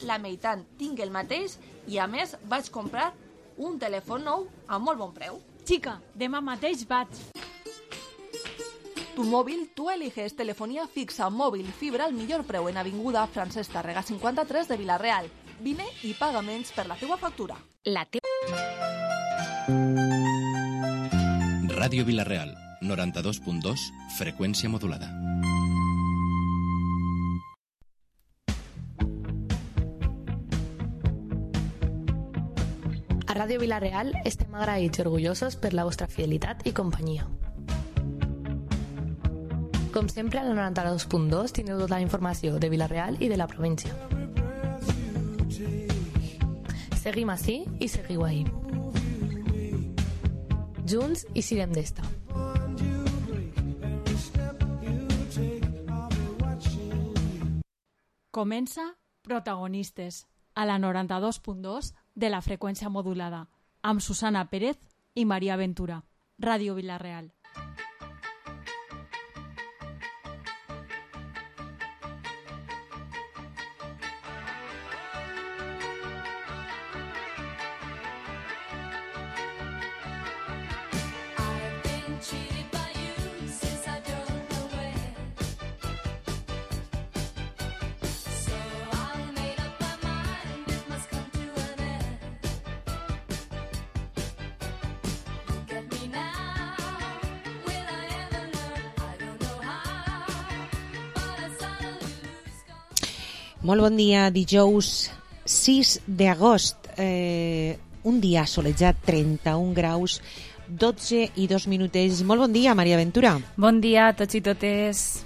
la meitat tinc el mateix i a més vaig comprar un telèfon nou a molt bon preu. Chica, demà mateix vaig. Tu móvil, tú eliges telefonía fixa, móvil y fibra al millor preu en Avinguda Francesc Tàrrega 53 de Vila-real. Vine i paga menys per la teua factura. Ràdio Vila-real, 92.2, freqüència modulada. A Ràdio Vila-real estem agraïts i orgullosos per la vostra fidelitat i companyia. Com sempre, al 92.2 teniu tota la informació de Vila-real i de la província. Seguim ací i seguiu ahí. Junts i siguem d'esta. Comença Protagonistes, a la 92.2 de la freqüència modulada, amb Susana Pérez i Maria Ventura. Ràdio Vila-real. Molt bon dia, dijous 6 d'agost, un dia solejat, 31 graus, 12 i 2 minutets. Molt bon dia, Maria Ventura. Bon dia a tots i totes.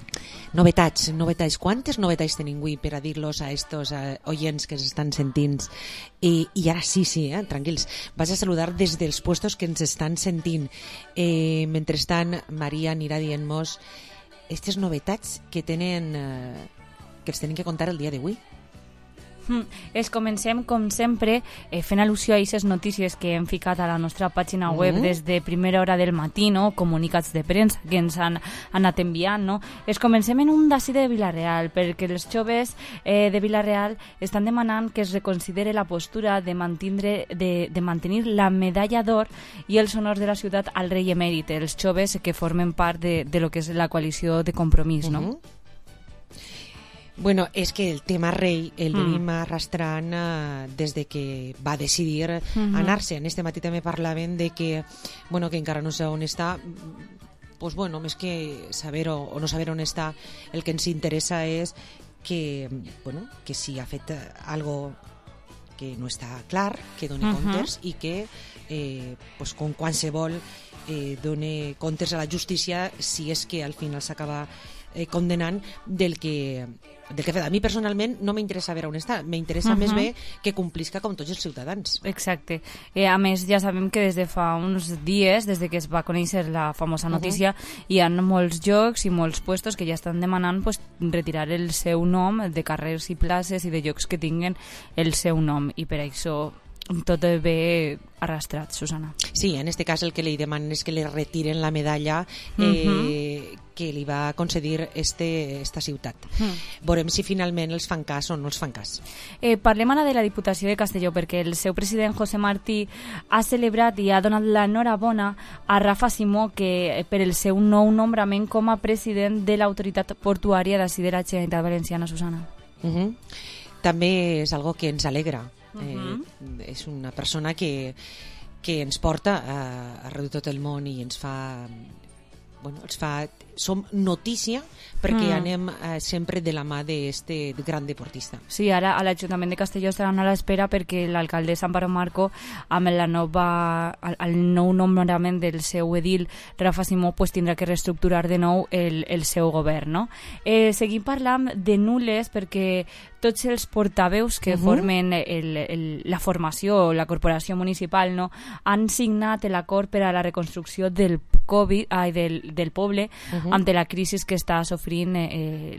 Novetats. Quantes novetats tenim avui per a dir-los a estos oients que s'estan sentint? I ara sí, tranquils. Vaig a saludar des dels puestos que ens estan sentint. Mentrestant, Maria anirà dient-nos aquestes novetats que tenen... que els tenim que contar el dia d'avui. Es comencem, com sempre, fent al·lusió a aquestes notícies que hem ficat a la nostra pàgina web des de primera hora del matí, no? Comunicats de premsa que ens han anat enviant. No? Es comencem en un d'ací de Vila-real, perquè els joves de Vila-real estan demanant que es reconsidere la postura de mantenir la medalla d'or i els honors de la ciutat al rei emèrit, els joves que formen part de lo que és la coalició de Compromís, no? Bueno, és que el tema rei el venim arrastrant des de que va decidir anar-se. En este matí també parlaven de que, bueno, que encara no sé on està. Pues bueno, més que saber o no saber on està, el que ens interessa és que, bueno, que si ha fet algo que no està clar, que doni comptes i que, pues, com qualsevol, doni comptes a la justícia si és que al final s'acaba condenant del que fet. A mi personalment no m'interessa veure on està, m'interessa més bé que complisca com tots els ciutadans. Exacte. A més, ja sabem que des de fa uns dies, des de que es va conèixer la famosa notícia, hi ha molts llocs i molts puestos que ja estan demanant retirar el seu nom de carrers i places i de llocs que tinguen el seu nom, i per això tot ve arrastrat, Susana. Sí, en este cas el que li demanen és que li retiren la medalla que li va concedir esta ciutat. Veurem si finalment els fan cas o no els fan cas. Parlem ara de la Diputació de Castelló, perquè el seu president José Martí ha celebrat i ha donat l'enhorabona a Rafa Simó per el seu nou nombrament com a president de l'autoritat portuària d'ací de la Generalitat Valenciana, Susana. També és algo que ens alegra. És una persona que ens porta arreu de tot el món i ens fa... som notícia perquè anem sempre de la mà d'este gran deportista. Sí, ara a l'Ajuntament de Castelló estaran a l'espera perquè l'alcaldessa Amparo Marco, amb el nou nombrament del seu edil Rafa Simó, tindrà que reestructurar de nou el seu govern, no? Seguim parlant de nules perquè tots els portaveus que formen la formació, la corporació municipal, no, han signat l'acord per a la reconstrucció del poble ante la crisi que està sofrint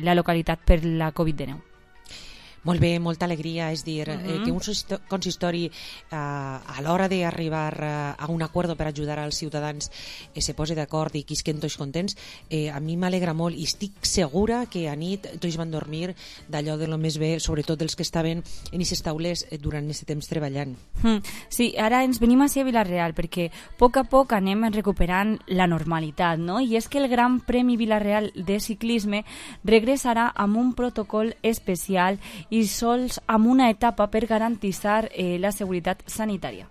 la localitat per la Covid-19. Molt bé, molta alegria, és dir, que un consistori a l'hora d'arribar a un acord per ajudar als ciutadans se posi d'acord i quisquen tots contents, a mi m'alegra molt i estic segura que a nit tots van dormir d'allò de lo més bé, sobretot els que estaven en aquestes taules durant aquest temps treballant. Sí, ara ens venim així a Vila-real perquè a poc anem recuperant la normalitat, no? I és que el Gran Premi Vila-real de ciclisme regressarà amb un protocol especial i sols amb una etapa per garantir la seguretat sanitària.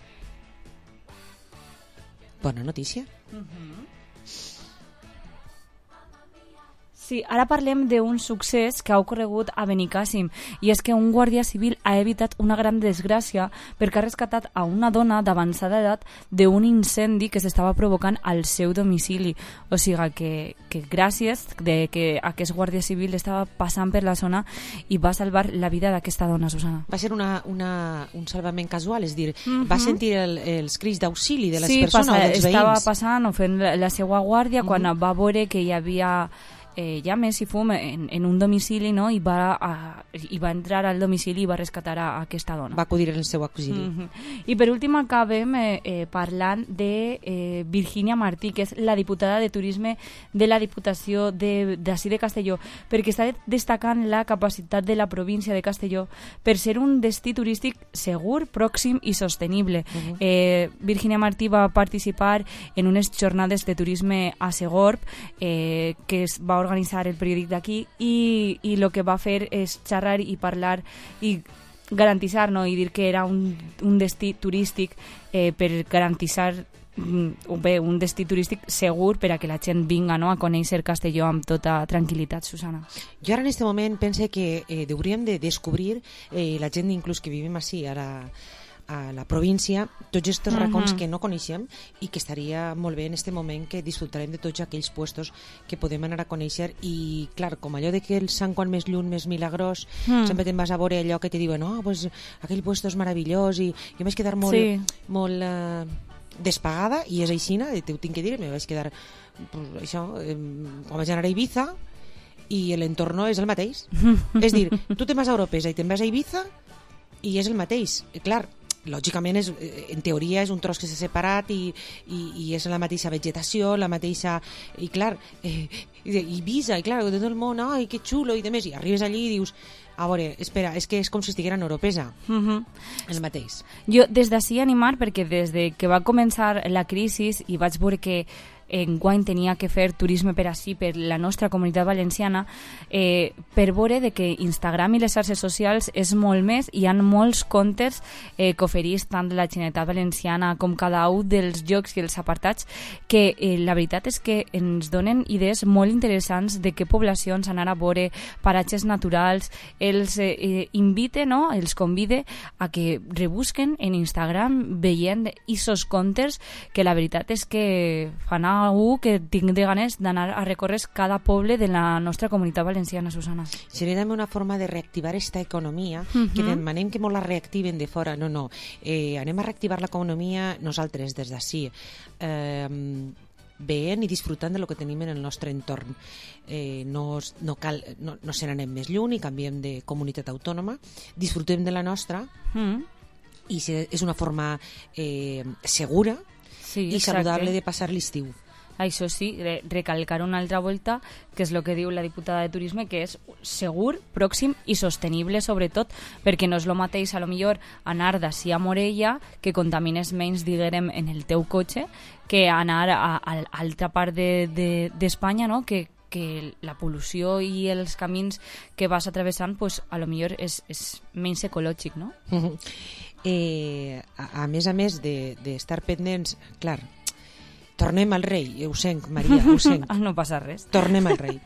Bona notícia. Sí, ara parlem d'un succés que ha ocorregut a Benicàssim i és que un guàrdia civil ha evitat una gran desgràcia perquè ha rescatat a una dona d'avançada edat d'un incendi que s'estava provocant al seu domicili. O sigui que gràcies de que aquest guàrdia civil estava passant per la zona i va salvar la vida d'aquesta dona, Susana. Va ser un salvament casual, és dir, va sentir els crits d'auxili de les persones o dels veïns. Sí, estava passant o fent la seva guàrdia quan va veure que hi havia llames i fum en un domicili, no? I va entrar al domicili i va rescatar a aquesta dona. Va acudir en el seu auxili. I per últim acabem parlant de Virginia Martí, que és la diputada de Turisme de la Diputació d'ací de Castelló, perquè està destacant la capacitat de la província de Castelló per ser un destí turístic segur, pròxim i sostenible. Virginia Martí va participar en unes jornades de turisme a Segorb que es va organitzar el periòdic d'aquí i el que va fer és xerrar i parlar i garantir, no? I dir que era un destí turístic per garantir un destí turístic segur per a que la gent vinga, no? A conèixer Castelló amb tota tranquil·litat, Susana. Jo ara en aquest moment pense que hauríem de descobrir la gent inclús que vivim així ara a la província, tots aquests racons que no coneixem i que estaria molt bé en aquest moment que disfrutarem de tots aquells puestos que podem anar a conèixer i, clar, com allò de que el Sant Quan més lluny, més milagrós, sempre te'n vas a veure allò que te diuen, pues, aquell puesto és meravellós i jo em vaig quedar molt despagada i és aixina, t'ho tinc que dir, me vaig quedar això, quan vaig anar a Ibiza i l'entorn és el mateix. És dir, tu te'n vas a Europesa i te'n vas a Ibiza i és el mateix. Clar, lògicament en teoria és un tros que s'ha separat i és la mateixa vegetació, la mateixa... I clar, Ibiza, i clar, de tot el món, ai, que xulo, i demés, i arribes allí i dius, a veure, espera, és que és com si estiguera en Europesa. El mateix. Jo des d'ací animar, perquè des de que va començar la crisi i vaig veure que enguany tenia que fer turisme per ací, per la nostra comunitat valenciana, per veure de que Instagram i les xarxes socials és molt més, hi ha molts comptes que oferís tant la Generalitat Valenciana com cada un dels llocs i els apartats, que la veritat és que ens donen idees molt interessants de què poblacions anar a veure, paratges naturals, els invite, no? Els convide a que rebusquen en Instagram veient aquests comptes que la veritat és que fan que tinc de ganes d'anar a recórrer cada poble de la nostra comunitat valenciana, Susana. Seria també una forma de reactivar esta economia, que demanem que molt la reactiven de fora. No. Anem a reactivar l'economia nosaltres des d'ací, veient i disfrutant de lo que tenim en el nostre entorn. No se n'anem més lluny i canviem de comunitat autònoma, disfrutem de la nostra i és una forma segura i saludable de passar l'estiu. Això sí, recalcar una altra volta, que és el que diu la diputada de Turisme, que és segur, pròxim i sostenible, sobretot, perquè no és el mateix, a lo millor, anar d'ací a Morella, que contamines menys, diguem, en el teu cotxe, que anar a altra part d'Espanya, no?, que la pol·lució i els camins que vas atravessant, pues, a lo millor és menys ecològic, no? A més d'estar pendents, clar, tornem al rei, ho sent, Maria, ho sent. No passa res. Tornem al rei.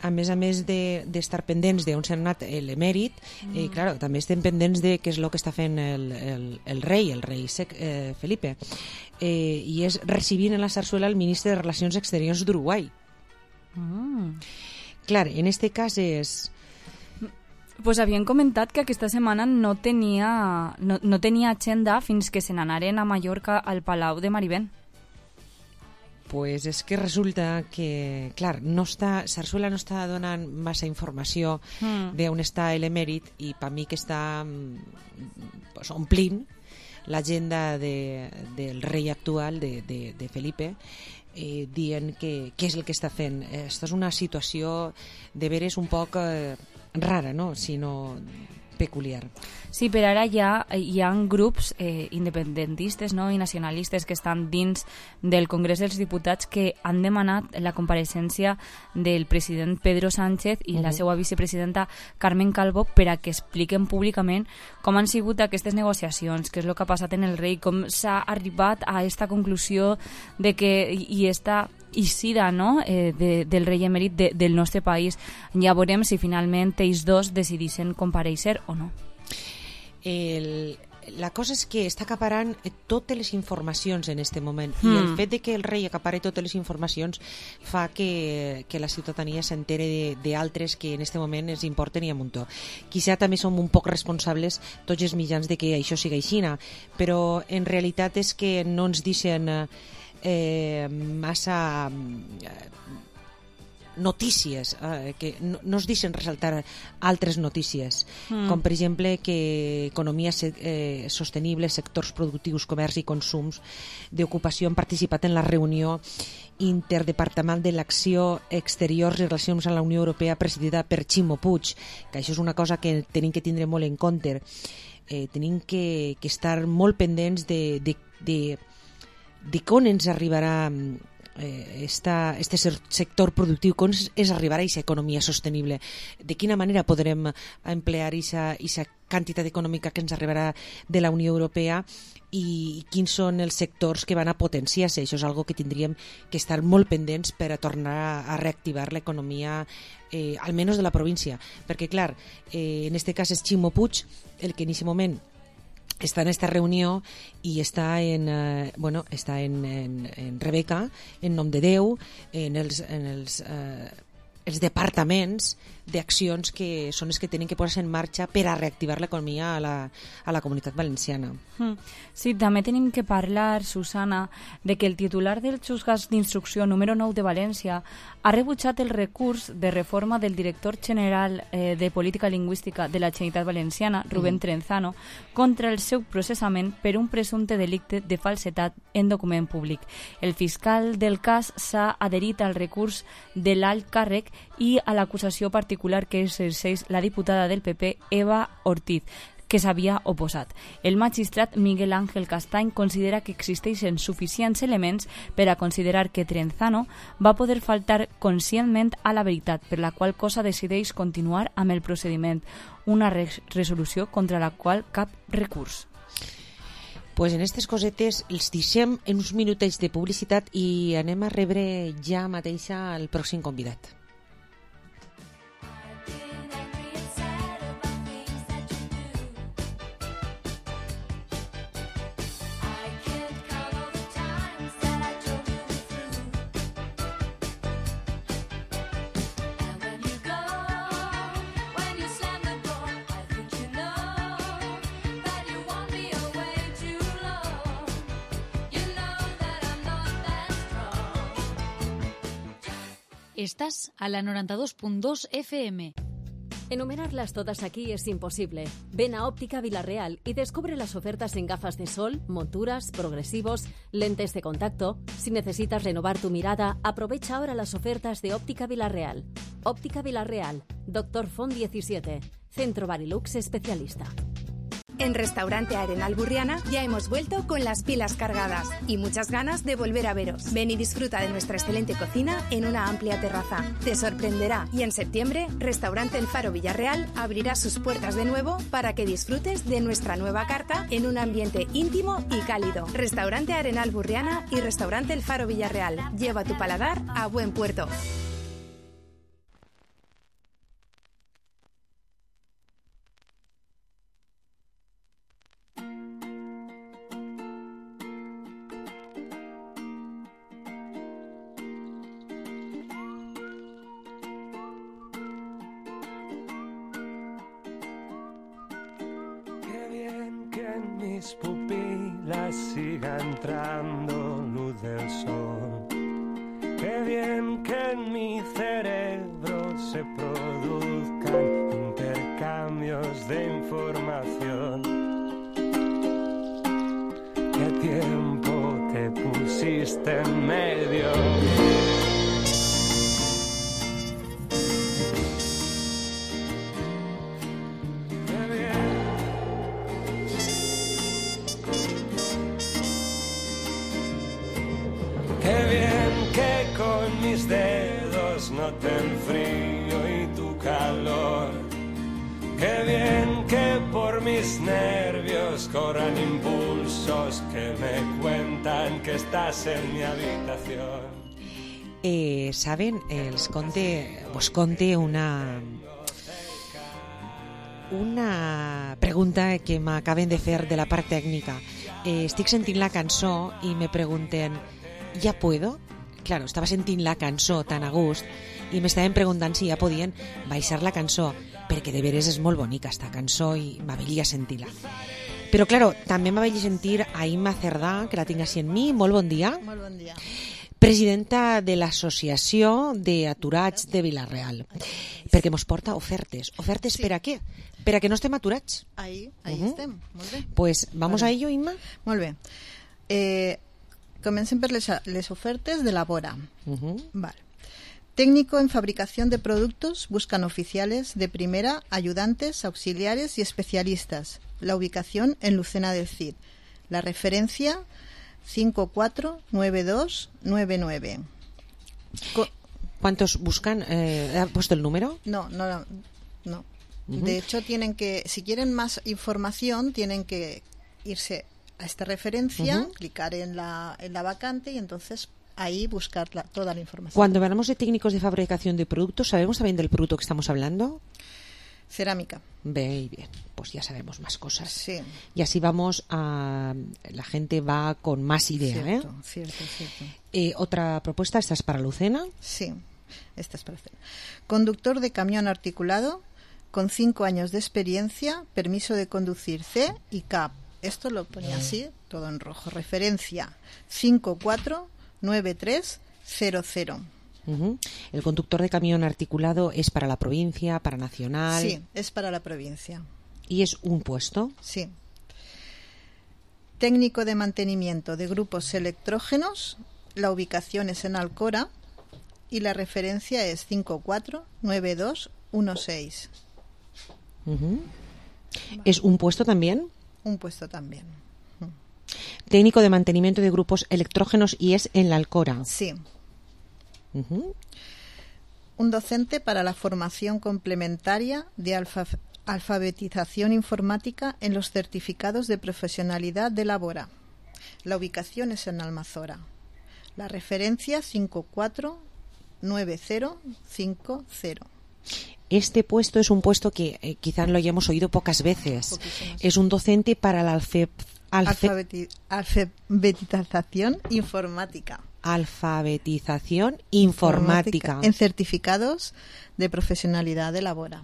A més d'estar pendents d'on s'ha anat l'emèrit, clar, també estem pendents de què és el que està fent el rei Felipe, i és recibint en la sarsuela el ministre de Relacions Exteriors d'Uruguai. Clar, en este cas és... Pues havien comentat que aquesta setmana no tenia agenda fins que se n'anaren a Mallorca al Palau de Marivent. Pues és que resulta que, clar, Sarsuela no està donant massa informació d'on està l'emèrit i per mi que està pues, omplint l'agenda del rei actual, de Felipe, dient què és el que està fent. Aquesta és una situació de veres un poc rara, no? Sinó peculiar. Sí, per ara ja hi ha grups independentistes, no? I nacionalistes que estan dins del Congrés dels Diputats que han demanat la compareixença del president Pedro Sánchez i la seva vicepresidenta Carmen Calvo per a que expliquen públicament com han sigut aquestes negociacions, què és el que ha passat en el rei, com s'ha arribat a aquesta conclusió de que hi està eixida, no? Del rei emèrit del nostre país. Ja veurem si finalment ells dos decidissin comparèixer o no. La cosa és que està acaparant totes les informacions en aquest moment i el fet de que el rei acapari totes les informacions fa que la ciutadania s'entere d'altres que en aquest moment ens importen i a muntó. Quizá també som un poc responsables tots els mitjans de que això sigui així, però en realitat és que no ens deixen massa notícies, que no es deixen ressaltar altres notícies, com per exemple que economia sostenible, sectors productius, comerç i consums d'ocupació han participat en la reunió interdepartamental de l'acció exteriors i relacions amb la Unió Europea presidida per Ximo Puig, que això és una cosa que tenim que tindre molt en compte. Tenim que estar molt pendents de com ens arribarà este sector productiu, com es arribarà a aquesta economia sostenible, de quina manera podrem emplear aquesta quantitat econòmica que ens arribarà de la Unió Europea i quins són els sectors que van a potenciar-se. Això és algo que tindríem que estar molt pendents per a tornar a reactivar l'economia, almenys de la província, perquè clar, en aquest cas és Ximo Puig el que en aquest moment està en esta reunió i està en Rebeca, en nom de Déu, en els departaments d'accions que són els que tenen que posar-se en marxa per a reactivar l'economia a la Comunitat Valenciana. Sí, també tenim que parlar, Susana, de que el titular del juzgat d'instrucció número 9 de València ha rebutjat el recurs de reforma del director general de Política Lingüística de la Generalitat Valenciana, Rubén Trenzano, contra el seu processament per un presumpte delicte de falsedat en document públic. El fiscal del cas s'ha adherit al recurs de l'alt càrrec i a l'acusació particular que exerceix la diputada del PP, Eva Ortiz, que s'havia oposat. El magistrat Miguel Ángel Castany considera que existeixen suficients elements per a considerar que Trenzano va poder faltar conscientment a la veritat, per la qual cosa decideix continuar amb el procediment, una resolució contra la qual cap recurs. Pues en aquestes cosetes els deixem en uns minutets de publicitat i anem a rebre ja mateixa el pròxim convidat. Estás a la 92.2 FM. Enumerarlas todas aquí es imposible. Ven a Óptica Vilarreal y descubre las ofertas en gafas de sol, monturas, progresivos, lentes de contacto. Si necesitas renovar tu mirada, aprovecha ahora las ofertas de Óptica Vilarreal. Óptica Vilarreal, Dr. Font 17, Centro Barilux especialista. En Restaurante Arenal Burriana ya hemos vuelto con las pilas cargadas y muchas ganas de volver a veros. Ven y disfruta de nuestra excelente cocina en una amplia terraza. Te sorprenderá y en septiembre Restaurante El Faro Villarreal abrirá sus puertas de nuevo para que disfrutes de nuestra nueva carta en un ambiente íntimo y cálido. Restaurante Arenal Burriana y Restaurante El Faro Villarreal. Lleva tu paladar a buen puerto. Mis pupilas siga entrando luz del sol. Qué bien que en mi cerebro se produzcan intercambios de información. ¿Qué tiempo te pusiste en medio? Mis dedos noten frío y tu calor. Qué bien que por mis nervios corran impulsos que me cuentan que estás en mi habitación. Saben, vos conté una pregunta que m'acaben de fer de la part tècnica. Estic sentint la cançó i me pregunten, ¿ya puedo? Claro, estava sentint la cançó tan a gust i m'estaven preguntant si ja podien baixar la cançó, perquè de veres és molt bonica esta cançó i m'avelia sentir-la. Però, claro, també m'avelia sentir a Imma Cerdà, que la tinc així en mi. Molt bon dia. Molt bon dia. Presidenta de l'Associació d'Aturats de Vila-real, perquè mos porta ofertes. Ofertes sí. Per a què? Per a que no estem aturats. Ahí estem, molt bé. Pues vamos a ello, Imma. Molt bé. Comencem per les ofertes de la Bora. Vale. Técnico en fabricación de productos, buscan oficiales de primera, ayudantes, auxiliares y especialistas. La ubicación en Lucena del Cid. La referencia 549299. ¿Cuántos buscan? ¿Ha puesto el número? No. De hecho, tienen que, si quieren más información, tienen que irse a esta referencia, clicar en la vacante y entonces ahí buscar toda la información. Cuando hablamos de técnicos de fabricación de productos, ¿sabemos también del producto que estamos hablando? Cerámica. Bien, pues ya sabemos más cosas. Sí. Y así vamos a... La gente va con más idea. Cierto. ¿Otra propuesta? ¿Esta es para Lucena? Sí, esta es para Lucena. Conductor de camión articulado con 5 años de experiencia, permiso de conducir C y CAP. Esto lo ponía así, todo en rojo. Referencia 549300. ¿El conductor de camión articulado es para la provincia, para nacional? Sí, es para la provincia. ¿Y es un puesto? Sí. Técnico de mantenimiento de grupos electrógenos. La ubicación es en Alcora y la referencia es 549216. ¿Es un puesto también? Un puesto también. Técnico de mantenimiento de grupos electrógenos y es en la Alcora. Sí. Un docente para la formación complementaria de alfabetización informática en los certificados de profesionalidad de la Bora. La ubicación es en Almazora. La referencia 549050. Este puesto es un puesto que quizás lo hayamos oído pocas veces. Es un docente para la alfabetización informática. Alfabetización informática. En certificados de profesionalidad de la Bora.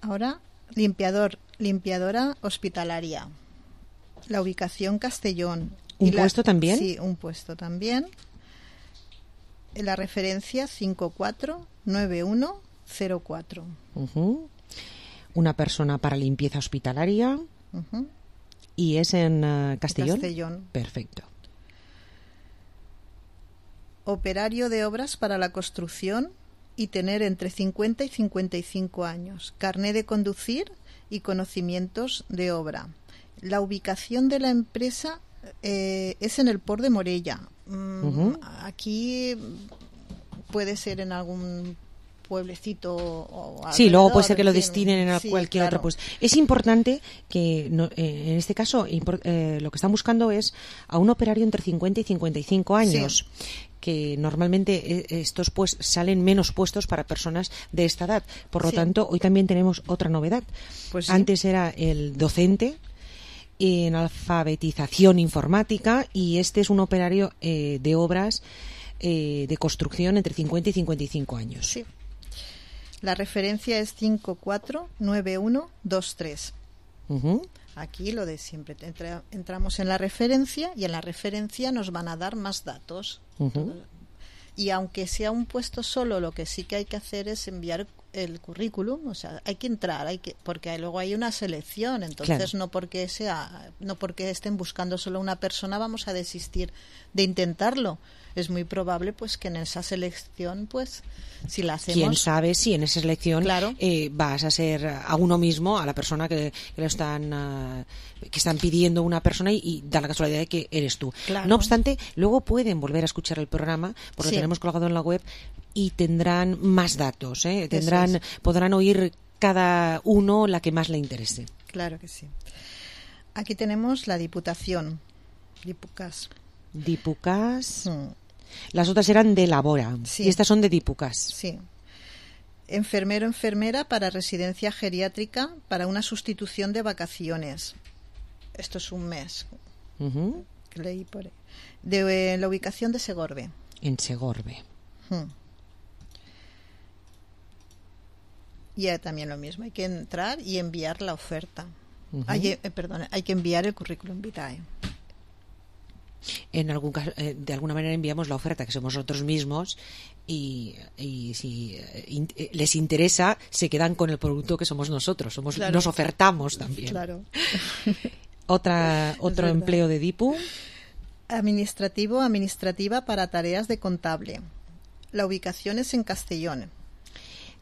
Ahora, limpiadora hospitalaria. La ubicación Castellón. ¿Un puesto también? Sí, un puesto también. La referencia 549104. Una persona para limpieza hospitalaria. ¿Y es en Castellón? Castellón. Perfecto. Operario de obras para la construcción y tener entre 50 y 55 años. Carné de conducir y conocimientos de obra. La ubicación de la empresa es en el Port de Morella. Aquí puede ser en algún pueblecito o sí, luego puede ser que lo destinen a cualquier otro puesto. Es importante que en este caso lo que están buscando es a un operario entre 50 y 55 años, que normalmente estos pues salen menos puestos para personas de esta edad. Por lo tanto, hoy también tenemos otra novedad. Pues antes era el docente en alfabetización informática y este es un operario de obras de construcción entre 50 y 55 años. Sí. La referencia es 549123. Aquí lo de siempre. Entramos en la referencia y en la referencia nos van a dar más datos. Y aunque sea un puesto solo, lo que sí que hay que hacer es enviar el currículum, o sea, hay que entrar, porque luego hay una selección, entonces no porque estén buscando solo una persona vamos a desistir de intentarlo. Es muy probable pues que en esa selección, pues si la hacemos, quién sabe si en esa selección vas a ser a uno mismo, a la persona que están pidiendo una persona y da la casualidad de que eres tú. No obstante, luego pueden volver a escuchar el programa porque lo tenemos colgado en la web y tendrán más datos, podrán oír cada uno la que más le interese. Claro que sí. Aquí tenemos la Diputación, Dipucas. Las otras eran de Labora y estas son de Dipucas. Sí. Enfermero, enfermera para residencia geriátrica para una sustitución de vacaciones. Esto es un mes. Que leí por ahí. De la ubicación de Segorbe. En Segorbe. Y también lo mismo, hay que entrar y enviar la oferta. Hay que enviar el currículum vitae. En algún caso, de alguna manera enviamos la oferta, que somos nosotros mismos, y si les interesa, se quedan con el producto que somos nosotros. Nos ofertamos también. Claro. Otro empleo de DIPU. Administrativa para tareas de contable. La ubicación es en Castellón.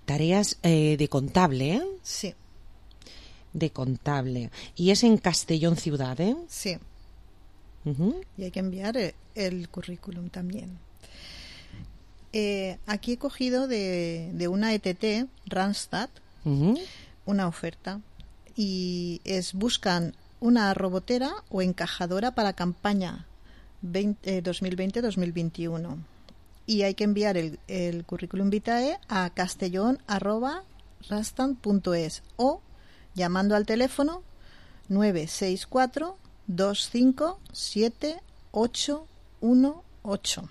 Tareas de contable, ¿eh? Sí. De contable. Y es en Castellón ciudad, ¿eh? Sí. Y hay que enviar el currículum también. Aquí he cogido de una ETT, Randstad, una oferta. Y buscan una robotera o encajadora para campaña 2020-2021. Y hay que enviar el currículum vitae a castellón@randstad.es o llamando al teléfono 964 257-818.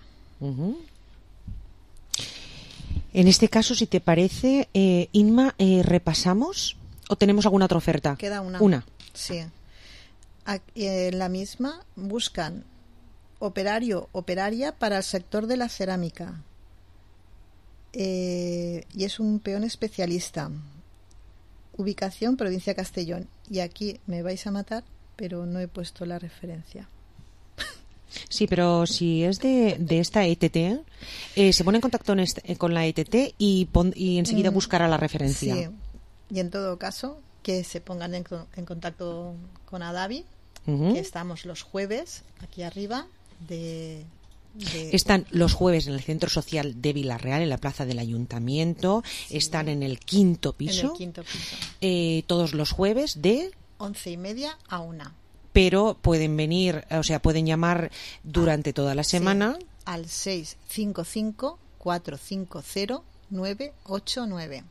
En este caso, si te parece, Inma, ¿repasamos o tenemos alguna otra oferta? Queda una. Sí. En la misma buscan operaria para el sector de la cerámica. Y es un peón especialista. Ubicación, provincia de Castellón. Y aquí me vais a matar, pero no he puesto la referencia. Sí, pero si es de esta ETT, se pone en contacto con la ETT y enseguida buscará la referencia. Sí, y en todo caso, que se pongan en contacto con Adavi, que estamos los jueves aquí arriba Están los jueves en el Centro Social de Vilarreal, en la plaza del Ayuntamiento. Están en el quinto piso. Todos los jueves de 11:30 a 1. Pero pueden venir, o sea, pueden llamar durante toda la semana. Sí, al 655-450-989.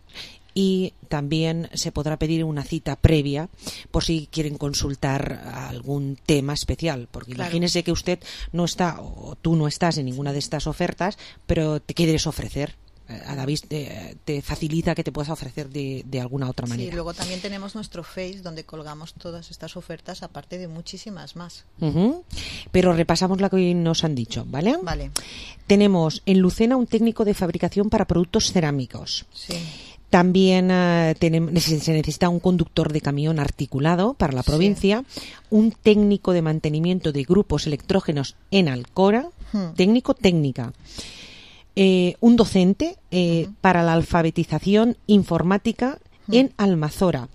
Y también se podrá pedir una cita previa por si quieren consultar algún tema especial, porque imagínese que usted no está o tú no estás en ninguna de estas ofertas, pero te quieres ofrecer. A David te facilita que te puedas ofrecer de alguna otra manera. Sí, luego también tenemos nuestro Face donde colgamos todas estas ofertas, aparte de muchísimas más. Pero repasamos lo que hoy nos han dicho, ¿vale? Vale. Tenemos en Lucena un técnico de fabricación para productos cerámicos. Sí. También se necesita un conductor de camión articulado para la provincia, un técnico de mantenimiento de grupos electrógenos en Alcora, técnica. Un docente para la alfabetización informática en Almazora,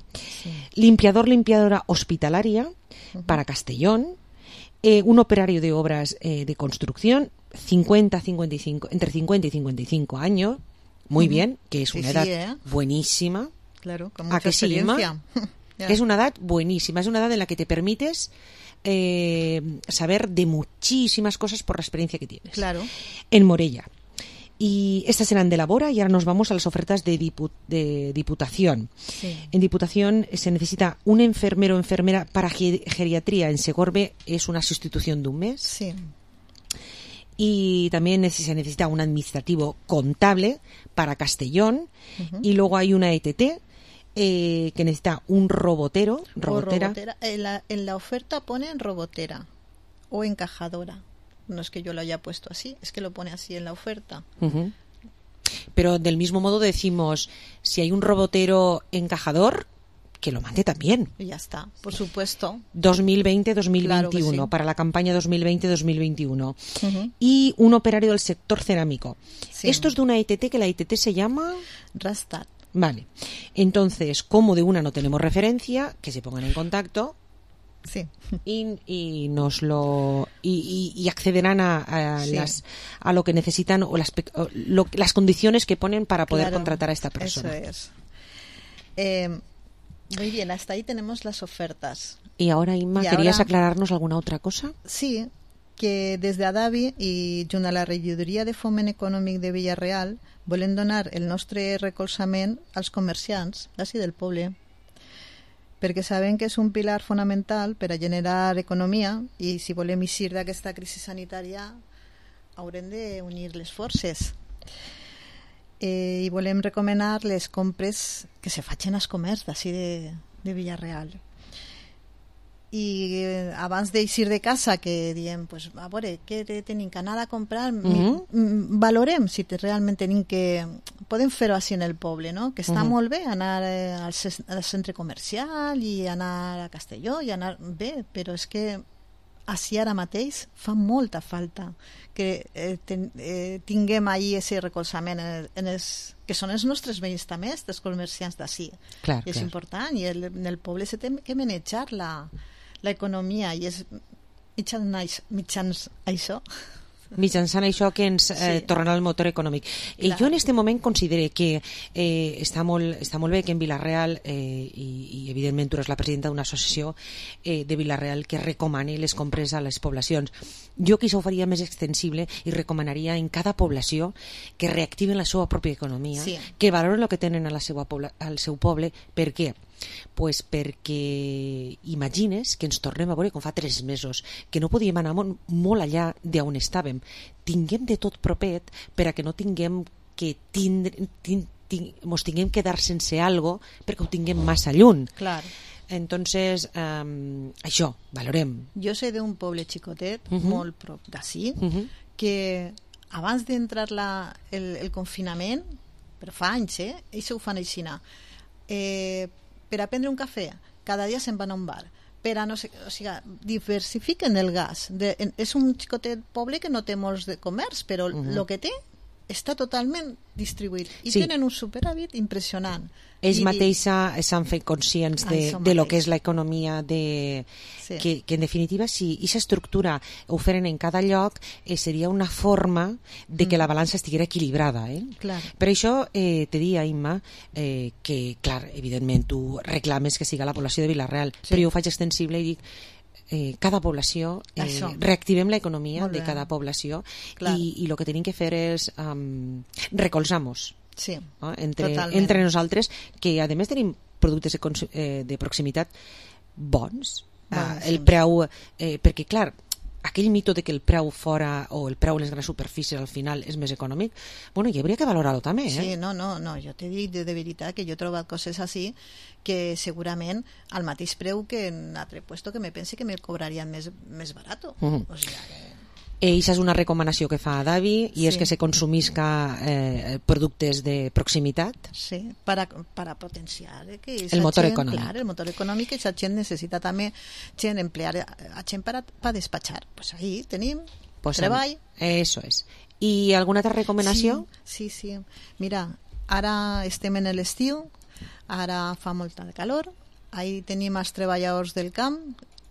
limpiadora hospitalaria para Castellón, un operario de obras de construcción, entre 50 y 55 años, muy bien, que es una edad buenísima. Claro, con mucha experiencia. Es una edad buenísima, es una edad en la que te permites saber de muchísimas cosas por la experiencia que tienes. Claro. En Morella. Y estas eran de Labora y ahora nos vamos a las ofertas de Diputación. Sí. En Diputación se necesita un enfermero o enfermera para geriatría en Segorbe, es una sustitución de un mes. Sí. Y también se necesita un administrativo contable para Castellón. Y luego hay una ETT que necesita un robotera. En la oferta ponen robotera o encajadora. No es que yo lo haya puesto así, es que lo pone así en la oferta. Uh-huh. Pero del mismo modo decimos, si hay un robotero encajador, que lo mande también. Y ya está, por supuesto. 2020-2021, claro sí, para la campaña 2020-2021. Uh-huh. Y un operario del sector cerámico. Sí. Esto es de una ITT, que la ITT se llama... Rastad. Vale. Entonces, como de una no tenemos referencia, que se pongan en contacto... Sí. Y nos lo y accederán a lo que necesitan o las condiciones que ponen para poder contratar a esta persona. Eso es. Muy bien, hasta ahí tenemos las ofertas. Y ahora, Inma, ¿querías aclararnos alguna otra cosa? Sí, que desde Adavi i junt a la regidoria de Foment Econòmic de Villarreal volen donar el nostre recolzament als comerciants d'ací del poble, perquè sabem que és un pilar fonamental per a generar economia i si volem eixir d'aquesta crisi sanitària haurem d'unir les forces. I volem recomanar les compres que se facin als comerç d'ací de Villarreal. I abans d'eixir de casa, que diem, pues, a veure, què tenim que anar a comprar? Valorem si realment tenim que... Podem fer-ho així en el poble, no? Que està molt bé anar al centre comercial i anar a Castelló i anar bé, però és que així ara mateix fa molta falta que tinguem ahir aquest recolzament que són els nostres veïns també, els comerciants d'ací. És important, i en el poble se té que manejar l'economia, i és mitjançant això que ens tornarà al motor econòmic. Jo en aquest moment considero que està molt bé que en Vila-real, i evidentment tu eres la presidenta d'una associació de Vila-real que recomani les compres a les poblacions. Jo que això ho faria més extensible i recomanaria en cada població que reactiven la seva pròpia economia, que valoren el que tenen al seu poble. Per què? Pues perquè imagines que ens tornem a veure com fa 3 mesos, que no podíem anar molt allà d'on estàvem. Tinguem de tot propet per a que no tinguem que mos tinguem que dar sense algo perquè ho tinguem massa lluny. Clar. Entonces, això, valorem. Jo sé d'un poble xicotet, molt prop d'ací, que abans d'entrar el confinament, però fa anys, ells ho fan així, per a prendre un cafè, cada dia se'n van a un bar, per a no sé, o sigui, diversifiquen el gas. És un xicotet poble que no té molts de comerç, però el que té està totalment distribuït i tenen un superàvit impressionant. Ells mateixos s'han fet conscients de lo que és l'economia, que en definitiva si aquesta estructura ho feren en cada lloc seria una forma de que la balança estiguera equilibrada. Per això te dia, Imma, que clar, evidentment tu reclames que siga la població de Vila-real, però jo ho faig extensible i dic cada població, reactivem l'economia de cada població i el que tenim que fer és recolzar-nos entre nosaltres, que a més tenim productes de proximitat bons, el preu, perquè clar, aquell mito de que el preu fora o el preu en les grans superfícies al final és més econòmic, bueno, hi hauria que valorar-ho també. Sí, no, jo t'he dit de veritat que jo he trobat coses així que segurament al mateix preu que en altre puesto que me pense que me cobrarien més barato. O sigui, Eixa és una recomanació que fa Adavi i és que se consumisca productes de proximitat. Sí, per a potenciar el motor econòmic. Clar, el motor econòmic, que la gent necessita també emplear a gent per a despatxar. Pues ahí tenim treball. Eso és. I alguna altra recomanació? Sí. Mira, ara estem en l'estiu, ara fa molta calor, ahí tenim els treballadors del camp,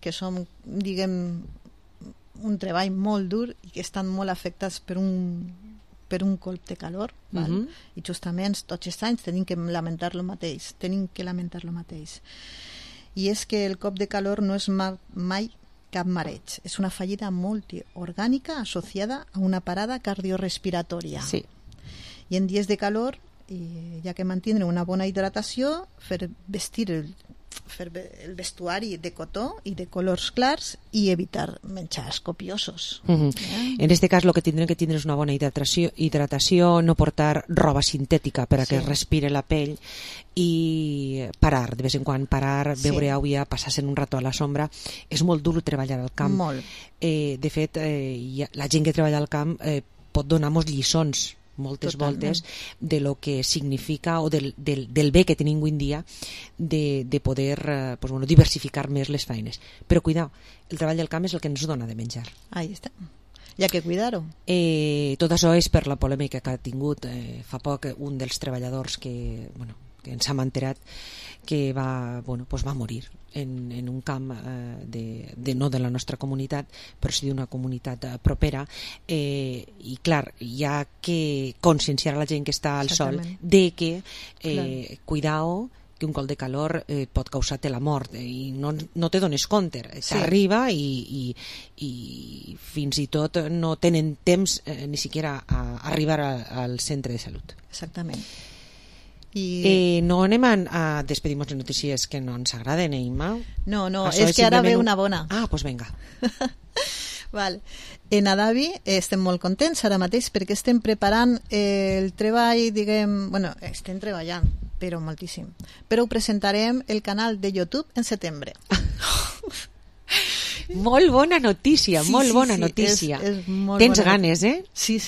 que són, diguem, un treball molt dur i que estan molt afectats per un colp de calor, i justament tots els anys tenim que lamentar lo mateix. I és que el cop de calor no és mai cap mareig, és una fallida multiorgànica associada a una parada cardiorrespiratòria. I en dies de calor, ja que mantindre una bona hidratació, fer vestir fer el vestuari de cotó i de colors clars i evitar menjars copiosos. En este cas, el que tindrem que tindre és una bona hidratació, no portar roba sintètica per a que respire la pell i parar, de vez en quan parar, beure aigua, passar-se un rato a la sombra. És molt dur treballar al camp. Molt. De fet, la gent que treballa al camp pot donar-nos lliçons moltes voltes de lo que significa o del bé que tenim avui en dia de poder diversificar més les feines. Però cuidao, el treball del camp és el que ens dona de menjar. Ahí està. Hi ha que cuidar-ho. Tot això és per la polèmica que ha tingut fa poc un dels treballadors que ens hem enterat que va morir en un camp no de la nostra comunitat, però sí d'una comunitat propera, i clar, hi ha que conscienciar a la gent que està al sol de que cuidao, que un col de calor pot causar-te la mort i no te dones compte, t'arriba i fins i tot no tenen temps ni siquiera a arribar al centre de salut. Exactament. No anem a despedir-nos de notícies que no ens agraden, Imma? No, és que ara ve una bona. Ah, doncs vinga. Vale. En Adavi estem molt contents ara mateix perquè estem preparant el treball, estem treballant, però moltíssim. Però ho presentarem el canal de YouTube en setembre. Molt bona notícia, molt bona notícia. Tens ganes, eh? Sí.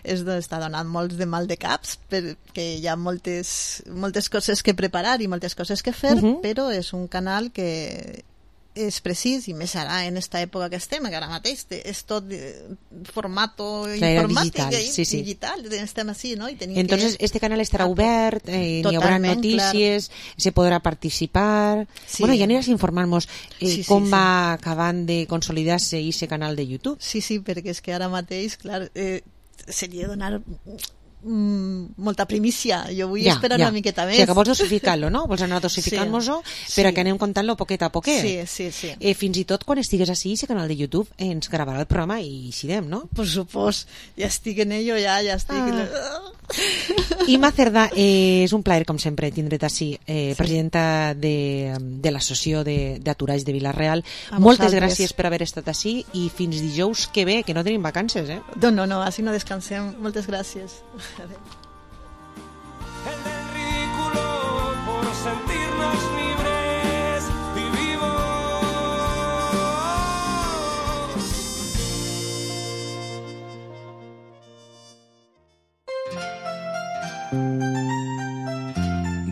Està donant molts de mal de caps perquè hi ha moltes coses que preparar i moltes coses que fer, però és un canal que és precís, i més ara en esta època que estem, que ara mateix és tot formato informàtic digital, estem així, no? Entonces este canal estarà obert, n'hi haurà notícies, se podrà participar. Bueno, ja aniràs informant-nos com va acabant de consolidar-se aquest canal de YouTube. Sí, perquè és que ara mateix, clar, seria donar molta primícia. Jo vull esperar una miqueta més. O sigui, que vols dosificar-lo, no? Vols anar dosificant-nos-ho per que anem contant-lo poquet a poquet. Sí. Fins i tot quan estigues així, aquest canal de YouTube ens gravarà el programa i xirem, no? Por supost. Ja estic en ello, ja estic... Imma Cerdà, és un plaer, com sempre, tindre't així, presidenta de l'Associació d'Aturats de Vila-real. Moltes gràcies per haver estat així i fins dijous que ve, que no tenim vacances, eh? No, així no descansem. Moltes gràcies. El del ridículo por sentirnos libres y vivos.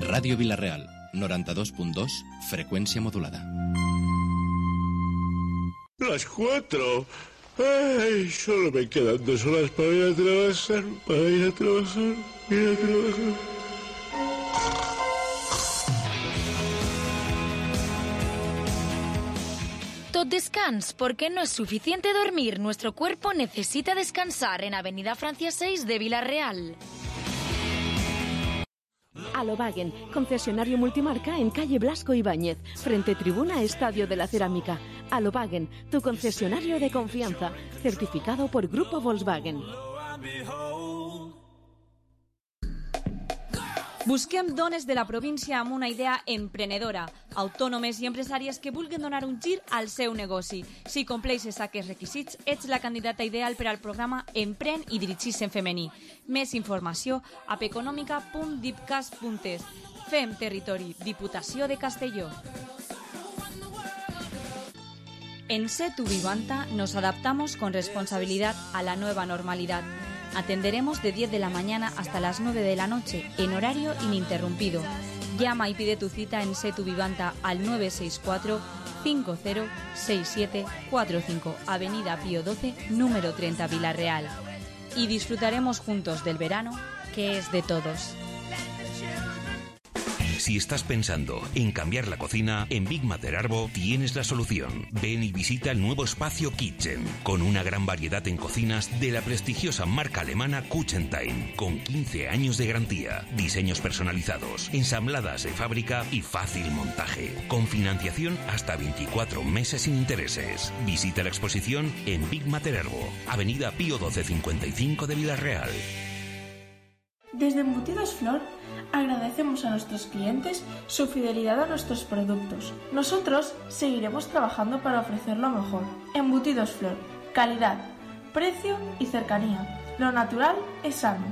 Radio Vila-real, 92.2, frecuencia modulada. Las 4. Ay, solo me quedan 2 horas para ir a trabajar, Tot descans, porque no es suficiente dormir. Nuestro cuerpo necesita descansar en Avenida Francia 6 de Vila-real. Alobagen, concesionario multimarca en calle Blasco Ibáñez, frente tribuna Estadio de la Cerámica. Alobagen, tu concesionario de confianza, certificado por Grupo Volkswagen. Busquem dones de la província amb una idea emprenedora, autònomes i empresàries que vulguin donar un gir al seu negoci. Si compleixes aquests requisits, ets la candidata ideal per al programa Empren i dirigis en femení. Més informació a econòmica.dipcas.es. Fem territori, Diputació de Castelló. En Setu Vivanta nos adaptamos con responsabilidad a la nueva normalidad. Atenderemos de 10 de la mañana hasta las 9 de la noche, en horario ininterrumpido. Llama y pide tu cita en Setu Vivanta al 964-506745, Avenida Pío XII, número 30, Vila-real. Y disfrutaremos juntos del verano, que es de todos. Si estás pensando en cambiar la cocina, en Big Mater Arbo tienes la solución. Ven y visita el nuevo espacio Kitchen, con una gran variedad en cocinas de la prestigiosa marca alemana Kuchentime, con 15 años de garantía, diseños personalizados, ensambladas de fábrica y fácil montaje, con financiación hasta 24 meses sin intereses. Visita la exposición en Big Mater Arbo, Avenida Pío XII 55 de Vila-real. Desde Embutidos Flor agradecemos a nuestros clientes su fidelidad a nuestros productos. Nosotros seguiremos trabajando para ofrecer lo mejor. Embutidos Flor, calidad, precio y cercanía. Lo natural es sano.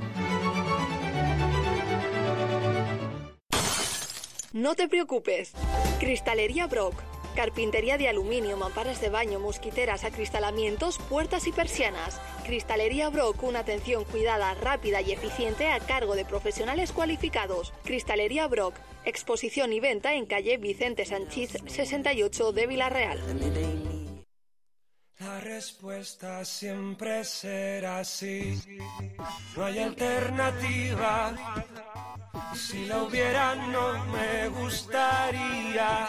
No te preocupes. Cristalería Brock. Carpintería de aluminio, mamparas de baño, mosquiteras, acristalamientos, puertas y persianas. Cristalería Brock, una atención cuidada, rápida y eficiente a cargo de profesionales cualificados. Cristalería Brock, exposición y venta en calle Vicente Sanchís 68 de Vila-real. La respuesta siempre será sí. No hay alternativa. Si la hubiera, no me gustaría.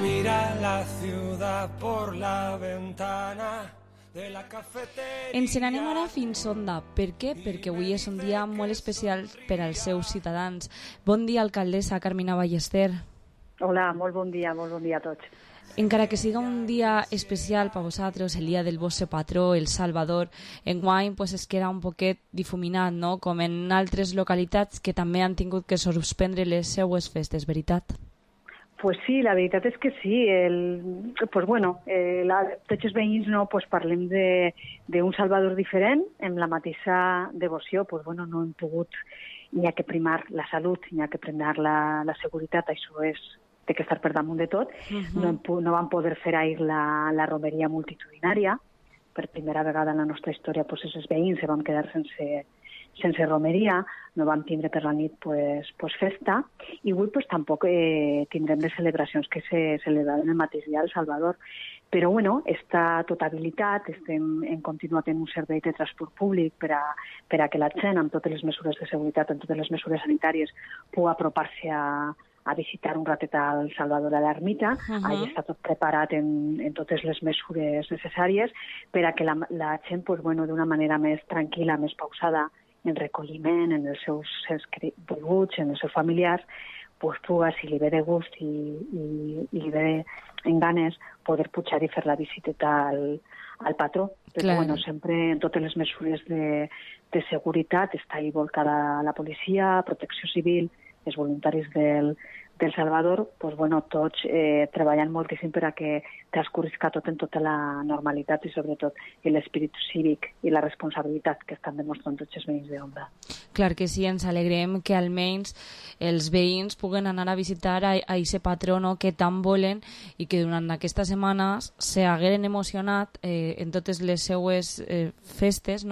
Mira la ciudad por la ventana de la cafeteria. Ens n'anem ara fins Onda. Per què? Perquè avui és un dia molt especial per als seus ciutadans. Bon dia, alcaldessa Carmina Ballester. Hola, molt bon dia a tots. Encara que siga un dia especial per vosaltres, el dia del vostre patró, el Salvador, enguany pues, es queda un poquet difuminat, no? Com en altres localitats que també han tingut que suspendre les seues festes, veritat? Pues sí, la veritat és que sí. Tots els veïns parlem d'un Salvador diferent, amb la mateixa devoció. No hem pogut, n'hi ha que primar la salut, n'hi ha que primar la seguretat, això té que estar per damunt de tot. No vam poder fer ahir la romeria multitudinària. Per primera vegada en la nostra història els veïns se van quedar sense romeria, no vam tindre per la nit festa, i avui tampoc tindrem les celebracions que se celebraven el mateix dia al Salvador. Però, està tot habilitat, hem continuat en un servei de transport públic per a que la gent, amb totes les mesures de seguretat, amb totes les mesures sanitàries, pugui apropar-se a visitar un ratet al Salvador a l'ermita. Allà està tot preparat en totes les mesures necessàries per a que la gent, d'una manera més tranquil·la, més pausada, en recolliment, en els seus volguts, en els seus familiars, pugui, si li ve de gust i li ve en ganes, poder pujar i fer la visita al patró. Però, sempre en totes les mesures de seguretat està ahí volcada la policia, protecció civil, els voluntaris del Salvador, tots treballant moltíssim per a que transcorrisca tot en tota la normalitat i sobretot l'espírit cívic i la responsabilitat que estan demostrant tots els veïns d'Onda. Clar que sí, ens alegrem que almenys els veïns puguen anar a visitar a aquest patró que tant volen i que durant aquestes setmanes s'hagueren emocionat en totes les seues festes,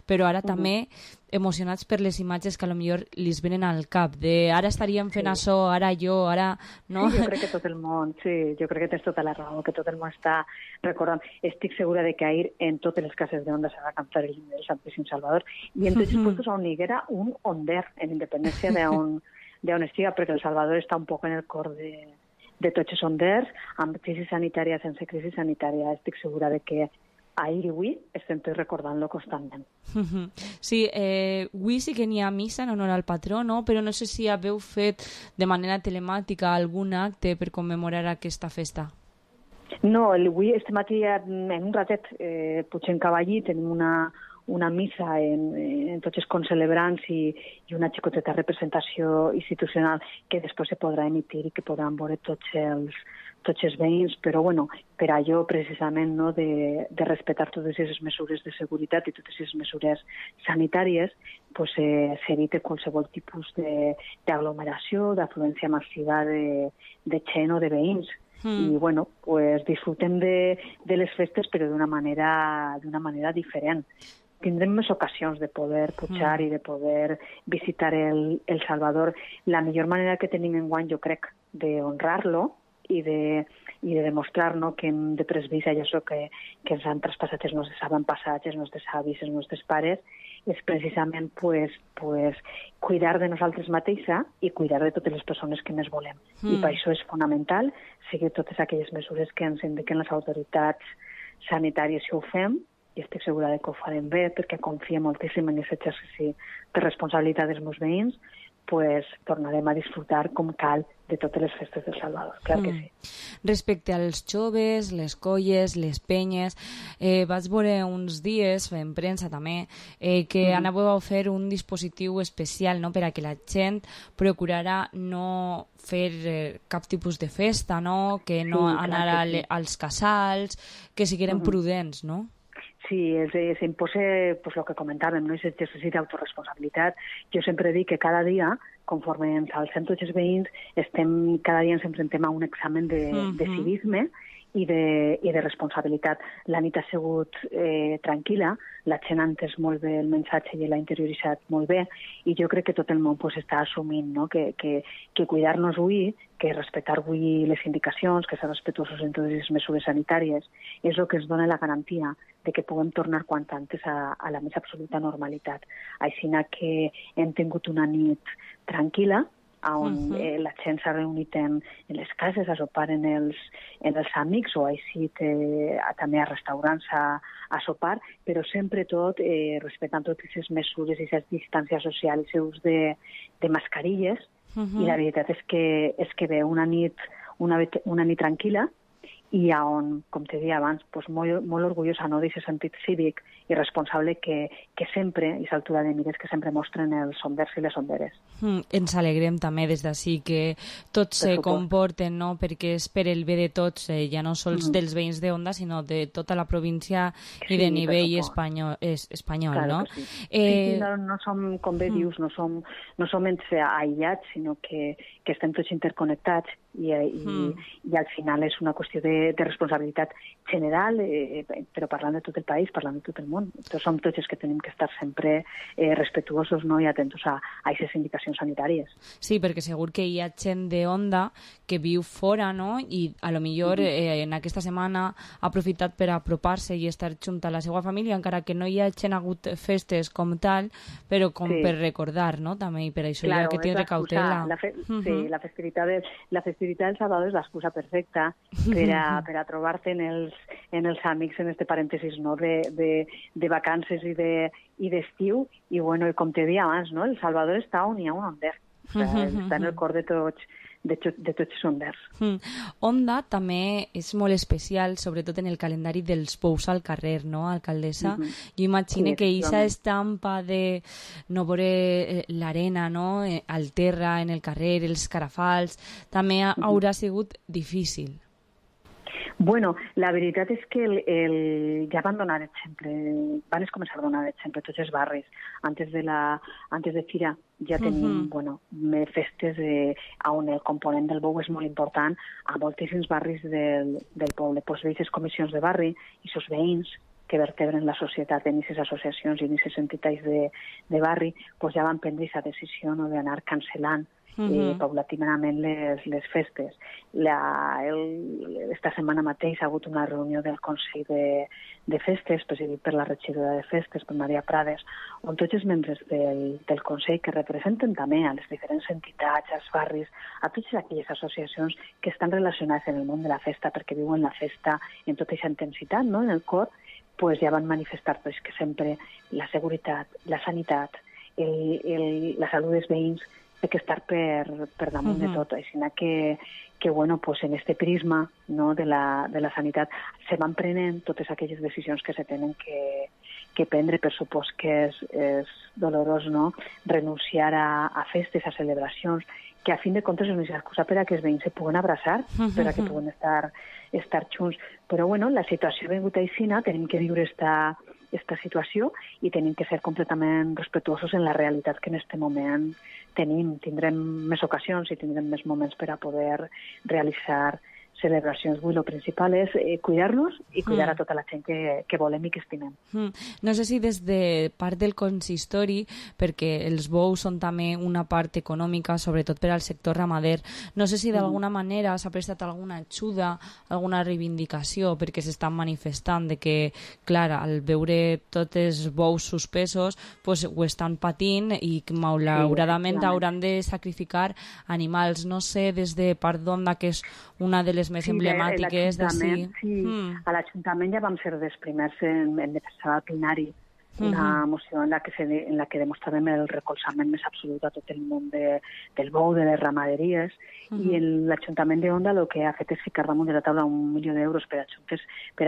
però ara també emocionats per les imatges que potser li venen al cap, de ara estaríem fent això, ara jo, ara... No? Sí, jo crec que tot el món, jo crec que tens tota la raó, que tot el món està recordant. Estic segura de que ahir en totes les cases d'Onda s'ha de cantar el himne del Santíssim Salvador i en tots els puestos on hi haguera un onder, en independència d'on estiga, perquè el Salvador està un poc en el cor de tots els onders, amb crisi sanitària, sense crisi sanitària. Estic segura de que ahir i avui estem tots recordant-lo constantment. Sí, avui sí que n'hi ha missa en honor al patró, però no sé si haveu fet de manera telemàtica algun acte per commemorar aquesta festa. No, avui, este matí, en un ratet, pugem cavallí, tenim una missa en tots els concelebrants i una xicoteta representació institucional que després se podrà emitir i que podran veure tots els veïns, però per allò precisament de respectar totes aquestes mesures de seguretat i totes aquestes mesures sanitàries, s'evita qualsevol tipus d'aglomeració, d'afluència massiva de gent o de veïns. I disfrutem de les festes però d'una manera diferent. Tindrem més ocasions de poder pujar i de poder visitar el Salvador. La millor manera que tenim enguany, jo crec, d'honrar-lo i de demostrar que hem de presbir allò que ens han traspassat els nostres avantpassats, els nostres avis, els nostres pares, és precisament cuidar de nosaltres mateixa i cuidar de totes les persones que més volem. I per això és fonamental seguir totes aquelles mesures que ens indiquen les autoritats sanitàries si ho fem, i estic segura que ho farem bé perquè confio moltíssim en aquest exercici de responsabilitat dels meus veïns, pues, tornarem a disfrutar com cal de totes les festes del Salvador, clar que sí. Respecte als joves, les colles, les penyes, vaig veure uns dies, en premsa també, que anàveu a fer un dispositiu especial, no?, per a que la gent procurara no fer cap tipus de festa, no?, que no anar als casals, que sigueren prudents, no? Sí, s'imposa pues, el que comentàvem, no? És exercici d'autoresponsabilitat. Jo sempre dic que cada dia, conforme ens alcem tots els veïns, cada dia ens enfrontem a un examen de civisme i de responsabilitat. La nit ha sigut tranquil·la, la gent ha entès molt bé el missatge i l'ha interioritzat molt bé, i jo crec que tot el món pues, està assumint, no? que cuidar-nos avui, que respectar avui les indicacions, que ser respetuosos en totes les mesures sanitàries, és el que ens dona la garantia de que puguem tornar quant antes a la més absoluta normalitat. Així que hem tingut una nit tranquil·la, on la gent s'ha reunit en les cases a sopar en els amics o així també a restaurants a sopar, però sempre tot respectant totes les mesures i les distàncies socials i l'ús de mascarilles, i la veritat és que ve una nit tranquil·la i on, com te deia abans, pues molt orgullosa, no, d'aquest sentit cívic i responsable que sempre, i l'altura de mires, que sempre mostren els sonders i les sonderes. Ens alegrem també des d'ací que tots se comporten, no?, perquè és per el bé de tots, ja no sols dels veïns d'Onda, sinó de tota la província i de nivell espanyol, no? No som, com bé dius, no som aïllats, sinó que estem tots interconnectats i al final és una qüestió de responsabilitat general, però parlant de tot el país, parlant de tot el món. Som tots els que tenim que estar sempre respetuosos, no?, i atentos a aquestes indicacions sanitàries. Sí, perquè segur que hi ha gent d'Onda que viu fora, no?, i a lo millor en aquesta setmana ha aprofitat per apropar-se i estar junt a la seva família, encara que no hi hagi hagut festes com tal, però com per recordar, no?, també, i per això hi ha que tindre cautela. Sí, la festivitat del Salvador és l'excusa perfecta per a trobar-te en els amics, en este parèntesis, no?, de vacances i d'estiu, i bueno, com te deia abans, no?, el Salvador està on hi ha un onder, està en el cor de tots els onders. Onda també és molt especial, sobretot en el calendari dels pous al carrer, no, alcaldessa? Jo imagino que aquesta estampa de no veure l'arena, no?, al terra, en el carrer, els carafals, també haurà sigut difícil. Bueno, la veritat és que ja van donar exemple, van començar a donar exemple tots els barris. Antes de Fira ja tenim festes on el component del bou és molt important a moltíssims barris del poble. Pues aquestes comissions de barri i els veïns que vertebren la societat en aquestes associacions i en aquestes entitats de barri, pues ja van prendre aquesta decisió, no?, d'anar cancel·lant paulatinament les festes. Esta setmana mateix ha hagut una reunió del Consell de Festes, presidit per la regidora de Festes, per Maria Prades, on tots els membres del Consell, que representen també a les diferents entitats, als barris, a totes aquelles associacions que estan relacionades en el món de la festa, perquè viuen la festa en tota aquesta intensitat, no?, en el cor, pues ja van manifestar pues, que sempre la seguretat, la sanitat, la salut dels veïns té que estar per damunt de tot. Així que bueno, pues en este prisma, no, de la sanitat se van prenent totes aquelles decisions que se tenen que prendre. Per supost que és dolorós, no?, renunciar a festes, a celebracions, que a fin de comptes és una excusa per a que els veïns se puguen abraçar, per a que puguen estar junts. Però bueno, la situació ha vingut així, tenim que viure esta situació i tenim que ser completament respetuosos en la realitat que en aquest moment tenim. Tindrem més ocasions i tindrem més moments per a poder realitzar celebracions. Avui el principal és cuidar-nos i cuidar a tota la gent que volem i que estimem. No sé si des de part del consistori, perquè els bous són també una part econòmica, sobretot per al sector ramader, no sé si d'alguna manera s'ha prestat alguna ajuda, alguna reivindicació, perquè s'estan manifestant de que, clar, al veure tots els bous suspesos, pues, ho estan patint i malauradament hauran de sacrificar animals. No sé, des de part d'Onda, que és una de les més emblemàtiques d'ací. Sí, a l'Ajuntament ja vam ser dels primers en defensar el plenari una moció en la que demostràvem el recolzament més absolut a tot el món del bou, de les ramaderies, i l'Ajuntament d'Onda el que ha fet és ficar damunt de la taula 1 milió d'euros per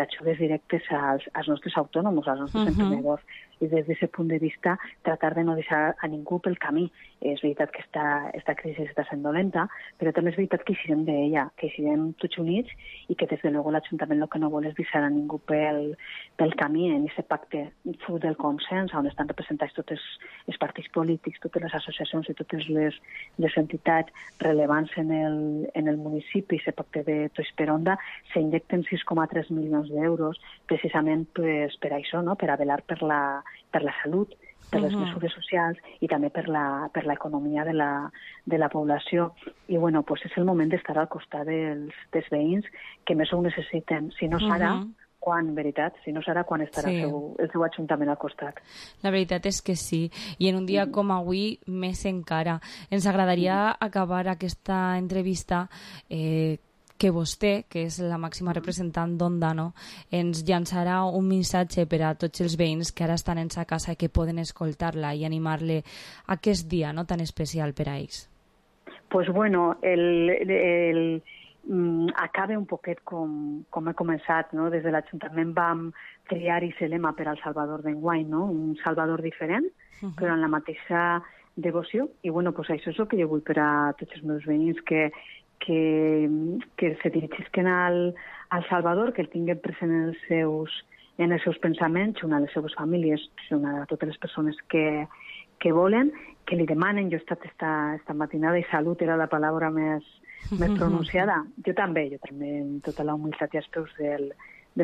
ajudes directes als nostres autònoms, als nostres emprenedors. I des d'aquest punt de vista, tratar de no deixar a ningú pel camí. És veritat que esta crisi està sent dolenta, però també és veritat que eixirem d'ella, que eixirem tots units i que des de luego l'Ajuntament el que no vol és deixar a ningú pel camí en aquest pacte fruit del consens, on estan representats tots els partits polítics, totes les associacions i totes les entitats rellevants en el municipi. Aquest pacte de Tots per Onda s'injecten 6,3 milions d'euros precisament per això, no? Per a velar per la salut, per les mesures socials i també per l'economia de la població. I bueno, pues és el moment d'estar al costat dels veïns que més ho necessiten. Si no serà, quan, veritat? Si no serà, quan estarà el seu ajuntament al costat? La veritat és que sí. I en un dia com avui, més encara. Ens agradaria acabar aquesta entrevista que vostè, que és la màxima representant d'Onda, no, ens llançarà un missatge per a tots els veïns que ara estan en sa casa i que poden escoltar-la i animar-le aquest dia, no, tan especial per a ells. Pues bueno, acaba un poquet com he començat, no? Des de l'Ajuntament vam triar i ser lema per al Salvador d'enguany, no? Un Salvador diferent, però en la mateixa devoció. I bueno, pues això és el que jo vull per a tots els meus veïns, que se dirigisquen al Salvador, que el tinguin present en els seus pensaments, junt a les seves famílies, junt a totes les persones que volen, que li demanen. Jo he estat esta matinada i salut era la paraula més pronunciada. Jo també, amb tota la humilitat i els peus del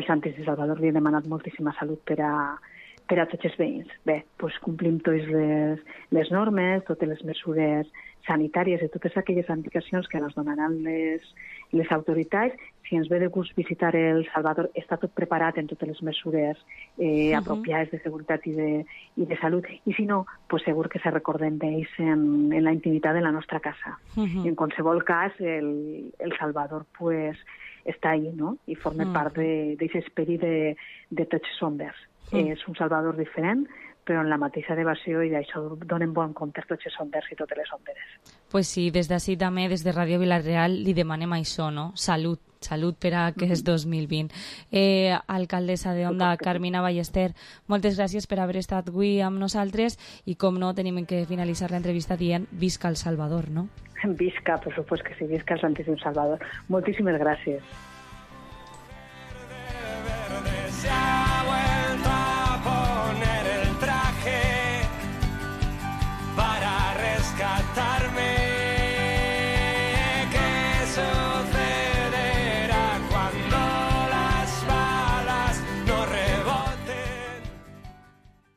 Santíssim Salvador, li he demanat moltíssima salut per a tots els veïns. Bé, doncs complim totes les normes, totes les mesures sanitàries i totes aquelles indicacions que ens donaran les autoritats. Si ens ve de gust visitar el Salvador, està tot preparat en totes les mesures apropiades de seguretat i de salut. I si no, pues segur que se recorden d'ells en la intimitat de la nostra casa. I en qualsevol cas, el Salvador pues està ahí, no? I forma part d'aquest esperit de tots som verds. És un Salvador diferent, però en la mateixa devació, i d'això donen bon compte tots els sonders i totes les sonderes. Pues sí, des d'ací també, des de Ràdio Vila-real, li demanem això, no? Salut per a aquest 2020. Alcaldessa d'Onda, Carmina Ballester, moltes gràcies per haver estat avui amb nosaltres i, com no, tenim que finalitzar l'entrevista dient visca el Salvador, no? Visca, per supost que sí, visca el Santíssim Salvador. Moltíssimes gràcies.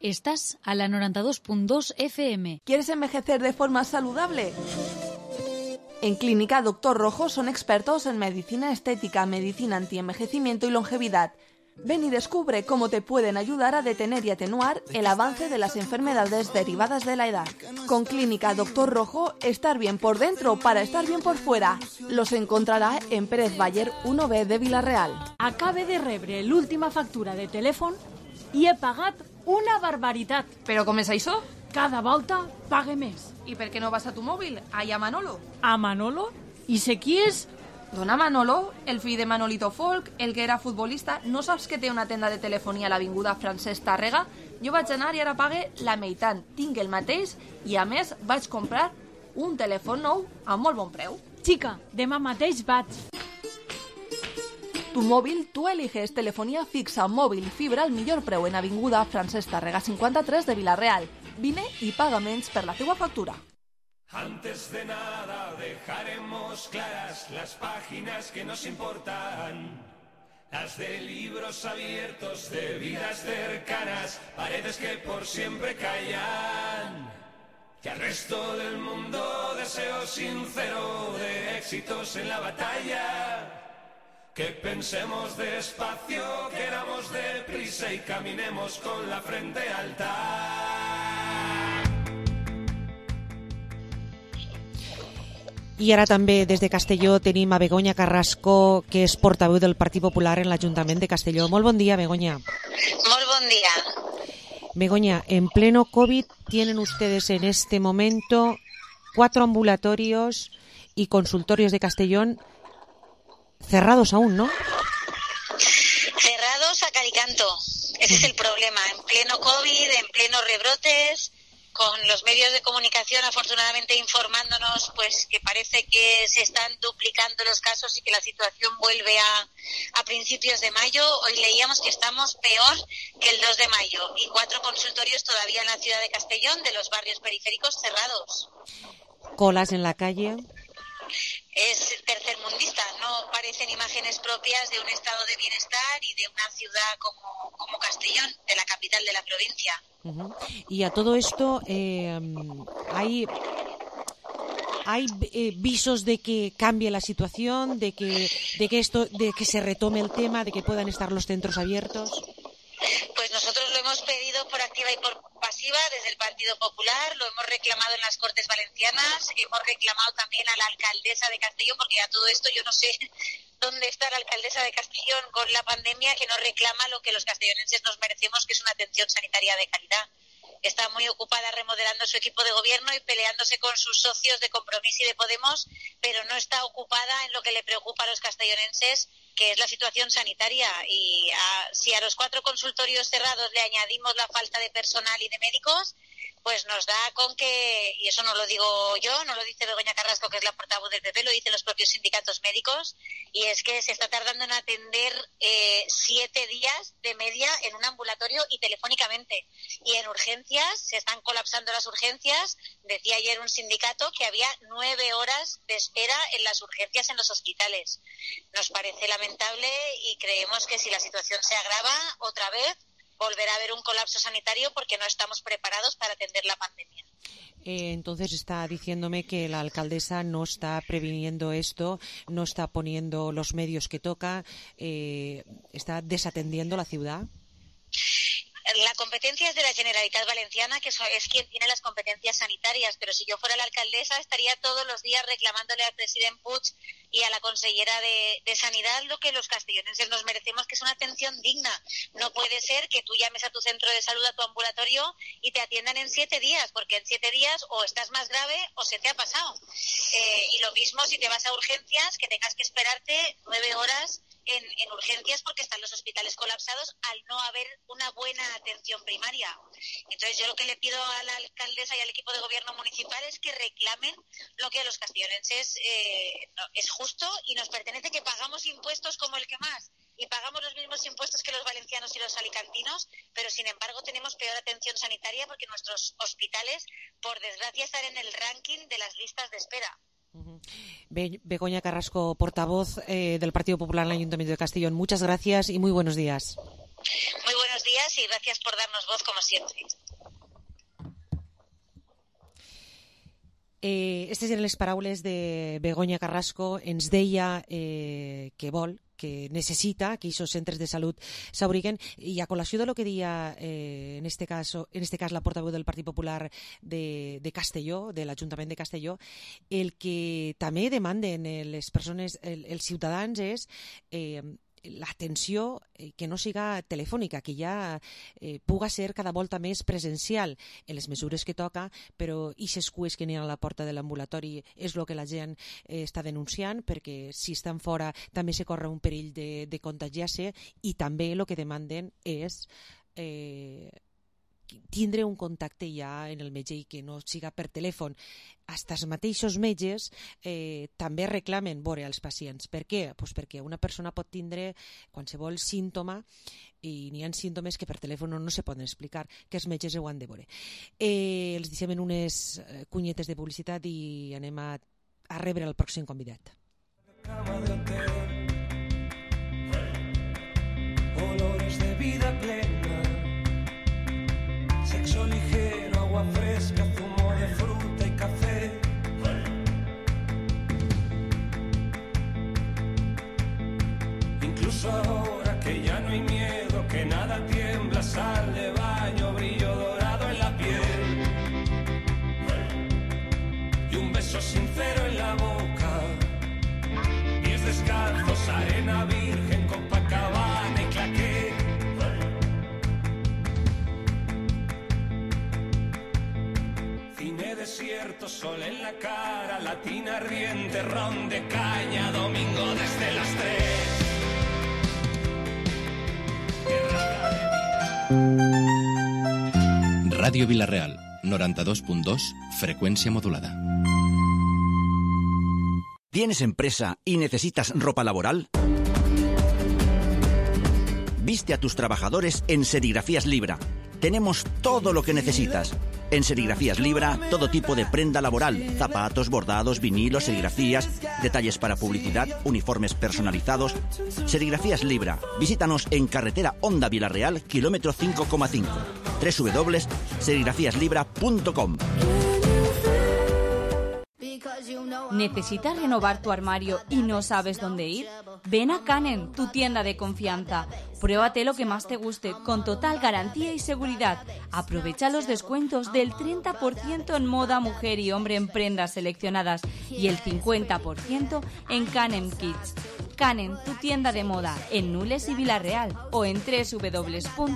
Estás a la 92.2 FM. ¿Quieres envejecer de forma saludable? En Clínica Dr. Rojo son expertos en medicina estética, medicina antienvejecimiento y longevidad. Ven y descubre cómo te pueden ayudar a detener y atenuar el avance de las enfermedades derivadas de la edad. Con Clínica Dr. Rojo, estar bien por dentro para estar bien por fuera. Los encontrarà en Pérez Baller 1B de Vila-real. Acabe de rebre l'última factura de telèfon i he pagat una barbaritat. Però com és això? Cada volta pague més. I per què no vas a tu mòbil? Allà a Manolo. A Manolo? I sé qui és? Dona Manolo, el fill de Manolito Folk, el que era futbolista. No saps que té una tenda de telefonia a l'avinguda Francesc Tàrrega? Jo vaig anar i ara pague la meitat. Tinc el mateix i, a més, vaig comprar un telèfon nou a molt bon preu. Chica, demà mateix vaig. Tu móvil, tú eliges telefonía fixa, móvil y fibra al millor preu en avinguda Francesc Tàrrega 53 de Vila-real. Vine y paga menys per la teua factura. Antes de nada dejaremos claras las páginas que nos importan, las de libros abiertos, de vidas cercanas, paredes que por siempre callan. Y al resto del mundo deseo sincero de éxitos en la batalla. Que pensemos despacio, queramos deprisa y caminemos con la frente alta. I ara també des de Castelló tenim a Begoña Carrasco, que és portaveu del Partit Popular en l'Ajuntament de Castelló. Molt bon dia, Begoña. Molt bon dia. Begoña, en pleno COVID tienen ustedes en este momento 4 ambulatorios y consultorios de Castellón cerrados aún, ¿no? Cerrados a calicanto. Ese es el problema. En pleno COVID, en pleno rebrotes, con los medios de comunicación afortunadamente informándonos pues que parece que se están duplicando los casos y que la situación vuelve a principios de mayo. Hoy leíamos que estamos peor que el 2 de mayo y 4 consultorios todavía en la ciudad de Castellón, de los barrios periféricos, cerrados. Colas en la calle. Es tercermundista, no parecen imágenes propias de un estado de bienestar y de una ciudad como Castellón, de la capital de la provincia. Uh-huh. Y a todo esto, ¿hay visos de que cambie la situación, de que se retome el tema, de que puedan estar los centros abiertos? Pues nosotros lo hemos pedido por activa y por pasiva desde el Partido Popular, lo hemos reclamado en las Cortes Valencianas, hemos reclamado también a la alcaldesa de Castellón, porque a todo esto yo no sé dónde está la alcaldesa de Castellón con la pandemia, que no reclama lo que los castellonenses nos merecemos, que es una atención sanitaria de calidad. Está muy ocupada remodelando su equipo de gobierno y peleándose con sus socios de Compromís y de Podemos, pero no está ocupada en lo que le preocupa a los castellonenses, que es la situación sanitaria. Y si a los 4 consultorios cerrados le añadimos la falta de personal y de médicos, pues nos da con que, y eso no lo digo yo, no lo dice Begoña Carrasco, que es la portavoz del PP, lo dicen los propios sindicatos médicos, y es que se está tardando en atender 7 días de media en un ambulatorio y telefónicamente. Y en urgencias, se están colapsando las urgencias. Decía ayer un sindicato que había 9 horas de espera en las urgencias en los hospitales. Nos parece lamentable y creemos que si la situación se agrava otra vez, volverá a haber un colapso sanitario porque no estamos preparados para atender la pandemia. Entonces está diciéndome que la alcaldesa no está previniendo esto, no está poniendo los medios que toca, está desatendiendo la ciudad. La competencia es de la Generalitat Valenciana, que es quien tiene las competencias sanitarias, pero si yo fuera la alcaldesa estaría todos los días reclamándole al presidente Puig y a la consellera de Sanidad lo que los castellonenses nos merecemos, que es una atención digna. No puede ser que tú llames a tu centro de salud, a tu ambulatorio, y te atiendan en 7 días, porque en 7 días o estás más grave o se te ha pasado. Y lo mismo si te vas a urgencias, que tengas que esperarte 9 horas en urgencias porque están los hospitales colapsados al no haber una buena atención primaria. Entonces yo lo que le pido a la alcaldesa y al equipo de gobierno municipal es que reclamen lo que a los castellonenses es justo y nos pertenece, que pagamos impuestos como el que más y pagamos los mismos impuestos que los valencianos y los alicantinos, pero sin embargo tenemos peor atención sanitaria porque nuestros hospitales, por desgracia, están en el ranking de las listas de espera. Begoña Carrasco, portavoz del Partido Popular en el Ayuntamiento de Castellón, muchas gracias y muy buenos días. Muy buenos días y gracias por darnos voz como siempre. Aquestes eren les paraules de Begoña Carrasco. Ens deia que vol, que necessita que aquests centres de salut s'obriguen, i a col·lació de lo que deia en este cas la portaveu del Partit Popular de Castelló, de l'Ajuntament de Castelló, el que també demanden les persones, els ciutadans, és l'atenció que no siga telefònica, que ja puga ser cada volta més presencial en les mesures que toca, però aquestes cues que n'hi ha a la porta de l'ambulatori és el que la gent està denunciant, perquè si estan fora també se corre un perill de contagiar-se, i també el que demanden és tindre un contacte ja en el metge i que no siga per telèfon. Hasta els mateixos metges també reclamen veure els pacients. Per què? Pues perquè una persona pot tindre qualsevol símptoma i n'hi ha símptomes que per telèfon no se poden explicar, que els metges ho han de veure. Els deixem en unes cunyetes de publicitat i anem a rebre el pròxim convidat. Olores de vida plena, sexo ligero, agua fresca, zumo de fruta y café. Incluso ahora que ya no hay miedo, que nada tiembla, sal de baño, brillo dorado en la piel y un beso sincero en la boca, pies descalzos, arena virgen, Copacabana y claqué. sol en la cara, latina riente, ron de caña, domingo desde las 3. Ràdio Vila-real, 92.2, frecuencia modulada. ¿Tienes empresa y necesitas ropa laboral? Viste a tus trabajadores en Serigrafías Libra. Tenemos todo lo que necesitas. En Serigrafías Libra, todo tipo de prenda laboral, zapatos, bordados, vinilos, serigrafías, detalles para publicidad, uniformes personalizados. Serigrafías Libra. Visítanos en carretera Honda Vila-real, kilómetro 5,5. www.serigrafíaslibra.com. ¿Necesitas renovar tu armario y no sabes dónde ir? Ven a Canen, tu tienda de confianza. Pruébate lo que más te guste, con total garantía y seguridad. Aprovecha los descuentos del 30% en moda mujer y hombre en prendas seleccionadas y el 50% en Canen Kids. Canen, tu tienda de moda, en Nules y Vila-real o en www.canen.es.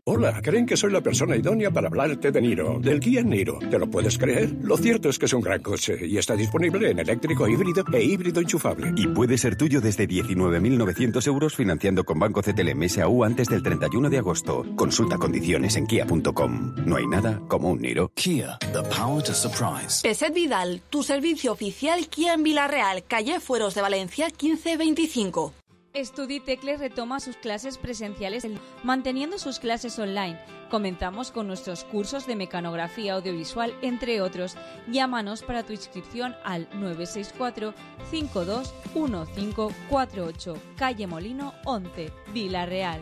Hola, creen que soy la persona idónea para hablarte de Niro, del Kia Niro. ¿Te lo puedes creer? Lo cierto es que es un gran coche y está disponible en eléctrico híbrido e híbrido enchufable. Y puede ser tuyo desde 19.900 euros financiando con Banco CTLM SAU antes del 31 de agosto. Consulta condiciones en kia.com. No hay nada como un Niro. Kia, the power to surprise. Peset Vidal, tu servicio oficial Kia en Vila-real, calle Fueros de Valencia 1525. Estuditecle retoma sus clases presenciales manteniendo sus clases online. Comenzamos con nuestros cursos de mecanografía audiovisual, entre otros. Llámanos para tu inscripción al 964 521548, calle Molino 11, Vila-real.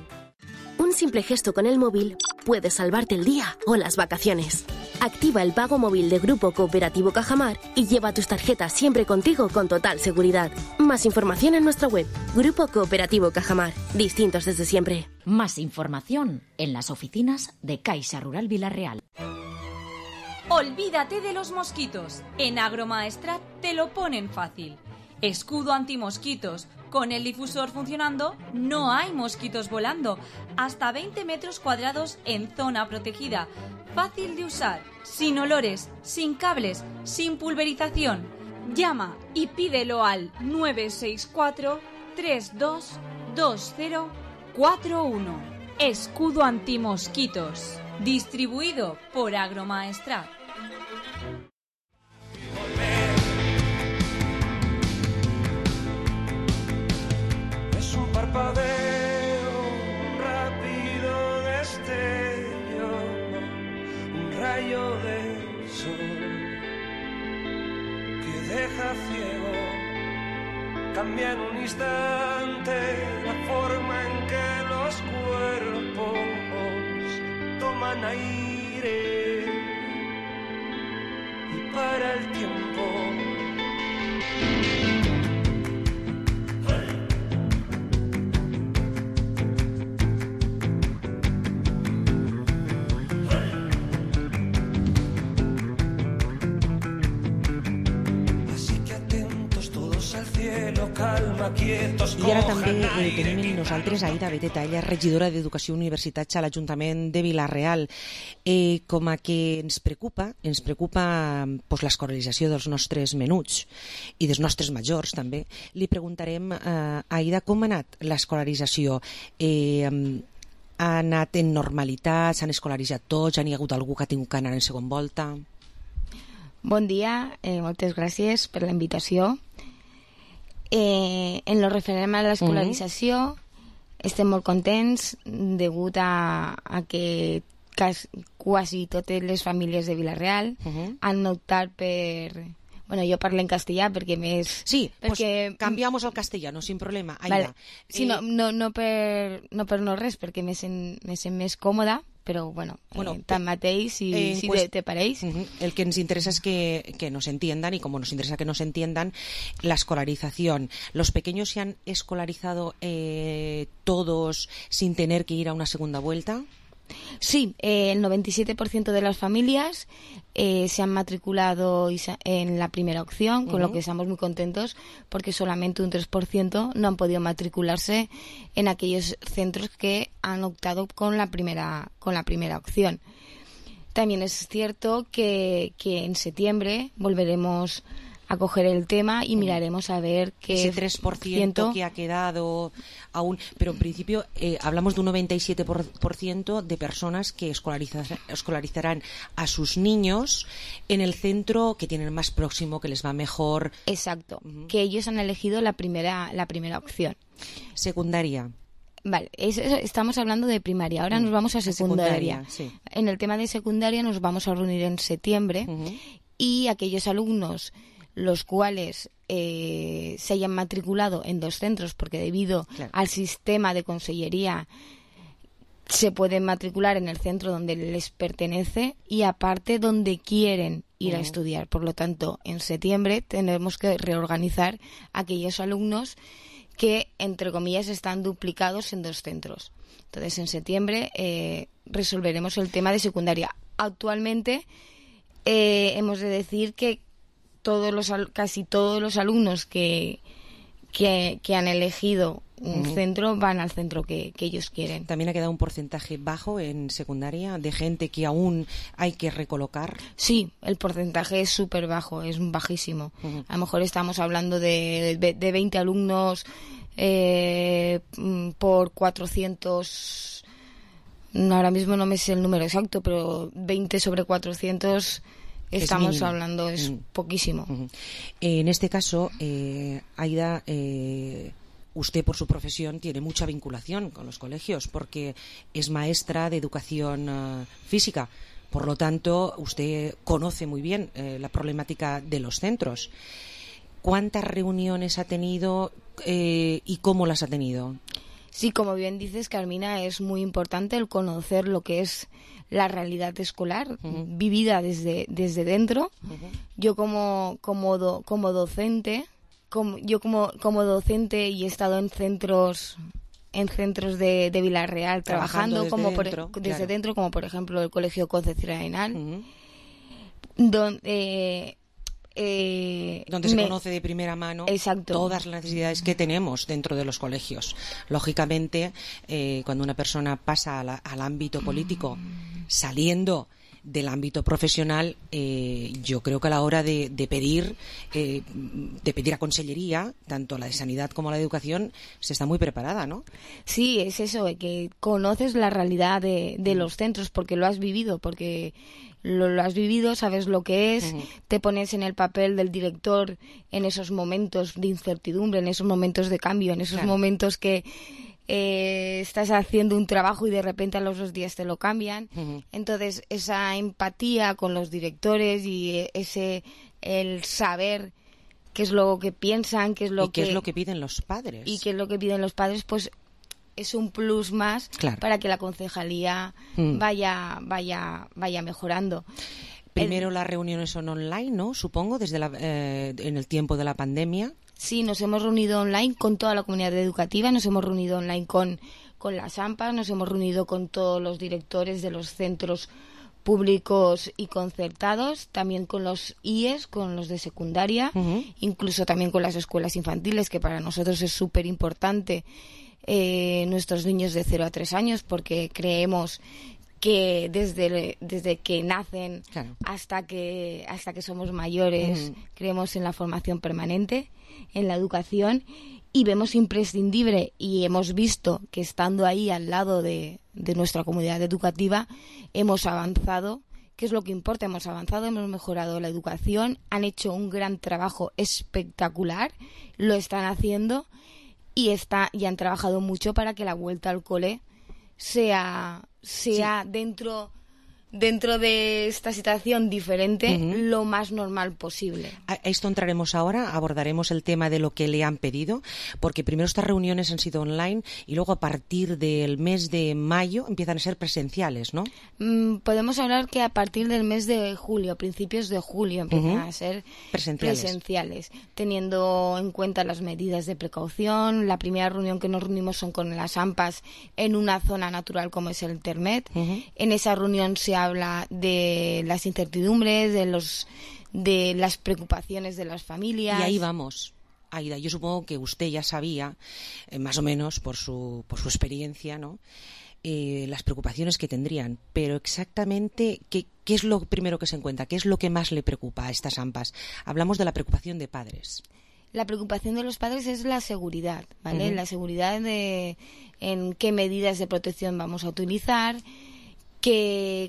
Un simple gesto con el móvil puede salvarte el día o las vacaciones. Activa el pago móvil de Grupo Cooperativo Cajamar y lleva tus tarjetas siempre contigo con total seguridad. Más información en nuestra web. Grupo Cooperativo Cajamar. Distintos desde siempre. Más información en las oficinas de Caixa Rural Vila-real. Olvídate de los mosquitos. En Agromaestrat te lo ponen fácil. Escudo antimosquitos. Con el difusor funcionando, no hay mosquitos volando. Hasta 20 metros cuadrados en zona protegida. Fácil de usar, sin olores, sin cables, sin pulverización. Llama y pídelo al 964 322041. Escudo antimosquitos. Distribuido por Agromaestrat. Un parpadeo, un rápido destello, un rayo de sol que deja ciego. Cambia en un instante la forma en que los cuerpos toman aire y para el tiempo. I ara també tenim amb nosaltres Aida Beteta, ella és regidora d'Educació i Universitats a l'Ajuntament de Vila-real. Com a que ens preocupa pues, l'escolarització dels nostres menuts i dels nostres majors també, li preguntarem a Aida com ha anat l'escolarització. Ha anat en normalitat, s'han escolaritzat tots, hi ha hagut algú que ha tingut que anar en segona volta? Bon dia, moltes gràcies per la invitació. En lo referent a l'escolarització estem molt contents degut a que quasi totes les famílies de Vila-real han optat per... Bueno, jo parlo en castellà perquè més... Sí, perquè... pues cambiamos al castellano, sin problema. Vale. Sí, no per no res, perquè me sent més còmoda, però bueno, tanmateix, si pues, te pareix. El que nos interesa es que nos entiendan, y como nos interesa que nos entiendan, la escolarización. ¿Los pequeños se han escolarizado todos sin tener que ir a una segunda vuelta? Sí, el 97% de las familias se han matriculado en la primera opción, con lo que estamos muy contentos, porque solamente un 3% no han podido matricularse en aquellos centros que han optado con la primera opción. También es cierto que en septiembre volveremos a coger el tema y miraremos a ver qué ese 3% que ha quedado aún, pero en principio hablamos de un 97% de personas que escolarizarán a sus niños en el centro que tienen más próximo, que les va mejor. Exacto, que ellos han elegido la primera opción. Secundaria. Vale, estamos hablando de primaria, ahora nos vamos a secundaria. Sí. En el tema de secundaria nos vamos a reunir en septiembre y aquellos alumnos los cuales se hayan matriculado en 2 centros, porque debido al sistema de consellería se pueden matricular en el centro donde les pertenece y aparte donde quieren ir a estudiar. Por lo tanto, en septiembre tenemos que reorganizar aquellos alumnos que, entre comillas, están duplicados en 2 centros. Entonces, en septiembre resolveremos el tema de secundaria. Actualmente hemos de decir que casi todos los alumnos que han elegido un centro van al centro que ellos quieren. ¿También ha quedado un porcentaje bajo en secundaria de gente que aún hay que recolocar? Sí, el porcentaje es súper bajo, es bajísimo. A lo mejor estamos hablando de 20 alumnos por 400. Ahora mismo no me sé el número exacto, pero 20 sobre 400... Estamos hablando, es poquísimo. En este caso, Aida, usted por su profesión tiene mucha vinculación con los colegios porque es maestra de educación física. Por lo tanto, usted conoce muy bien la problemática de los centros. ¿Cuántas reuniones ha tenido y cómo las ha tenido? Sí, como bien dices, Carmina, es muy importante el conocer lo que es la realidad escolar vivida desde dentro. Yo como docente, como docente y he estado en centros de Vila-real trabajando desde dentro, como por ejemplo el Colegio Concepción Arenal, donde se conoce de primera mano todas las necesidades que tenemos dentro de los colegios. Lógicamente, cuando una persona pasa al ámbito político, saliendo del ámbito profesional, yo creo que a la hora de pedir a Consellería, tanto la de Sanidad como la de Educación, se está muy preparada, ¿no? Sí, es eso, que conoces la realidad de los centros porque lo has vivido, lo has vivido, sabes lo que es, te pones en el papel del director en esos momentos de incertidumbre, en esos momentos de cambio, en esos momentos que estás haciendo un trabajo y de repente a los 2 días te lo cambian. Entonces, esa empatía con los directores y el saber qué es lo que piensan, qué es lo que piden los padres. Y qué es lo que piden los padres, pues es un plus más para que la concejalía vaya mejorando. Primero las reuniones son online, ¿no? Supongo, desde en el tiempo de la pandemia. Sí, nos hemos reunido online con toda la comunidad educativa, nos hemos reunido online con las AMPAs, nos hemos reunido con todos los directores de los centros públicos y concertados, también con los IES, con los de secundaria, incluso también con las escuelas infantiles, que para nosotros es súper importante. Nuestros niños de 0 a 3 años, porque creemos que desde que nacen hasta que somos mayores, creemos en la formación permanente, en la educación, y vemos imprescindible y hemos visto que estando ahí al lado de nuestra comunidad educativa hemos avanzado, que es lo que importa, hemos avanzado, hemos mejorado la educación, han hecho un gran trabajo espectacular, lo están haciendo y han trabajado mucho para que la vuelta al cole sea dentro de esta situación diferente lo más normal posible. A esto entraremos ahora, abordaremos el tema de lo que le han pedido, porque primero estas reuniones han sido online y luego a partir del mes de mayo empiezan a ser presenciales, ¿no? Podemos hablar que a partir del mes de julio, principios de julio, empiezan a ser presenciales, teniendo en cuenta las medidas de precaución. La primera reunión que nos reunimos son con las AMPAs en una zona natural como es el Termet. En esa reunión se habla de las incertidumbres, de las preocupaciones de las familias. Y ahí vamos. Aida, yo supongo que usted ya sabía, más o menos por su experiencia, ¿no? las preocupaciones que tendrían, pero exactamente ¿qué es lo primero que se encuentra? ¿Qué es lo que más le preocupa a estas AMPAs? Hablamos de la preocupación de padres. La preocupación de los padres es la seguridad, ¿vale? La seguridad de en qué medidas de protección vamos a utilizar,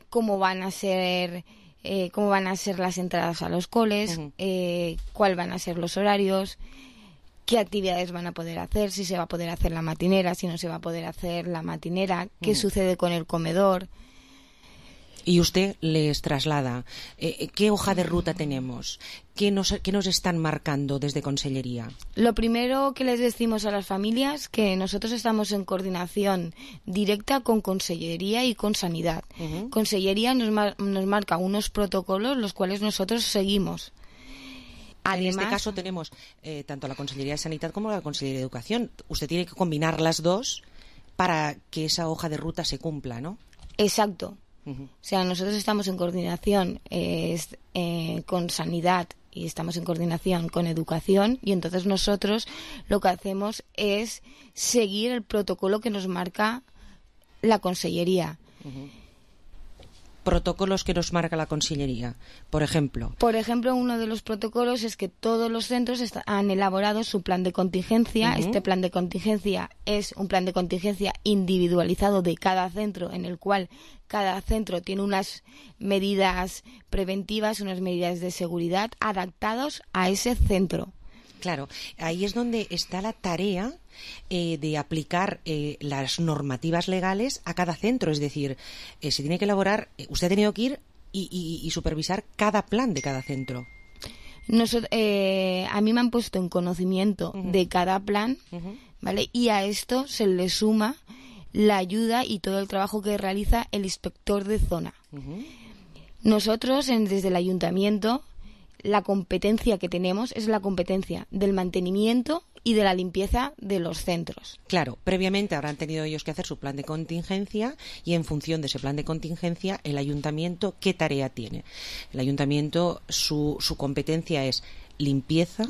cómo van a ser las entradas a los coles, cuál van a ser los horarios, qué actividades van a poder hacer, si se va a poder hacer la matinera, si no se va a poder hacer la matinera, qué sucede con el comedor. Y usted les traslada qué hoja de ruta tenemos, qué nos están marcando desde Consellería. Lo primero que les decimos a las familias que nosotros estamos en coordinación directa con Consellería y con Sanidad. Consellería nos marca unos protocolos los cuales nosotros seguimos. Además, en este caso tenemos tanto la Consellería de Sanidad como la Consellería de Educación. Usted tiene que combinar las dos para que esa hoja de ruta se cumpla, ¿no? Exacto. O sea, nosotros estamos en coordinación con Sanidad y estamos en coordinación con Educación, y entonces nosotros lo que hacemos es seguir el protocolo que nos marca la Consellería. Protocolos que nos marca la Consellería, por ejemplo. Por ejemplo, uno de los protocolos es que todos los centros han elaborado su plan de contingencia. Este plan de contingencia es un plan de contingencia individualizado de cada centro, en el cual cada centro tiene unas medidas preventivas, unas medidas de seguridad adaptados a ese centro. Claro, ahí es donde está la tarea de aplicar las normativas legales a cada centro. Es decir, se tiene que elaborar, usted ha tenido que ir y supervisar cada plan de cada centro. A mí me han puesto en conocimiento de cada plan, ¿vale? Y a esto se le suma la ayuda y todo el trabajo que realiza el inspector de zona. Nosotros, desde el ayuntamiento, la competencia que tenemos es la competencia del mantenimiento y de la limpieza de los centros. Claro, previamente habrán tenido ellos que hacer su plan de contingencia, y en función de ese plan de contingencia, el ayuntamiento, ¿qué tarea tiene? El ayuntamiento, su competencia es limpieza,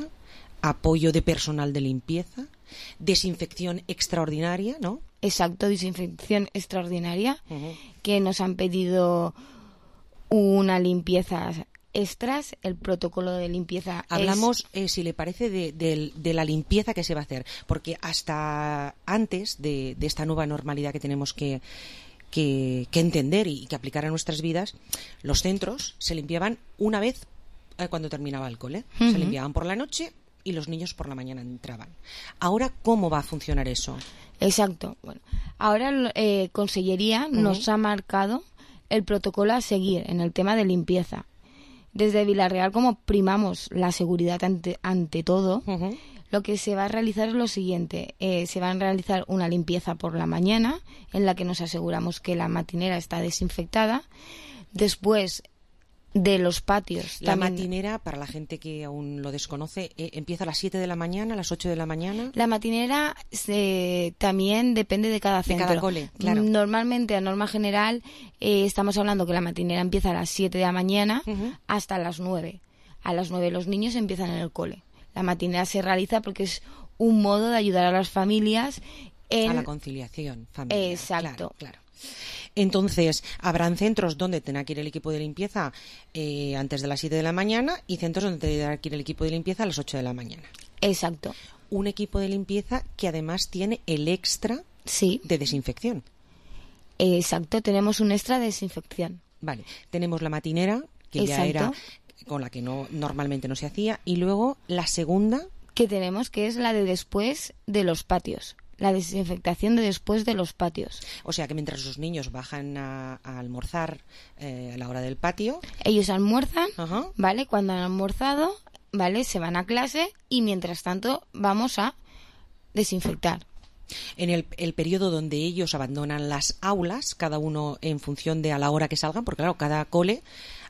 apoyo de personal de limpieza, desinfección extraordinaria, ¿no? Exacto, desinfección extraordinaria, que nos han pedido una limpieza extras, el protocolo de limpieza. Hablamos, si le parece, de la limpieza que se va a hacer, porque hasta antes de esta nueva normalidad que tenemos que entender y que aplicar a nuestras vidas, los centros se limpiaban una vez cuando terminaba el cole. Se limpiaban por la noche y los niños por la mañana entraban. Ahora, ¿cómo va a funcionar eso? Exacto. Bueno, ahora Consellería nos ha marcado el protocolo a seguir en el tema de limpieza. Desde Vilarreal, como primamos la seguridad ante todo, lo que se va a realizar es lo siguiente. Se va a realizar una limpieza por la mañana, en la que nos aseguramos que la matinera está desinfectada. Después de los patios. La matinera, para la gente que aún lo desconoce, empieza a las 7 de la mañana, a las 8 de la mañana. La matinera también depende de cada centro. De cada cole, claro. Normalmente, a norma general, estamos hablando que la matinera empieza a las 7 de la mañana hasta las 9. A las 9 los niños empiezan en el cole. La matinera se realiza porque es un modo de ayudar a las familias a la conciliación familiar. Exacto. Claro. Entonces, habrán centros donde tendrá que ir el equipo de limpieza antes de las 7 de la mañana, y centros donde tendrá que ir el equipo de limpieza a las 8 de la mañana. Exacto. Un equipo de limpieza que además tiene el extra de desinfección. Exacto, tenemos un extra de desinfección. Vale, tenemos la matinera, que ya era con la que normalmente no se hacía, y luego la segunda que tenemos, que es la de después de los patios. La desinfectación de después de los patios. O sea que mientras los niños bajan a almorzar a la hora del patio, ellos almuerzan, ¿vale? Cuando han almorzado, ¿vale? Se van a clase, y mientras tanto vamos a desinfectar. En el periodo donde ellos abandonan las aulas, cada uno en función de a la hora que salgan, porque claro, cada cole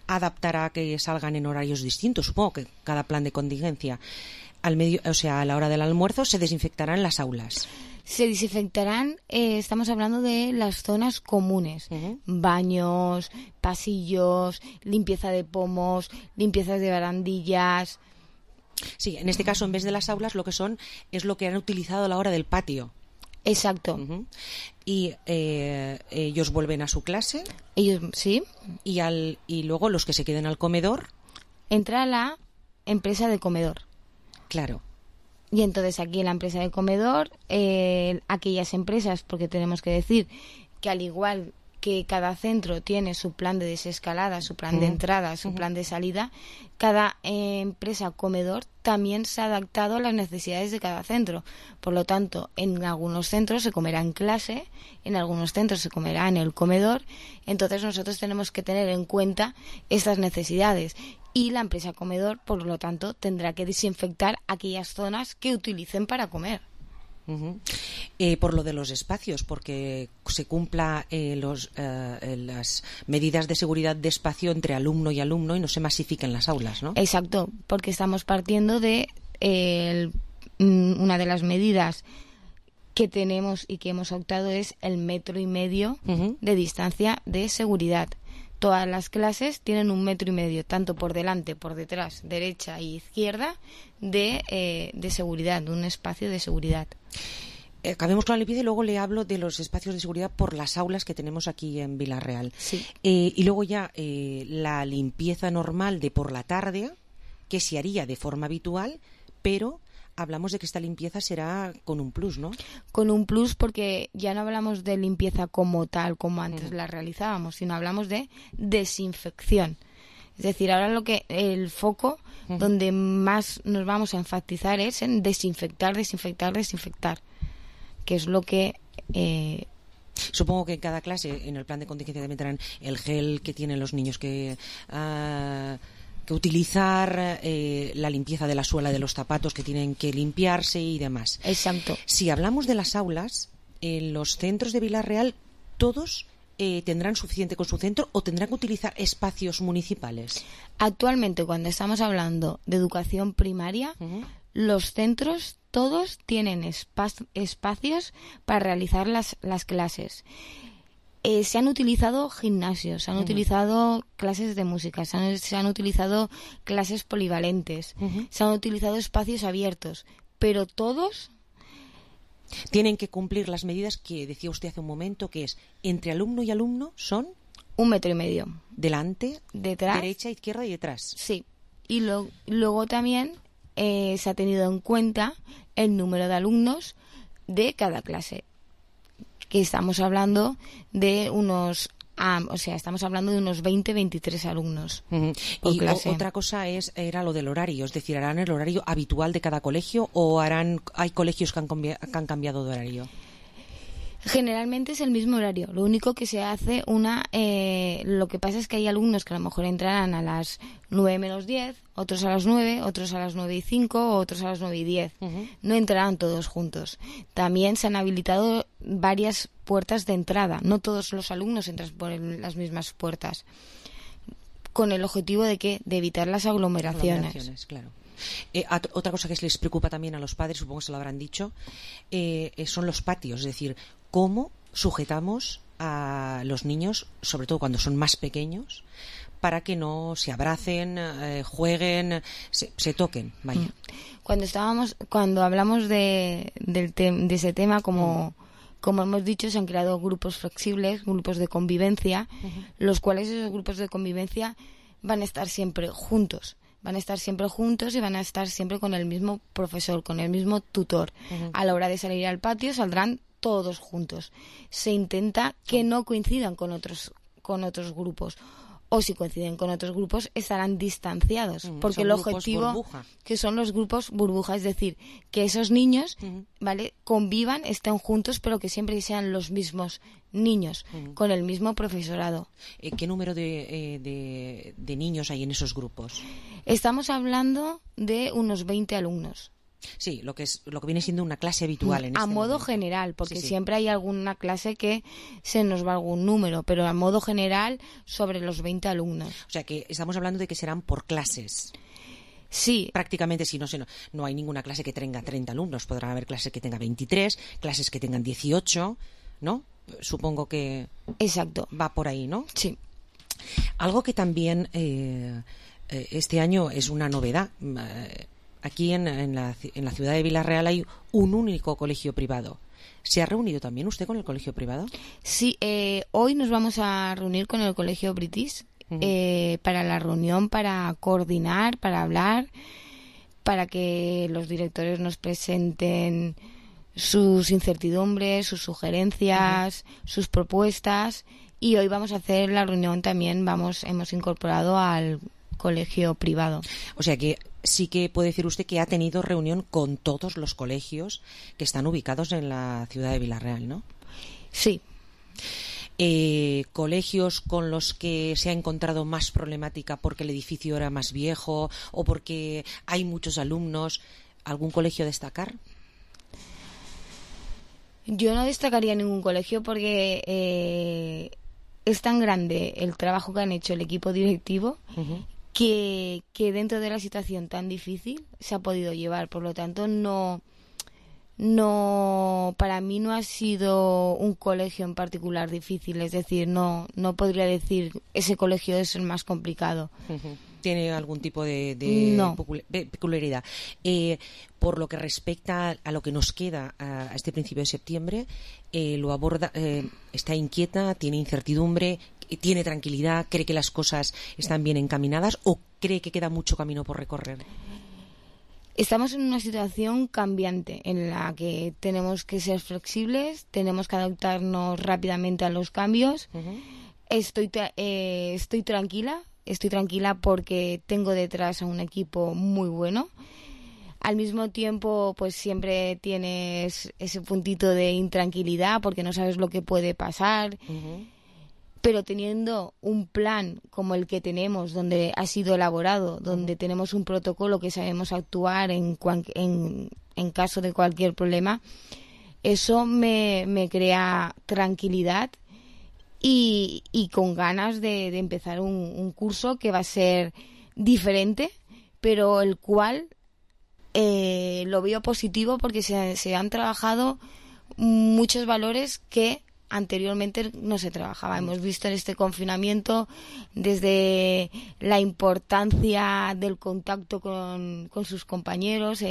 adaptará que salgan en horarios distintos. Supongo que cada plan de contingencia a la hora del almuerzo se desinfectarán las aulas. Se desinfectarán, estamos hablando de las zonas comunes, baños, pasillos, limpieza de pomos, limpiezas de barandillas. Sí, en este caso, en vez de las aulas, lo que son es lo que han utilizado a la hora del patio. Exacto. Y ellos vuelven a su clase. Ellos, sí. Y luego los que se queden al comedor. Entra la empresa de comedor. Claro. Y entonces aquí en la empresa de comedor, aquellas empresas, porque tenemos que decir que al igual que cada centro tiene su plan de desescalada, su plan de entrada, su plan de salida, cada empresa comedor también se ha adaptado a las necesidades de cada centro. Por lo tanto, en algunos centros se comerá en clase, en algunos centros se comerá en el comedor. Entonces nosotros tenemos que tener en cuenta estas necesidades. Y la empresa comedor, por lo tanto, tendrá que desinfectar aquellas zonas que utilicen para comer. Por lo de los espacios, porque se cumpla las medidas de seguridad de espacio entre alumno y alumno y no se masifiquen las aulas, ¿no? Exacto, porque estamos partiendo de una de las medidas que tenemos y que hemos optado es el 1,5 metros de distancia de seguridad. Todas las clases tienen 1,5 metros, tanto por delante, por detrás, derecha y izquierda, de seguridad, de un espacio de seguridad. Acabemos con la limpieza y luego le hablo de los espacios de seguridad por las aulas que tenemos aquí en Vila-real. Sí. Y luego ya la limpieza normal de por la tarde, que se haría de forma habitual, pero hablamos de que esta limpieza será con un plus, ¿no? Con un plus, porque ya no hablamos de limpieza como tal, como antes la realizábamos, sino hablamos de desinfección. Es decir, ahora el foco donde más nos vamos a enfatizar es en desinfectar, que es lo que... Supongo que en cada clase, en el plan de contingencia, tendrán el gel que tienen los niños que utilizar, la limpieza de la suela de los zapatos que tienen que limpiarse y demás. Exacto. Si hablamos de las aulas, en los centros de Vila-real, todos tendrán suficiente con su centro o tendrán que utilizar espacios municipales. Actualmente, cuando estamos hablando de educación primaria, los centros todos tienen espacios para realizar las clases. Se han utilizado gimnasios, se han utilizado clases de música, se han utilizado clases polivalentes, se han utilizado espacios abiertos, pero todos tienen que cumplir las medidas que decía usted hace un momento, que es entre alumno y alumno son 1,5 metros. Delante, detrás, derecha, izquierda y detrás. Sí. Y luego también se ha tenido en cuenta el número de alumnos de cada clase, que estamos hablando de unos 20, 23 alumnos por y clase. Otra cosa era lo del horario, es decir, ¿harán el horario habitual de cada colegio o hay colegios que han cambiado de horario? Generalmente es el mismo horario, lo único que se hace lo que pasa es que hay alumnos que a lo mejor entrarán a las 9 menos 10, otros a las 9, otros a las 9 y 5, otros a las 9 y 10. No entrarán todos juntos. También se han habilitado varias puertas de entrada, no todos los alumnos entran por las mismas puertas, con el objetivo de evitar las aglomeraciones. Claro. Otra cosa que les preocupa también a los padres, supongo que se lo habrán dicho, son los patios, es decir, cómo sujetamos a los niños, sobre todo cuando son más pequeños, para que no se abracen, jueguen, se toquen, vaya. Cuando hablamos de ese tema, como hemos dicho, se han creado grupos flexibles, grupos de convivencia, los cuales esos grupos de convivencia van a estar siempre juntos. Van a estar siempre juntos y van a estar siempre con el mismo profesor, con el mismo tutor. A la hora de salir al patio saldrán todos juntos. Se intenta que no coincidan con otros grupos. O si coinciden con otros grupos, estarán distanciados. Porque el objetivo, burbuja, que son los grupos burbuja, es decir, que esos niños convivan, estén juntos, pero que siempre sean los mismos niños, con el mismo profesorado. ¿Qué número de niños hay en esos grupos? Estamos hablando de unos 20 alumnos. Sí, lo que viene siendo una clase habitual en este modo momento. general, porque Sí. siempre hay alguna clase que se nos va algún número, pero a modo general sobre los 20 alumnos. O sea que estamos hablando de que serán por clases. Sí. Prácticamente, si no hay ninguna clase que tenga 30 alumnos, podrán haber clases que tengan 23, clases que tengan 18, ¿no? Supongo que exacto, va por ahí, ¿no? Sí. Algo que también este año es una novedad. aquí en la ciudad de Vila-real hay un único colegio privado. ¿Se ha reunido también usted con el colegio privado? Sí, hoy nos vamos a reunir con el colegio British para la reunión, para coordinar, para hablar, para que los directores nos presenten sus incertidumbres, sus sugerencias, sus propuestas. Y hoy vamos a hacer la reunión también, hemos incorporado al colegio privado. O sea que sí que puede decir usted que ha tenido reunión con todos los colegios que están ubicados en la ciudad de Vila-real, ¿no? Sí. Colegios con los que se ha encontrado más problemática porque el edificio era más viejo o porque hay muchos alumnos. ¿Algún colegio a destacar? Yo no destacaría ningún colegio porque es tan grande el trabajo que han hecho el equipo directivo que dentro de la situación tan difícil se ha podido llevar. Por lo tanto, no, para mí no ha sido un colegio en particular difícil. Es decir, no podría decir ese colegio es el más complicado. ¿Tiene algún tipo de peculiaridad? Por lo que respecta a lo que nos queda a este principio de septiembre, lo aborda, está inquieta, tiene incertidumbre, tiene tranquilidad, cree que las cosas están bien encaminadas o cree que queda mucho camino por recorrer. Estamos en una situación cambiante en la que tenemos que ser flexibles, tenemos que adaptarnos rápidamente a los cambios. Estoy tranquila porque tengo detrás a un equipo muy bueno. Al mismo tiempo, pues siempre tienes ese puntito de intranquilidad porque no sabes lo que puede pasar. Pero teniendo un plan como el que tenemos, donde ha sido elaborado, donde tenemos un protocolo que sabemos actuar en caso de cualquier problema, eso me crea tranquilidad y con ganas de empezar un curso que va a ser diferente, pero el cual lo veo positivo porque se han trabajado muchos valores que anteriormente no se trabajaba. Hemos visto en este confinamiento desde la importancia del contacto con sus compañeros,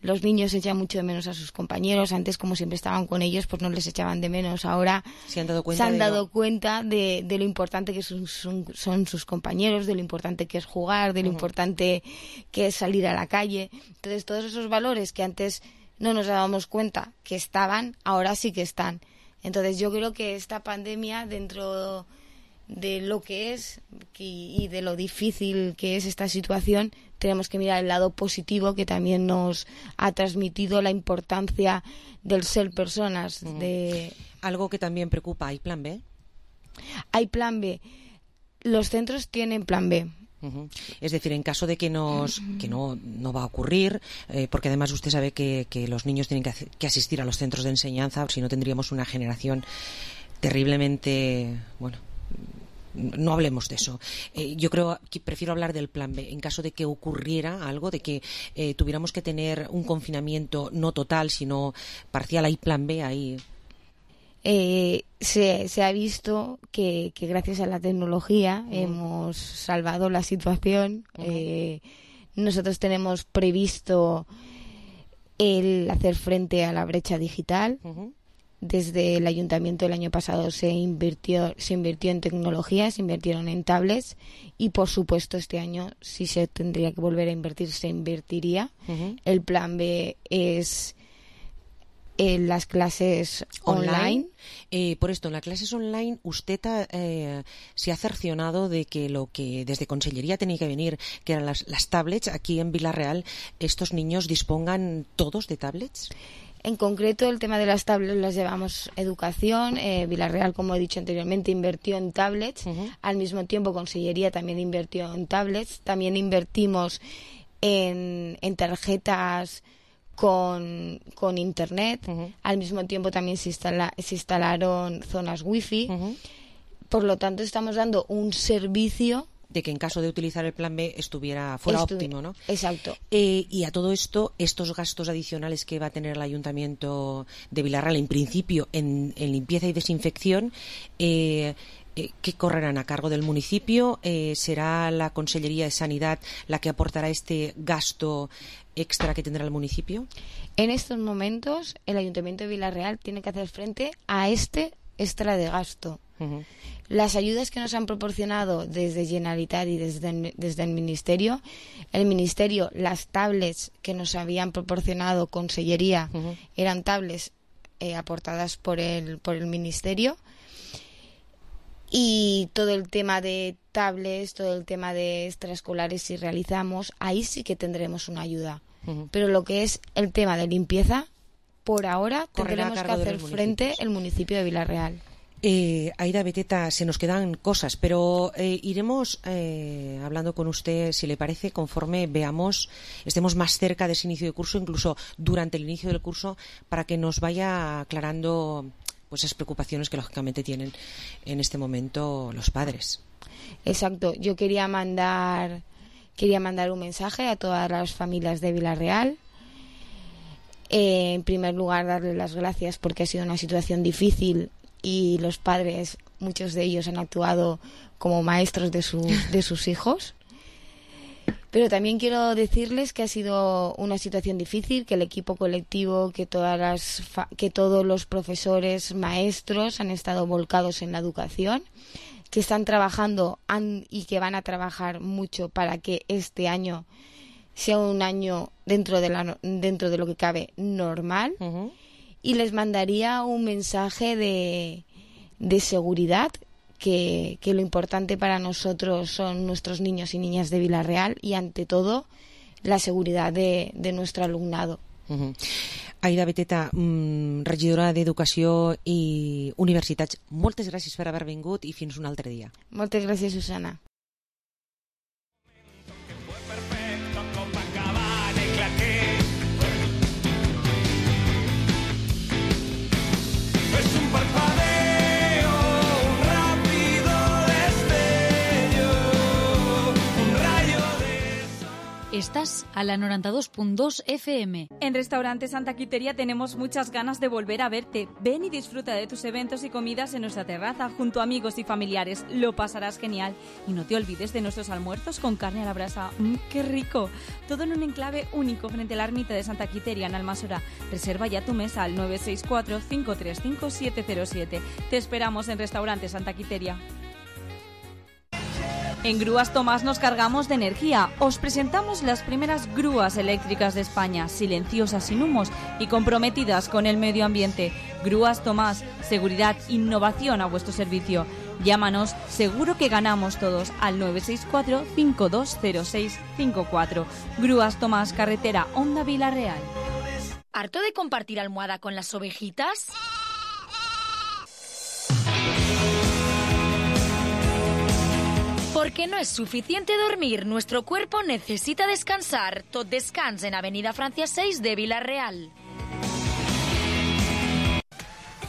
los niños echan mucho de menos a sus compañeros. Antes, como siempre estaban con ellos, pues no les echaban de menos. Ahora se han dado cuenta de lo importante que son sus compañeros, de lo importante que es jugar, de lo importante que es salir a la calle. Entonces, todos esos valores que antes no nos dábamos cuenta que estaban, ahora sí que están. Entonces yo creo que esta pandemia, dentro de lo que es y de lo difícil que es esta situación, tenemos que mirar el lado positivo que también nos ha transmitido la importancia del ser personas. Algo que también preocupa, ¿hay plan B? Hay plan B. Los centros tienen plan B. Es decir, en caso de que no va a ocurrir, porque además usted sabe que los niños tienen que asistir a los centros de enseñanza, si no tendríamos una generación terriblemente, bueno, no hablemos de eso. Yo creo que prefiero hablar del plan B. En caso de que ocurriera algo, de que tuviéramos que tener un confinamiento no total, sino parcial, hay plan B ahí. Se ha visto que gracias a la tecnología hemos salvado la situación. Nosotros tenemos previsto el hacer frente a la brecha digital. Desde el ayuntamiento el año pasado se invirtió en tecnología, se invirtieron en tablets y por supuesto este año si se tendría que volver a invertir, se invertiría. El plan B es en las clases online. Por esto, en las clases online, usted se ha cercionado de que lo que desde Consellería tenía que venir, que eran las tablets, aquí en Vila-real, ¿estos niños dispongan todos de tablets? En concreto, el tema de las tablets las llevamos Educación. Vila-real, como he dicho anteriormente, invirtió en tablets. Al mismo tiempo, Consellería también invirtió en tablets. También invertimos en tarjetas con internet. Al mismo tiempo también se instalaron zonas wifi. Por lo tanto, estamos dando un servicio de que en caso de utilizar el plan B fuera óptimo, ¿no? Exacto. Y a todo esto, estos gastos adicionales que va a tener el Ayuntamiento de Vila-real, en principio en limpieza y desinfección, que correrán a cargo del municipio. ¿Será la Consellería de Sanidad la que aportará este gasto extra que tendrá el municipio? En estos momentos, el Ayuntamiento de Vila-real tiene que hacer frente a este extra de gasto. Las ayudas que nos han proporcionado desde Generalitat y desde el Ministerio, las tablets que nos habían proporcionado Consellería eran tablets aportadas por el Ministerio, y todo el tema de tablets, todo el tema de extraescolares, si realizamos, ahí sí que tendremos una ayuda. Pero lo que es el tema de limpieza, por ahora tendremos que hacer frente el municipio de Vila-real. Aida Beteta, se nos quedan cosas, pero iremos hablando con usted, si le parece, conforme estemos más cerca de ese inicio de curso, incluso durante el inicio del curso, para que nos vaya aclarando pues esas preocupaciones que lógicamente tienen en este momento los padres. Exacto, yo quería mandar un mensaje a todas las familias de Vila-real. En primer lugar, darle las gracias porque ha sido una situación difícil y los padres, muchos de ellos, han actuado como maestros de sus hijos. Pero también quiero decirles que ha sido una situación difícil, que el equipo colectivo, que todos los profesores, maestros han estado volcados en la educación, que están trabajando y que van a trabajar mucho para que este año sea un año dentro de lo que cabe normal. Y les mandaría un mensaje de seguridad, que lo importante para nosotros son nuestros niños y niñas de Vila-real y, ante todo, la seguridad de nuestro alumnado. Aida Beteta, regidora d'Educació i Universitats, moltes gràcies per haver vingut i fins un altre dia. Moltes gràcies, Susana. Estás a la 92.2 FM. En Restaurante Santa Quiteria tenemos muchas ganas de volver a verte. Ven y disfruta de tus eventos y comidas en nuestra terraza junto a amigos y familiares. Lo pasarás genial. Y no te olvides de nuestros almuerzos con carne a la brasa. ¡Qué rico! Todo en un enclave único frente a la ermita de Santa Quiteria en Almasora. Reserva ya tu mesa al 964-535-707. Te esperamos en Restaurante Santa Quiteria. En Grúas Tomás nos cargamos de energía. Os presentamos las primeras grúas eléctricas de España, silenciosas, sin humos y comprometidas con el medio ambiente. Grúas Tomás, seguridad, innovación a vuestro servicio. Llámanos, seguro que ganamos todos, al 964-520654. Grúas Tomás, carretera Honda Vila-real. ¿Harto de compartir almohada con las ovejitas? Porque no es suficiente dormir, nuestro cuerpo necesita descansar. Tot Descans en Avenida Francia 6 de Vila-real.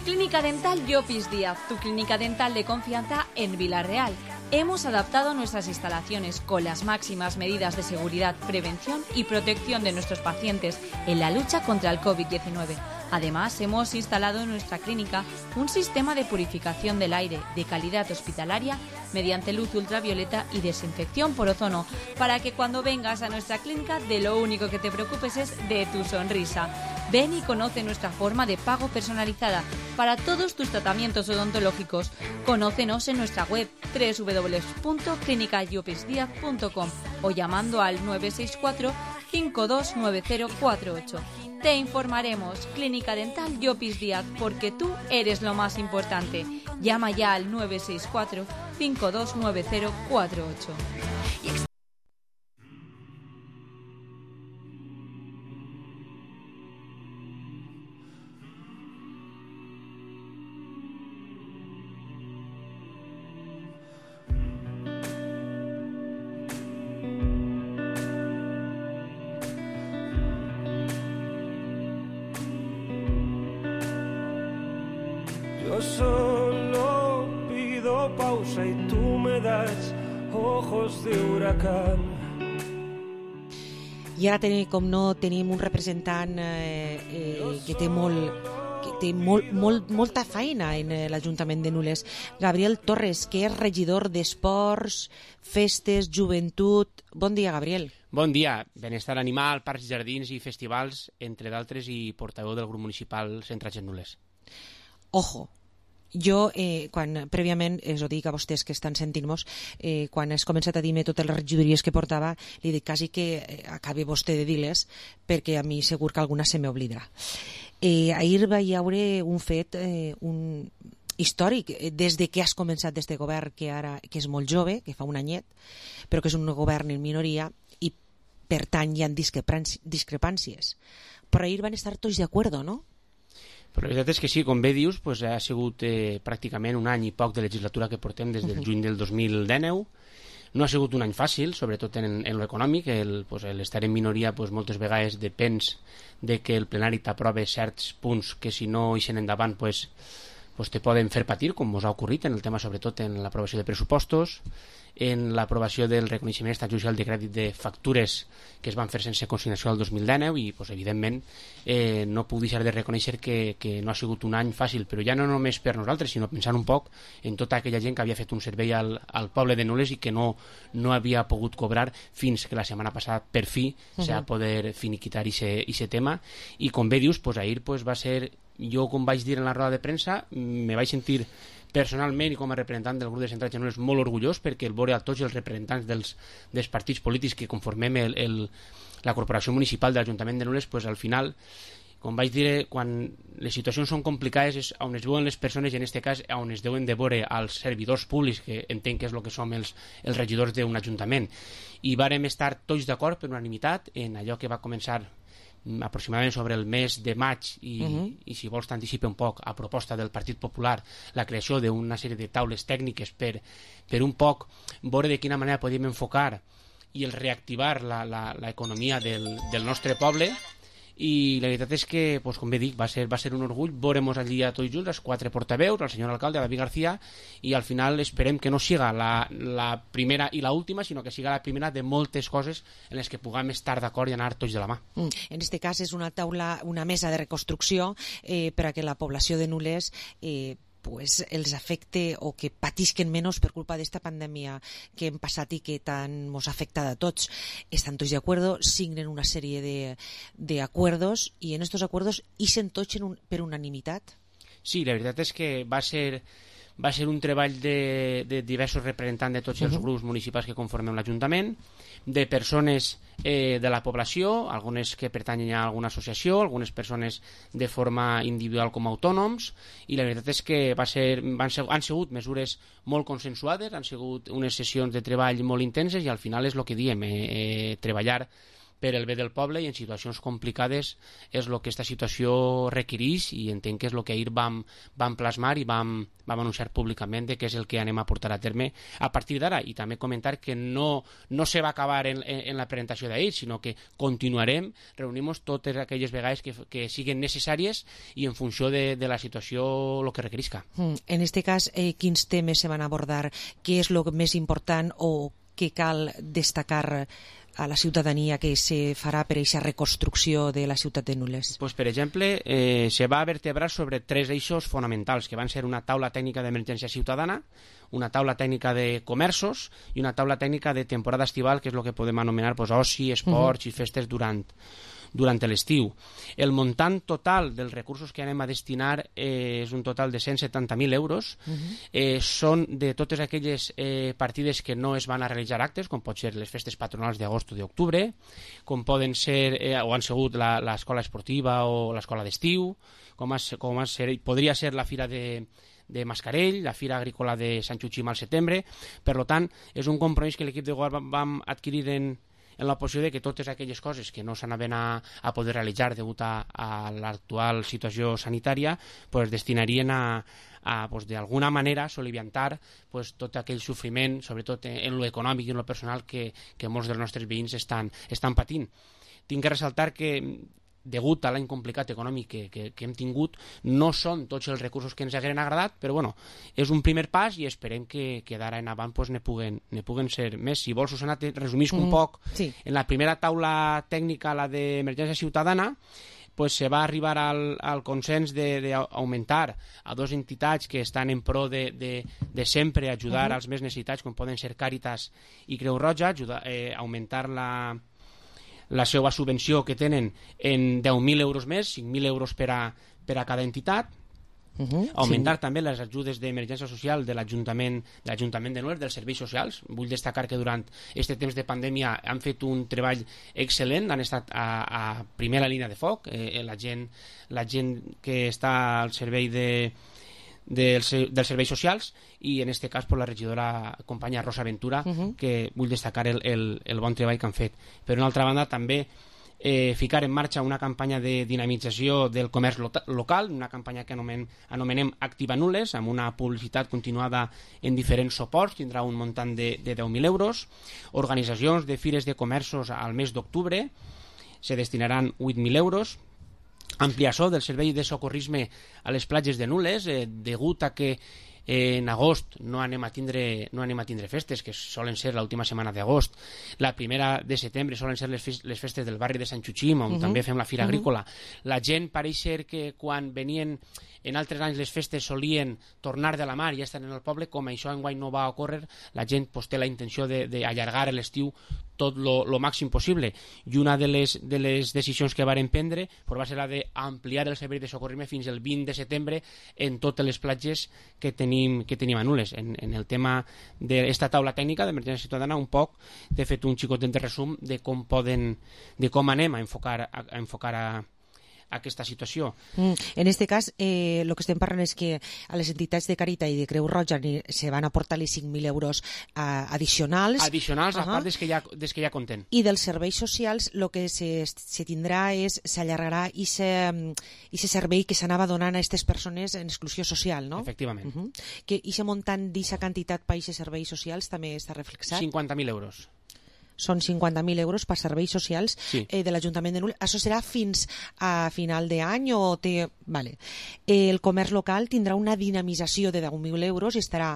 Clínica Dental Llopis Díaz, tu clínica dental de confianza en Vila-real. Hemos adaptado nuestras instalaciones con las máximas medidas de seguridad, prevención y protección de nuestros pacientes en la lucha contra el COVID-19. Además, hemos instalado en nuestra clínica un sistema de purificación del aire de calidad hospitalaria mediante luz ultravioleta y desinfección por ozono, para que cuando vengas a nuestra clínica de lo único que te preocupes es de tu sonrisa. Ven y conoce nuestra forma de pago personalizada para todos tus tratamientos odontológicos. Conócenos en nuestra web www.clinicallopisdiaz.com o llamando al 964 529048. Te informaremos. Clínica Dental Llopis Díaz, porque tú eres lo más importante. Llama ya al 964 529048. Yo solo pido pausa y tú me das ojos de huracán. I ara, com no, tenim un representant que té molta feina en l'Ajuntament de Nules. Gabriel Torres, que és regidor d'Esports, Festes, Joventut. Bon dia, Gabriel. Bon dia. Benestar animal, parcs, jardins i festivals, entre d'altres, i portaveu del grup municipal Centrats en Nules. Ojo, jo, quan prèviament, ho dic a vostès que estan sentint-nos, quan has començat a dir-me totes les regidories que portava, li dic quasi que acabi vostè de dir-les, perquè a mi segur que alguna se m'oblidarà. Ahir va hi haure un fet històric, des de que has començat d'este govern, que és molt jove, que fa un anyet, però que és un govern en minoria, i per tant hi ha discrepàncies. Però ahir van estar tots d'acord, no? Però la veritat és que sí, com bé dius, ha sigut pràcticament un any i poc de legislatura que portem des del juny del 2019. No ha sigut un any fàcil, sobretot en l'econòmic. L'estar en minoria moltes vegades depèn de que el plenari t'aprove certs punts que si no ixen endavant te poden fer patir, com us ha ocorrit en el tema, sobretot en l'aprovació de pressupostos, en l'aprovació del reconeixement extrajudicial de crèdit de factures que es van fer sense consignació el 2019 i, evidentment, no puc deixar de reconèixer que no ha sigut un any fàcil, però ja no només per nosaltres, sinó pensant un poc en tota aquella gent que havia fet un servei al poble de Nules i que no havia pogut cobrar fins que la setmana passada, per fi, s'ha poder finiquitar aquest tema. I, com bé dius, ahir va ser... Jo, com vaig dir en la roda de premsa, me vaig sentir personalment i com a representant del grup de Centrats en Nules molt orgullós, perquè el veure a tots els representants dels partits polítics que conformem la corporació municipal de l'Ajuntament de Nules, al final, com vaig dir, quan les situacions són complicades és on es veuen les persones, i en aquest cas on es deuen de veure als servidors públics, que entenc que és el que som els regidors d'un ajuntament. I vàrem estar tots d'acord per unanimitat en allò que va començar aproximadament sobre el mes de maig i si vols t'anticipa un poc a proposta del Partit Popular la creació d'una sèrie de taules tècniques per un poc veure de quina manera podíem enfocar i el reactivar l'economia del nostre poble. I la veritat és que, com bé dic, va ser un orgull veure-nos allí a tots junts, els 4 portaveus, el senyor alcalde, David García, i al final esperem que no siga la primera i l'última, sinó que siga la primera de moltes coses en les que puguem estar d'acord i anar tots de la mà. En aquest cas és una taula, una mesa de reconstrucció per a que la població de Nules els afecte o que patisquen menys per culpa d'esta pandèmia que hem passat i que tant ens ha afectat a tots. Estan tots d'acord, signen una sèrie d'acords i en estos acords ixen tots per unanimitat? Sí, la veritat és que va ser un treball de diversos representants de tots els grups municipals que conformem l'Ajuntament, de persones de la població, algunes que pertanyen a alguna associació, algunes persones de forma individual com a autònoms, i la veritat és que han sigut mesures molt consensuades, han sigut unes sessions de treball molt intenses i al final és el que diem, treballar per el bé del poble i en situacions complicades és el que aquesta situació requereix i entenc que és el que ahir vam plasmar i vam anunciar públicament que és el que anem a portar a terme a partir d'ara. I també comentar que no se va acabar en la presentació d'ahir, sinó que continuarem reunint-nos totes aquelles vegades que siguin necessàries i en funció de la situació el que requerisca. En aquest cas, quins temes se van abordar? Què és el més important o què cal destacar a la ciutadania que se farà per aquesta reconstrucció de la ciutat de Nules? Per exemple, se va vertebrar sobre 3 eixos fonamentals, que van ser una taula tècnica d'emergència ciutadana, una taula tècnica de comerços i una taula tècnica de temporada estival, que és el que podem anomenar oci, esports i festes durant l'estiu. El muntant total dels recursos que anem a destinar és un total de 170.000 euros. Són de totes aquelles partides que no es van a realitzar actes, com pot ser les festes patronals d'agost o d'octubre, com poden ser o han sigut l'escola esportiva o l'escola d'estiu, podria ser la fira de Mascarell, la fira agrícola de Sant Xuxim al setembre. Per tant, és un compromís que l'equip de govern vam adquirir en la posició de que totes aquelles coses que no s'anaven a poder realitzar degut a l'actual situació sanitària destinarien a d'alguna manera soliviantar tot aquell sofriment, sobretot en lo econòmic i en lo personal que molts dels nostres veïns estan patint. Tinc que ressaltar que degut a l'any complicat econòmic que hem tingut, no són tots els recursos que ens hagueren agradat, però és un primer pas i esperem que d'ara en avant ne puguen ser més. Si vols, Susana, te resumisc un poc. En la primera taula tècnica, la d'emergència ciutadana, pues se va arribar al consens d'augmentar a dues entitats que estan en pro de sempre ajudar als més necessitats, com poden ser Càritas i Creu Roja, augmentar la seva subvenció que tenen en 10.000 euros més, 5.000 euros per a cada entitat, augmentar també les ajudes d'emergència social de l'Ajuntament de Nules, dels serveis socials. Vull destacar que durant aquest temps de pandèmia han fet un treball excel·lent, han estat a primera línia de foc, la gent que està al servei dels serveis socials, i en aquest cas per la regidora companya Rosa Ventura, que vull destacar el bon treball que han fet. Per una altra banda, també ficar en marxa una campanya de dinamització del comerç local, una campanya que anomenem Activa Nules, amb una publicitat continuada en diferents suports, tindrà un muntant de 10.000 euros. Organitzacions de fires de comerços al mes d'octubre se destinaran 8.000 euros. Ampliació del servei de socorrisme a les platges de Nules, degut a que en agost no anem a tindre festes, que solen ser l'última setmana d'agost. La primera de setembre solen ser les festes del barri de Sant Xuxim, on també fem la fira agrícola. La gent pareix ser que quan venien en altres anys les festes solien tornar de la mar i ja estan en el poble. Com això enguany no va ocórrer, la gent té la intenció d'allargar l'estiu tot lo màxim possible, i una de les decisions que varen prendre va ser la d'ampliar el servei de socorrisme fins al 20 de setembre en totes les platges que tenim a Nules. En el tema d'esta taula tècnica d'emergència ciutadana, un poc t'he fet un xicotet de resum de com anem a enfocar aquesta situació. En aquest cas, el que estem parlant és que a les entitats de Càritas i de Creu Roja se van aportar els 5.000 euros addicionals. A part des que ja compten. I dels serveis socials el que se tindrà s'allargarà aquest servei que s'anava donant a aquestes persones en exclusió social, no? Efectivament. Que aquest muntant d'aquesta quantitat per aquests serveis socials també està reflexat? 50.000 euros. Són 50.000 euros per serveis socials de l'Ajuntament de Nules. Això serà fins a final d'any o té... Vale. El comerç local tindrà una dinamització de 10.000 euros i estarà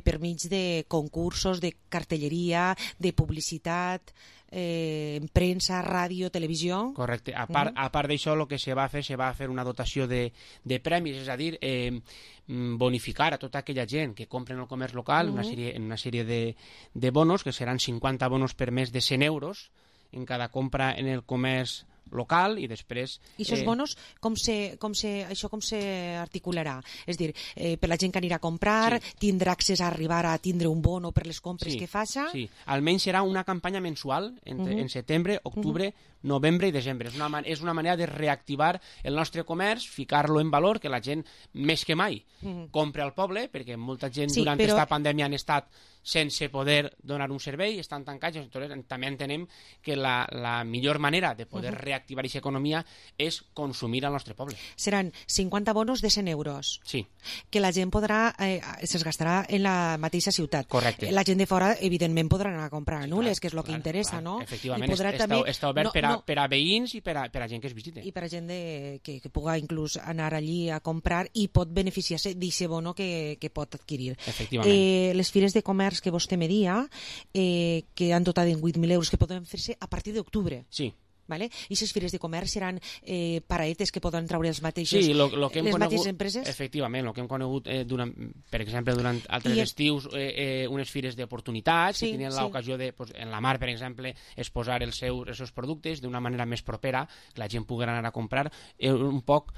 per mig de concursos, de cartelleria, de publicitat, en premsa, ràdio, televisió. Correcte. A part d'això, el que se va fer una dotació de premis, és a dir, bonificar a tota aquella gent que compren el comerç local en una sèrie de bonos, que seran 50 bonos per mes de 100 euros en cada compra en el comerç local, i després... I aquests bonos, com se articularà? És dir, per la gent que anirà a comprar, tindrà accés a arribar a tindre un bono per les compres que faci? Sí, almenys serà una campanya mensual en setembre, octubre, novembre i desembre. És una manera de reactivar el nostre comerç, ficar-lo en valor, que la gent, més que mai, compre al poble, perquè molta gent durant aquesta pandèmia han estat sense poder donar un servei, estan tancats. També entenem que la millor manera de poder reactivar aquesta economia és consumir al nostre poble. Seran 50 bonos de 100 euros. Sí. Que la gent se'ls gastarà en la mateixa ciutat. Correcte. La gent de fora, evidentment, podrà anar a comprar a Nules, que és el que interessa, no? Efectivament, està obert per a veïns i per a gent que es visite. I per a gent que pugui inclús anar allí a comprar i pot beneficiar-se d'aquest bono que pot adquirir. Efectivament. Les fires de comerç que vostè me dia, que han dotat en 8.000 euros, que poden fer-se a partir d'octubre. Sí. Vale? I aquestes fires de comerç seran paraetes que poden treure les mateixes empreses? Efectivament, el que hem conegut, per exemple, durant altres estius, unes fires d'oportunitats, que tenien l'ocasió de, en la mar, per exemple, exposar els seus productes d'una manera més propera, que la gent pugui anar a comprar, un poc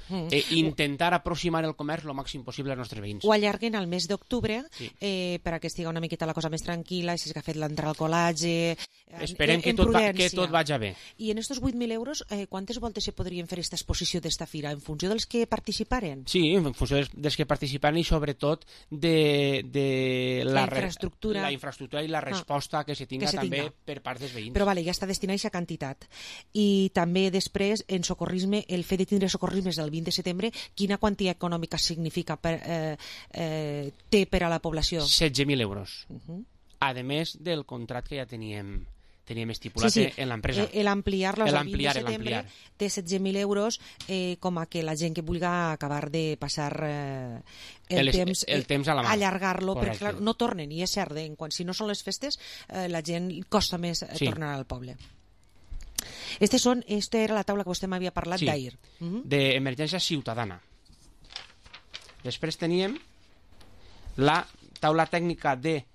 intentar aproximar el comerç el màxim possible als nostres veïns. Ho allarguen al mes d'octubre per a que estigui una miqueta la cosa més tranquil·la, si és que ha fet l'entrada al col·lagi... Esperem que tot vagi bé. I en aquests 8.000 euros, quantes voltes se podrien fer aquesta exposició d'esta fira? En funció dels que participaren? Sí, en funció dels que participaren i sobretot de la infraestructura i la resposta que se tinga també per part dels veïns. Però ja està destinada a aquesta quantitat. I també després, en socorrisme, el fet de tindre socorrismes el 20 de setembre, quina quantia econòmica significa té per a la població? 16.000 euros. A més del contracte que ja teníem estipulat en l'empresa. L'ampliar-los al 20 de setembre té 16.000 euros com a que la gent que vulgui acabar de passar el temps a la mà, allargar-lo, perquè clar, no tornen, i és cert, si no són les festes la gent costa més tornar al poble. Esta era la taula que vostè m'havia parlat d'ahir. D'emergència ciutadana. Després teníem la taula tècnica de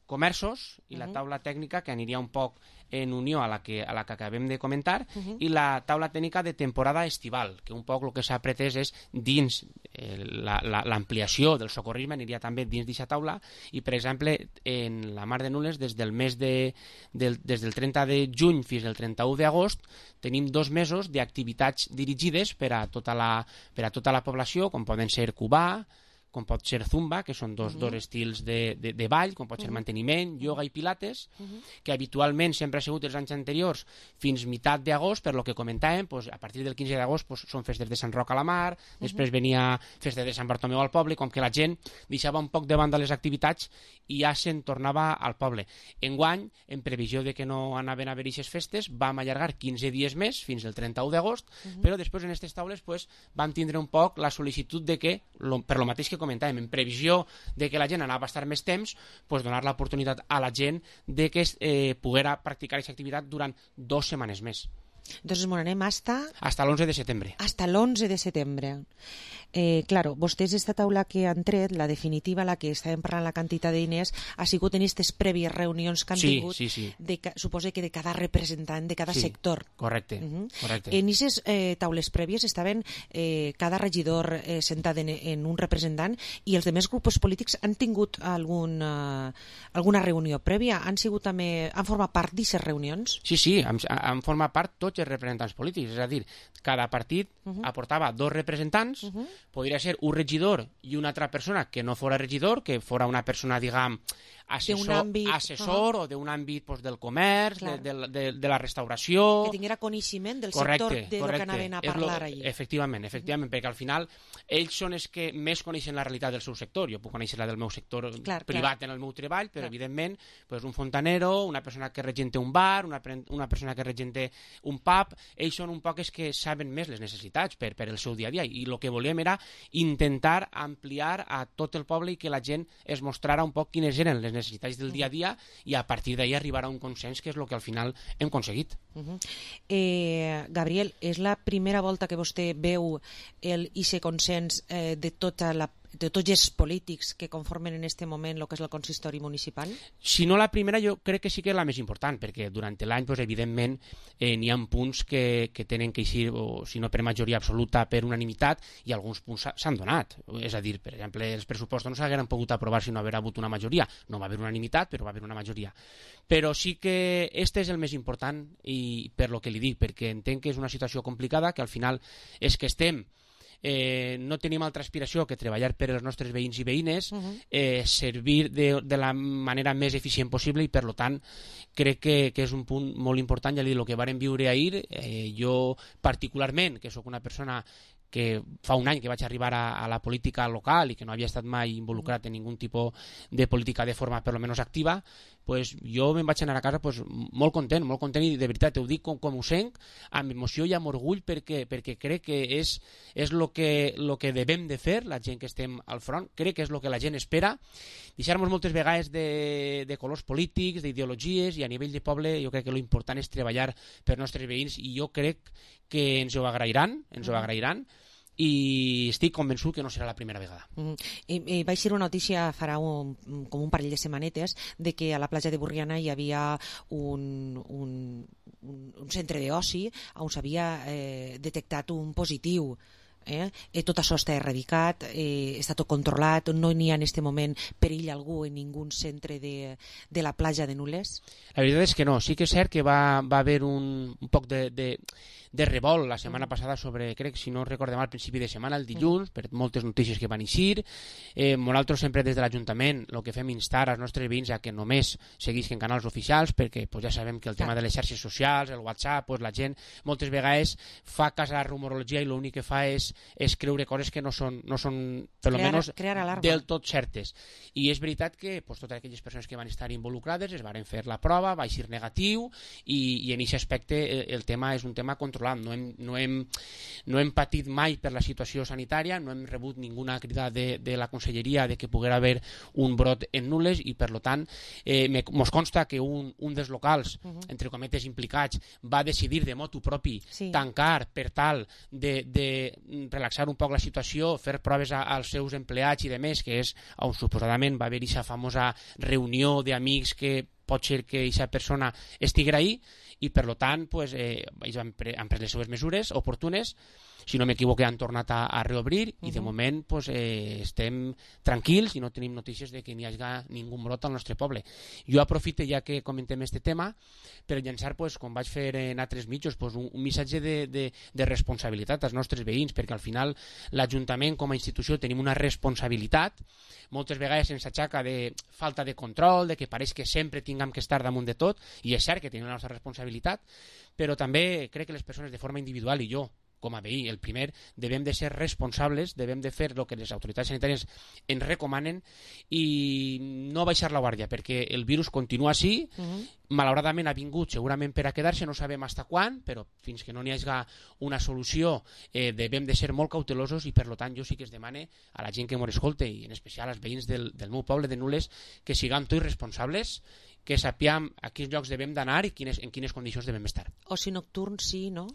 comerços i la taula tècnica que aniria un poc en unió a la que acabem de comentar i la taula tècnica de temporada estival, que un poc el que s'ha pretès és dins l'ampliació del socorrisme aniria també dins d'aquesta taula i, per exemple, en la Mar de Nules des del 30 de juny fins al 31 d'agost tenim 2 mesos d'activitats dirigides per a tota la població, com poden ser Cubà, com pot ser Zumba, que són dos estils de ball, com pot ser manteniment, ioga i pilates, que habitualment sempre ha sigut els anys anteriors fins meitat d'agost, per lo que comentàvem, a partir del 15 d'agost són festes de Sant Roc a la Mar, després venia festa de Sant Bartomeu al poble, com que la gent deixava un poc de banda les activitats i ja se'n tornava al poble. Enguany, en previsió de que no anaven a haver aquestes festes, vam allargar 15 dies més, fins al 31 d'agost, però després en aquestes taules vam tindre un poc la sol·licitud de que, per lo mateix que comentàvem, en previsió de que la gent anava a estar més temps, donar l'oportunitat a la gent de que poguera practicar aquesta activitat durant 2 setmanes més. Entonces, bueno, anem hasta l'11 de setembre. Hasta l'11 de setembre. Claro, vostès esta taula que han tret, la definitiva, la que estàvem parlant la quantitat de diners, ha sigut en aquestes prèvies reunions que han tingut, suposo que de cada representant, de cada sector. Correcte. En aquestes taules prèvies estaven cada regidor sentat en un representant i els demés grups polítics han tingut alguna reunió prèvia? Han format part d'aquestes reunions? Sí, han format part tots els representants polítics, és a dir, cada partit aportava 2 representants, podria ser un regidor i una altra persona que no fora regidor, que fora una persona, diguem, assessor o d'un àmbit del comerç, de la restauració... Que tinguera coneixement del sector de lo que anaven a parlar allí. Efectivament, perquè al final ells són els que més coneixen la realitat del seu sector. Jo puc conèixer la del meu sector privat en el meu treball, però evidentment un fontanero, una persona que regenta un bar, una persona que regenta un pub, ells són un poc els que saben més les necessitats per el seu dia a dia, i el que volíem era intentar ampliar a tot el poble i que la gent es mostrara un poc quines eren les necessitats del dia a dia i a partir d'ahir arribar a un consens, que és el que al final hem aconseguit. Gabriel, és la primera volta que vostè veu aquest consens de tots els polítics que conformen en aquest moment el que és el consistori municipal? Si no la primera, jo crec que sí que és la més important, perquè durant l'any, evidentment, n'hi ha punts que tenen que eixir, si no per majoria absoluta, per unanimitat, i alguns punts s'han donat. És a dir, per exemple, els pressupostos no s'hagueren pogut aprovar si no haguera hagut una majoria. No va haver unanimitat, però va haver una majoria. Però sí que este és el més important, i per lo que li dic, perquè entenc que és una situació complicada, que al final és que estem no tenim altra aspiració que treballar per als nostres veïns i veïnes, servir de la manera més eficient possible, i per tant crec que és un punt molt important. Ja li dic, el que vàrem viure ahir, jo particularment, que sóc una persona que fa un any que vaig arribar a la política local i que no havia estat mai involucrat en ningun tipus de política de forma per lo menos activa, jo me'n vaig anar a casa molt content, i de veritat ho dic com ho sent, amb emoció i amb orgull, perquè crec que és el que devem de fer la gent que estem al front. Crec que és el que la gent espera, deixar-nos moltes vegades de colors polítics, d'ideologies, i a nivell de poble jo crec que l'important és treballar per nostres veïns, i jo crec que ens ho agrairan, i estic convençut que no serà la primera vegada. Vaig ser una notícia farà com un parell de setmanetes de que a la platja de Burriana hi havia un centre d'oci on s'havia detectat un positiu. Tot això està erradicat, està tot controlat, no n'hi ha en aquest moment perill algú en ningú centre de la platja de Nules? La veritat és que no, sí que és cert que va haver un poc de revolt la setmana passada sobre, crec, si no recordem al principi de setmana, el dilluns, per moltes notícies que van eixir. Nosaltres sempre des de l'Ajuntament el que fem instar als nostres veïns a que només seguisquen canals oficials, perquè ja sabem que el tema de les xarxes socials, el WhatsApp, la gent moltes vegades fa cas a la rumorologia i l'únic que fa és creure coses que no són per lo menos del tot certes. I és veritat que totes aquelles persones que van estar involucrades es van fer la prova, va eixir negatiu, i en aquest aspecte el tema és un tema controlat controlat. No hem patit mai per la situació sanitària, no hem rebut ninguna crida de la Conselleria de que poguera haver un brot en Nules i, per tant, mos consta que un dels locals, entre cometes implicats, va decidir de motu propi tancar per tal de relaxar un poc la situació, fer proves als seus empleats i demés, que és on suposadament va haver aquesta famosa reunió d'amics que pot ser que aquesta persona estigui ahí i, per tant, ells han pres les seves mesures oportunes. Si no m'equivoco, han tornat a reobrir i de moment estem tranquils i no tenim notícies de que n'hi hagi ningú brot al nostre poble. Jo aprofito, ja que comentem aquest tema, per llançar, com vaig fer en altres mitjos, un missatge de responsabilitat als nostres veïns, perquè al final l'Ajuntament com a institució tenim una responsabilitat. Moltes vegades se'ns aixaca de falta de control, de que pareix que sempre tinguem que estar damunt de tot, i és cert que tenim la nostra responsabilitat, però també crec que les persones de forma individual, i jo com a veí, el primer, devem de ser responsables, devem de fer el que les autoritats sanitàries ens recomanen i no baixar la guàrdia, perquè el virus continua així, malauradament ha vingut segurament per a quedar-se, no sabem fins quan, però fins que no n'hi hagi una solució devem de ser molt cautelosos i, per tant, jo sí que es demane a la gent que m'ho escolta i en especial als veïns del meu poble de Nules que siguem tots responsables, que sapiem a quins llocs devem d'anar i en quines condicions devem estar. Oci nocturn sí, no?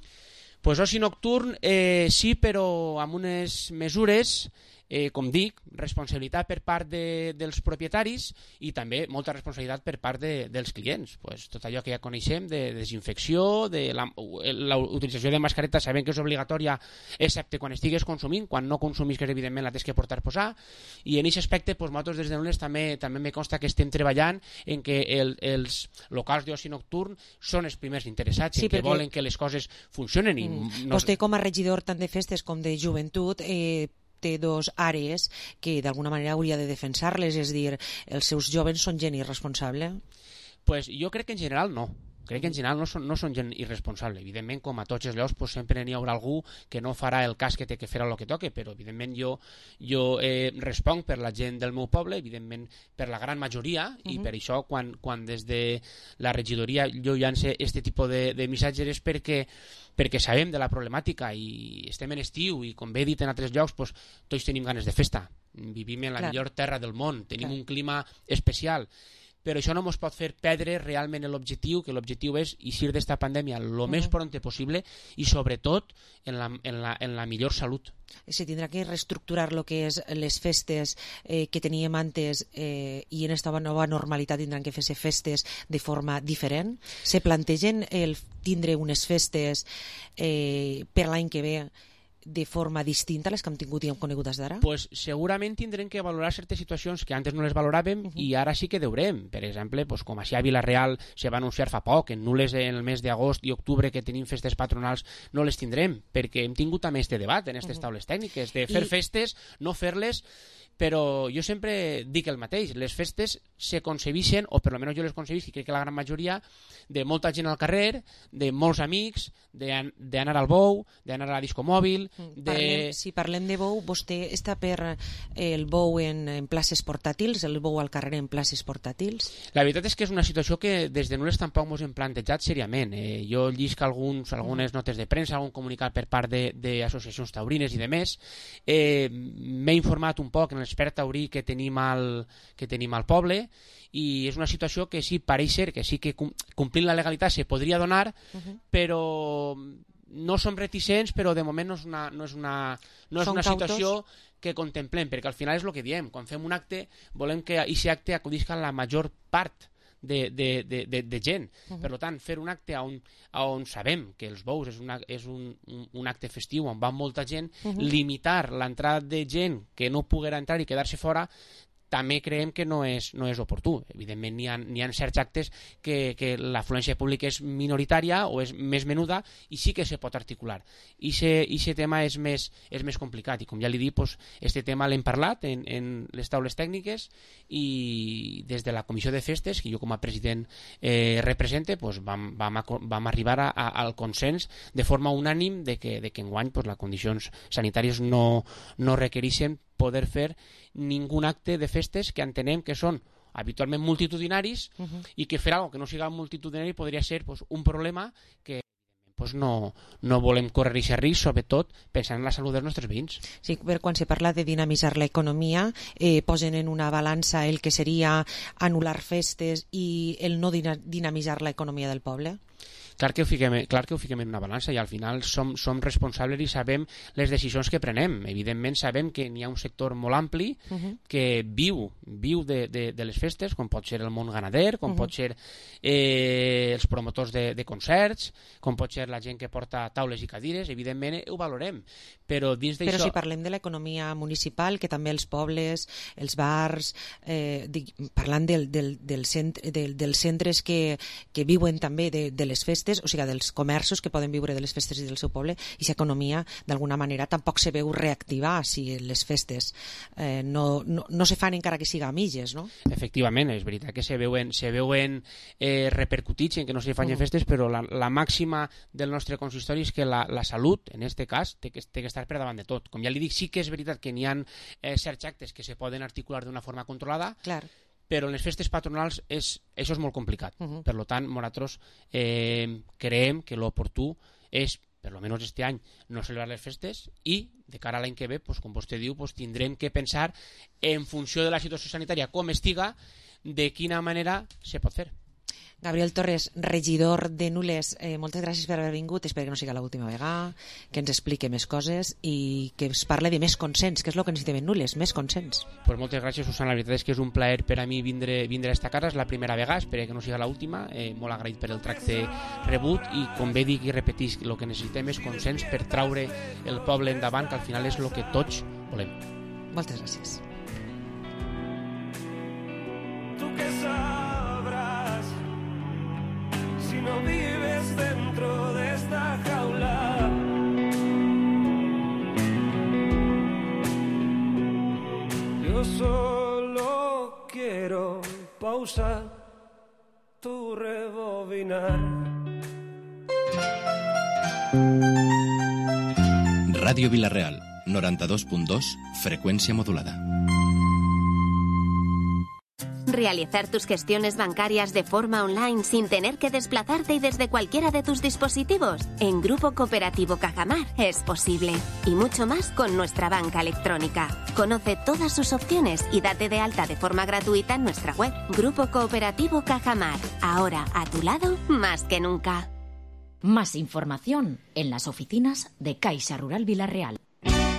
Pues oci nocturn sí, però amb unes mesures, com dic, responsabilitat per part dels propietaris i també molta responsabilitat per part dels clients. Tot allò que ja coneixem de desinfecció, de la utilització de mascareta sabem que és obligatòria excepte quan estigues consumint, quan no consumís que evidentment la tens que posar, i en aquest aspecte nosaltres des de Nules també me consta que estem treballant en que els locals d'oci nocturn són els primers interessats, en que volen que les coses funcionen. Vostè com a regidor tant de festes com de joventut té dos àrees que d'alguna manera hauria de defensar-les, és dir, els seus joves són gent irresponsable? Jo crec que en general no. Crec que en general no són gent irresponsable. Evidentment, com a tots els llocs, sempre n'hi haurà algú que no farà el cas que té que fer el que toque, però evidentment jo responc per la gent del meu poble, evidentment per la gran majoria, i per això quan des de la regidoria jo llance aquest tipus de missatges és perquè sabem de la problemàtica i estem en estiu i, com bé he dit en altres llocs, tots tenim ganes de festa. Vivim en la millor terra del món, tenim un clima especial, però això no ens pot fer perdre realment l'objectiu, que l'objectiu és eixir d'esta pandèmia el més pront possible i sobretot en la millor salut. Se tindrà que reestructurar el que és les festes que teníem antes i en esta nova normalitat tindran que fer-se festes de forma diferent. Se plantegen el tindre unes festes per l'any que ve de forma distinta a les que hem tingut i hem conegut des d'ara? Segurament tindrem que valorar certes situacions que antes no les valoràvem i ara sí que deurem. Per exemple, com així a Vila-real se va anunciar fa poc, en Nules en el mes d'agost i octubre que tenim festes patronals no les tindrem, perquè hem tingut també este debat en aquestes taules tècniques de fer festes, no fer-les, però jo sempre dic el mateix, les festes se concebeixen, o per almenys jo les concebeixo, i crec que la gran majoria, de molta gent al carrer, de molts amics, d'anar al bou, d'anar a la disco mòbil... Si parlem de bou, vostè està per el bou en places portàtils, el bou al carrer en places portàtils? La veritat és que és una situació que des de Nules tampoc ens hem plantejat seriament. Jo llisc algunes notes de premsa, algun comunicat per part d'associacions taurines i demés. M'he informat un poc en l'expert taurí que tenim al poble i és una situació que sí, pareix ser que sí que complint la legalitat se podria donar, però no som reticents, però de moment no és una situació que contemplem, perquè al final és el que diem, quan fem un acte volem que aquest acte acudisca a la major part de gent. Per tant, fer un acte on sabem que els bous és un acte festiu on va molta gent, limitar l'entrada de gent que no poguera entrar i quedar-se fora, també creiem que no és oportú. Evidentment, n'hi ha certs actes que l'afluència pública és minoritària o és més menuda i sí que se pot articular. I aquest tema és més complicat i, com ja li dic, aquest tema l'hem parlat en les taules tècniques i des de la comissió de festes, que jo com a president represente, vam arribar al consens de forma unànim de que enguany les condicions sanitàries no requereixen poder fer ningun acte de festes que entenem que són habitualment multitudinaris i que fer alguna que no siga multitudinari podria ser un problema que doncs no volem córrer aquest risc, sobretot pensant en la salut dels nostres veïns. Sí, per quan se parla de dinamitzar l'economia, posen en una balança el que seria anul·lar festes i el no dinamitzar l'economia del poble? Clar que ho fiquem en una balança i al final som responsables i sabem les decisions que prenem. Evidentment sabem que n'hi ha un sector molt ampli que viu de les festes, com pot ser el món ganader, com pot ser els promotors de concerts, com pot ser la gent que porta taules i cadires, evidentment ho valorem. Però dins d'això... Però si parlem de l'economia municipal, que també els pobles, els bars, parlant dels centres que viuen també de les festes, o sigui, dels comerços que poden viure de les festes i del seu poble, i aquesta economia d'alguna manera tampoc se veu reactivar si les festes no se fan encara que siga a mitges, no? Efectivament, és veritat que se veuen repercutits en que no se fan festes, però la màxima del nostre consistori és que la salut, en aquest cas, té que estar per davant de tot. Com ja li dic, sí que és veritat que n'hi ha certs actes que se poden articular d'una forma controlada, clar, però en les festes patronals això és molt complicat. Per tant, nosaltres creiem que l'oportú és, per almenys este any, no celebrar les festes i, de cara a l'any que ve, com vostè diu, tindrem que pensar, en funció de la situació sanitària com estiga, de quina manera se pot fer. Gabriel Torres, regidor de Nules, moltes gràcies per haver vingut, espero que no sigui l'última vegada, que ens explique més coses i que es parle de més consens, que és el que necessitem en Nules, més consens. Pues moltes gràcies, Susana, la veritat és que és un plaer per a mi vindre a esta casa, és la primera vegada, espero que no sigui l'última, molt agraït per el tracte rebut i, com bé dic i repetís, el que necessitem és consens per traure el poble endavant, que al final és el que tots volem. Moltes gràcies. Tu que sabrás si no vives dentro de esta jaula. Yo solo quiero pausar tu rebobinar. Ràdio Vila-real, 92.2, frecuencia modulada. Realizar tus gestiones bancarias de forma online sin tener que desplazarte y desde cualquiera de tus dispositivos. En Grupo Cooperativo Cajamar es posible. Y mucho más con nuestra banca electrónica. Conoce todas sus opciones y date de alta de forma gratuita en nuestra web. Grupo Cooperativo Cajamar. Ahora a tu lado más que nunca. Más información en las oficinas de Caixa Rural Vila-real.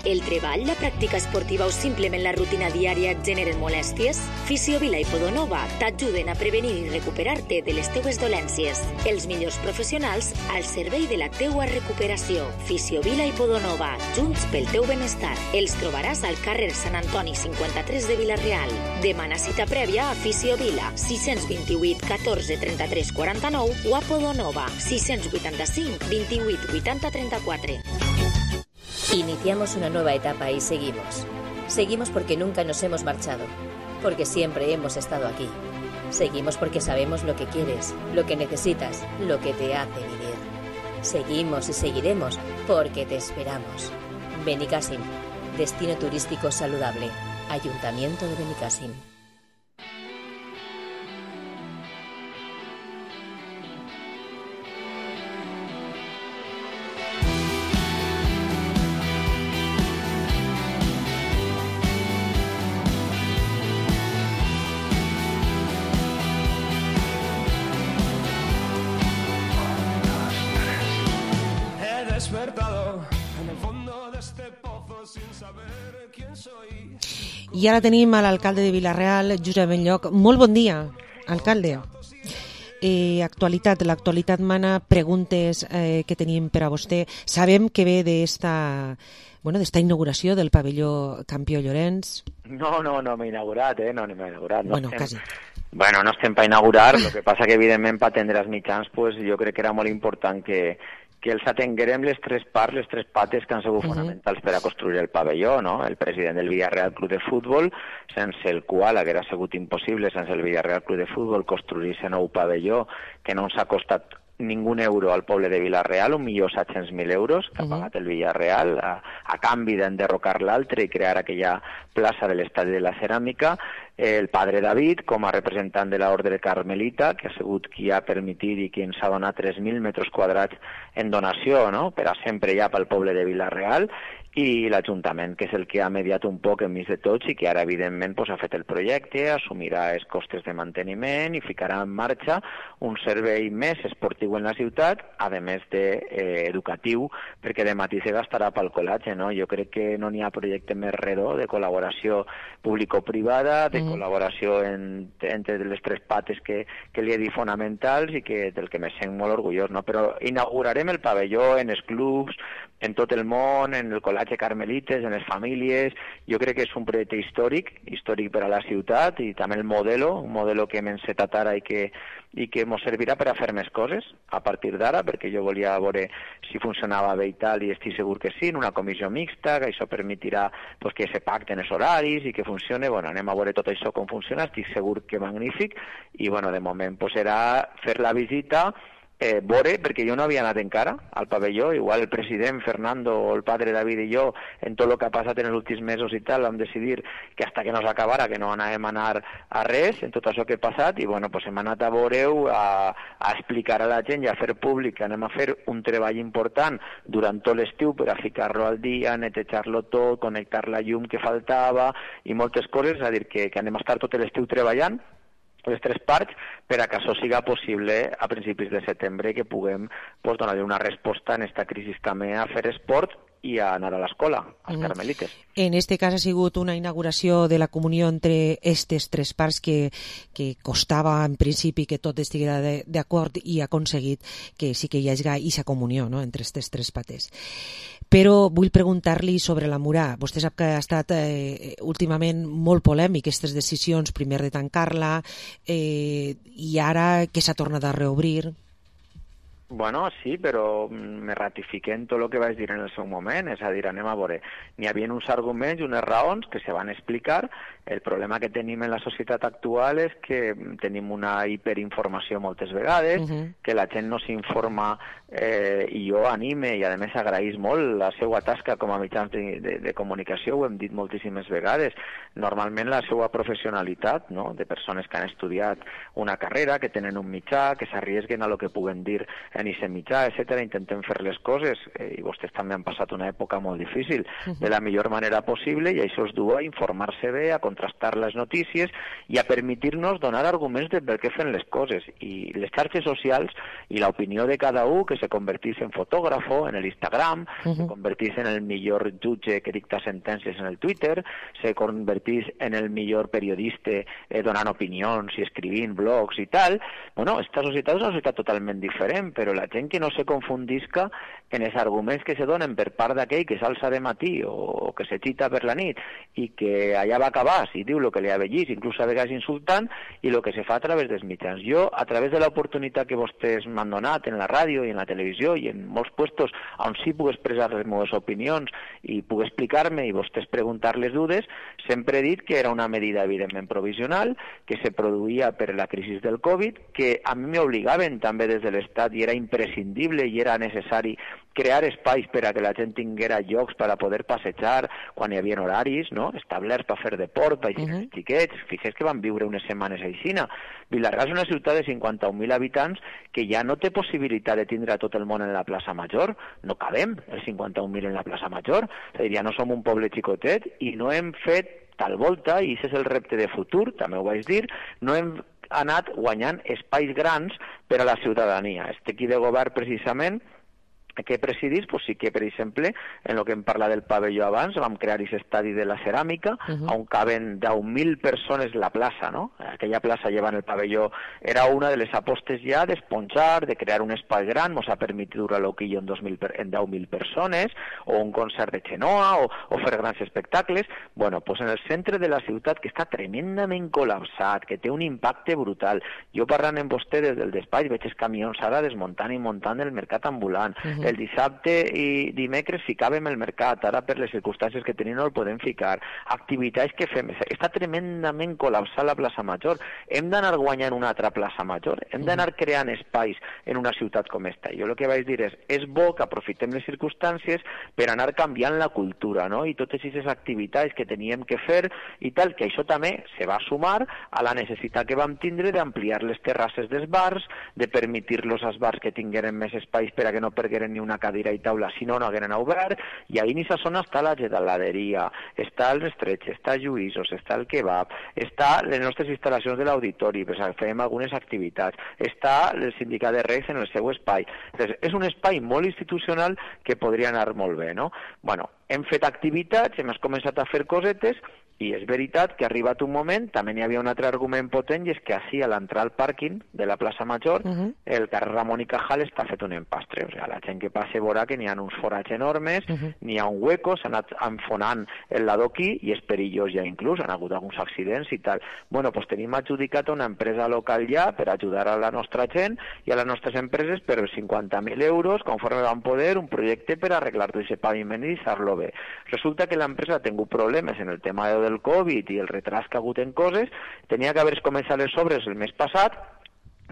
El treball, la pràctica esportiva o simplement la rutina diària et generen molèsties? Fisiovila i Podonova t'ajuden a prevenir i recuperar-te de les teues dolències. Els millors professionals al servei de la teua recuperació. Fisiovila i Podonova, junts pel teu benestar. Els trobaràs al carrer Sant Antoni 53 de Vila-real. Demana cita prèvia a Fisiovila 628 14 33 49 o a Podonova 685 28 80 34. Iniciamos una nueva etapa y seguimos. Seguimos porque nunca nos hemos marchado, porque siempre hemos estado aquí. Seguimos porque sabemos lo que quieres, lo que necesitas, lo que te hace vivir. Seguimos y seguiremos porque te esperamos. Benicàssim, destino turístico saludable. Ayuntamiento de Benicàssim. I ara tenim a l'alcalde de Vila-real, Josep Benlloc. Molt bon dia, alcalde. L'actualitat mana preguntes que tenim per a vostè. Sabem que ve d'esta inauguració del pavelló Campió Llorenç. No m'he inaugurat, no m'he inaugurat. Bueno, quasi. Bueno, no estem per inaugurar, el que passa que evidentment per atendre els mitjans pues, jo crec que era molt important que els atenguerem les tres parts, les tres pates que han sigut fonamentals per a construir el pavelló, no? El president del Villarreal Club de Futbol, sense el qual haguera sigut impossible, sense el Villarreal Club de Futbol, construir aquest nou pavelló que no ens ha costat ningú euro al poble de Vila-real, 1.700.000 euros que ha pagat el Villarreal a canvi d'enderrocar l'altre i crear aquella plaça de l'estadi de la ceràmica. El padre David, com a representant de l'Ordre Carmelita, que ha sigut qui ha permitit i qui ens ha donat 3.000 metres quadrats en donació, no?, per a sempre ja pel poble de Vila-real, i l'Ajuntament, que és el que ha mediat un poc enmig de tots i que ara, evidentment, ha fet el projecte, assumirà els costes de manteniment i ficarà en marxa un servei més esportiu en la ciutat, a més d'educatiu, perquè de matí se gastarà pel col·latge, no? Jo crec que no n'hi ha projecte més redó de col·laboració público-privada, de col·laboració entre les tres pates que li he dit fonamentals i que del que me sent molt orgullós, no? Però inaugurarem el pavelló en els clubs, en tot el món, en el col·latge Carmelites, en les famílies. Jo crec que és un projecte històric per a la ciutat i també un modelo que hem encetat ara i que ens servirà per a fer més coses a partir d'ara, perquè jo volia veure si funcionava bé i tal, i estic segur que sí, en una comissió mixta, que això permetirà que se pacten els horaris i que funcione. Bueno, anem a veure tot això com funciona, estic segur que magnífic, i bueno, de moment serà fer la visita, veure, perquè jo no havia anat encara al pavelló, igual el president Fernando o el padre David i jo, en tot el que ha passat en els últims mesos i tal, vam decidir que hasta que no s'acabara, que no anàvem a anar a res, en tot això que ha passat, i bueno, hem anat a veure-ho, a explicar a la gent i a fer públic que anem a fer un treball important durant tot l'estiu per a ficar-lo al dia, netejar-lo tot, connectar la llum que faltava i moltes coses, és a dir, que anem a estar tot l'estiu treballant les tres parts per a que això siga possible a principis de setembre, que puguem donar una resposta en aquesta crisi també a fer esport i a anar a l'escola, als Carmelites. En este cas ha sigut una inauguració de la comunió entre aquestes tres parts que costava en principi que tot estiguera d'acord i ha aconseguit que sí que hi hagi aquesta comunió, no?, entre aquestes tres pates. Però vull preguntar-li sobre la Murà. Vostè sap que ha estat últimament molt polèmic aquestes decisions, primer de tancar-la i ara que s'ha tornat a reobrir. Bueno, sí, però me ratifiqué en tot el que vaig dir en el seu moment, és a dir, anem a veure, n'hi havia uns arguments i unes raons que se van explicar. El problema que tenim en la societat actual és que tenim una hiperinformació moltes vegades, que la gent no s'informa, i jo anime i a més agraïs molt la seva tasca com a mitjans de comunicació, ho hem dit moltíssimes vegades. Normalment la seva professionalitat, no?, de persones que han estudiat una carrera, que tenen un mitjà, que s'arriesguen a lo que puguen dir en aquest mitjà, etc. Intentem fer les coses, i vostès també han passat una època molt difícil, de la millor manera possible, i això es du a informar-se bé, a contrastar les notícies i a permetir-nos donar arguments de per què fem les coses. I les xarxes socials i l'opinió de cada un, que se convertís en fotògrafo en l'Instagram, se convertís en el millor jutge que dicta sentències en el Twitter, se convertís en el millor periodista donant opinions i escrivint blogs i tal. Bueno, esta societat és una societat totalment diferent, però la gent que no se confundisca en els arguments que se donen per part d'aquell que s'alça de matí o que se xita per la nit i que allà va acabar, si diu el que li ha vegis, inclús a vegades insultant, i el que se fa a través dels mitjans. Jo, a través de l'oportunitat que vostès m'han donat en la ràdio i en la televisió i en molts puestos on sí puc expressar les meves opinions i puc explicar-me i vostès preguntar les dudes, sempre he dit que era una medida evidentment provisional, que se produïa per la crisi del Covid, que a mi m'obligaven també des de l'Estat i era imprescindible i era necessari crear espais per a que la gent tinguera llocs per a poder passejar quan hi havia horaris, no?, establerts per fer deport, per girar els xiquets. Fixeu que van viure unes setmanes aixina. Vilarreal és una ciutat de 51.000 habitants que ja no té possibilitat de tindre tot el món en la plaça Major. No cabem els 51.000 en la plaça Major. És a dir, ja no som un poble xicotet i no hem fet tal volta, i aquest és el repte de futur, també ho vaig dir, no hem anat guanyant espais grans per a la ciutadania. Este equip de govern, precisament, que presidís, pues sí que, per exemple, en el que hem parlat del pavelló abans, vam crear aquest estadi de la ceràmica, on caben 10.000 persones la plaça, no? Aquella plaça llevant el pavelló era una de les apostes ja d'esponjar, de crear un espai gran, ens ha permès durar l'Oquillo en 10.000 persones, o un concert de Xenoa, o fer grans espectacles. Bueno, pues en el centre de la ciutat, que està tremendament col·lapsat, que té un impacte brutal. Jo parlant amb vostè des del despatx, veig els camions ara desmuntant i muntant el mercat ambulant, el dissabte i dimecres ficàvem el mercat, ara per les circumstàncies que tenim no el podem ficar, activitats que fem, està tremendament col·lapsat la plaça Major, hem d'anar guanyant una altra plaça Major, hem d'anar creant espais en una ciutat com esta. Jo el que vaig dir és bo que aprofitem les circumstàncies per anar canviant la cultura, no? I totes aquestes activitats que teníem que fer i tal, que això també se va sumar a la necessitat que vam tindre d'ampliar les terrasses dels bars, de permetir-los als bars que tingueren més espais per a que no pergueren ni una cadira i taula, si no, no hagueren obert, i ahí en aquesta zona està la geladeria, està el estretx, està Lluïsos, està el kebab, està les nostres instal·lacions de l'auditori, pues fem algunes activitats, està el sindicat de Reis en el seu espai. Entonces, és un espai molt institucional que podria anar molt bé, no? Bueno, hem fet activitats, hem començat a fer cosetes, i és veritat que ha arribat un moment, també n'hi havia un altre argument potent, i és que així, a l'entrar al pàrquing de la plaça Major, el carrer Ramon i Cajal està fet un empastre. O sigui, la gent que passa veurà que n'hi ha uns forats enormes, n'hi ha un hueco, s'ha anat enfonant el l'adoquí i és perillós ja inclús, han hagut alguns accidents i tal. Bueno, doncs tenim adjudicat a una empresa local ja per ajudar a la nostra gent i a les nostres empreses per 50.000 euros, conforme van poder, un projecte per arreglar tot aquest paviment i deixar-lo bé. Resulta que l'empresa ha tingut problemes en el tema del Covid i el retras que ha hagut en coses, tenia que haver començat les obres el mes passat,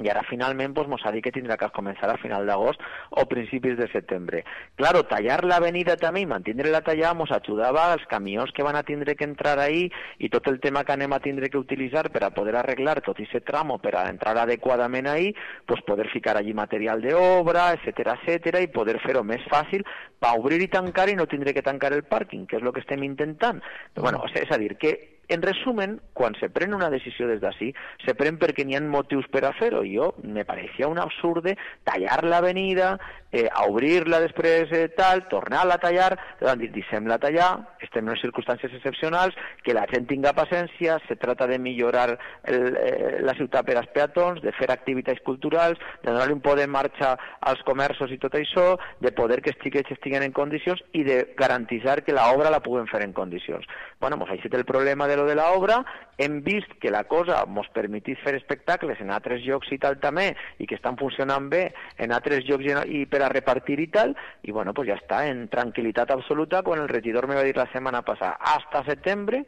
i ara finalment pues, mos ha dit que tindrà que començar a final d'agost o principis de setembre. Claro, tallar l'avenida també i mantindre-la tallada mos ajudava als camions que van a tindre que entrar ahí i tot el tema que anem a tindre que utilitzar per a poder arreglar tot aquest tramo, per a entrar adequadament ahí, pues poder ficar allí material d'obra, etcètera, i poder fer-ho més fàcil per obrir i tancar i no tindre que tancar el pàrquing, que és el que estem intentant. Bueno, és a dir, que en resumen, quan se pren una decisió des d'ací, se pren perquè n'hi ha motius per a fer-ho. Jo me pareixia un absurde tallar l'avenida, a obrir-la després tal, tornar-la a tallar, deixem-la tallar, estem en circumstàncies excepcionals, que la gent tinga paciència, se trata de millorar la ciutat per als peatons, de fer activitats culturals, de donar un poder de marxa als comerços i tot això, de poder que els xiquets estiguen en condicions i de garantitzar que l'obra la puguem fer en condicions. Bueno, doncs això és el problema de lo de l'obra, hem vist que la cosa ens permetís fer espectacles en altres llocs i tal també, i que estan funcionant bé en altres llocs i per a repartir i tal, i bueno, pues ja està, en tranquil·litat absoluta, quan el regidor me va dir la setmana passada, hasta setembre,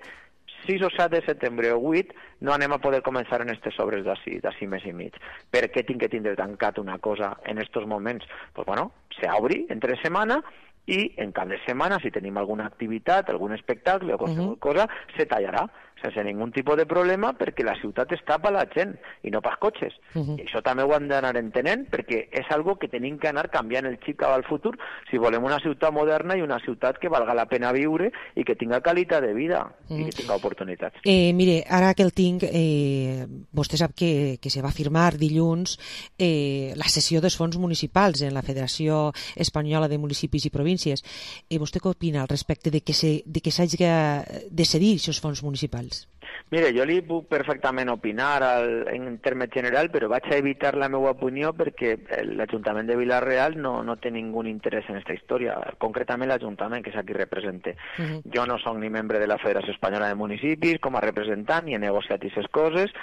6 o 7 de setembre o 8, no anem a poder començar en aquestes obres d'ací mes i mig. Per què tinc que tindre tancat una cosa en aquests moments? Pues bueno, se obri entre setmana, i en cap de setmana, si tenim alguna activitat, algun espectacle o qualsevol cosa, se tallarà sense ningun tipus de problema, perquè la ciutat està per la gent i no pels cotxes. I això també ho hem d'anar entenent, perquè és algo que tenim que anar canviant el xip cap al futur si volem una ciutat moderna i una ciutat que valga la pena viure i que tinga qualitat de vida i que tinga oportunitats. Mire, ara que el tinc, vostè sap que se va firmar dilluns la cessió dels fons municipals en la Federació Espanyola de Municipis i Províncies. Vostè què opina al respecte de que s'hagi de cedir aquests fons municipals? Mire, jo li puc perfectament opinar en termes general, però vaig a evitar la meva opinió perquè l'Ajuntament de Vila-real no té ningú interès en aquesta història, concretament l'Ajuntament, que és a qui represente. Jo no soc ni membre de la Federació Espanyola de Municipis com a representant, ni he negociat aquestes coses.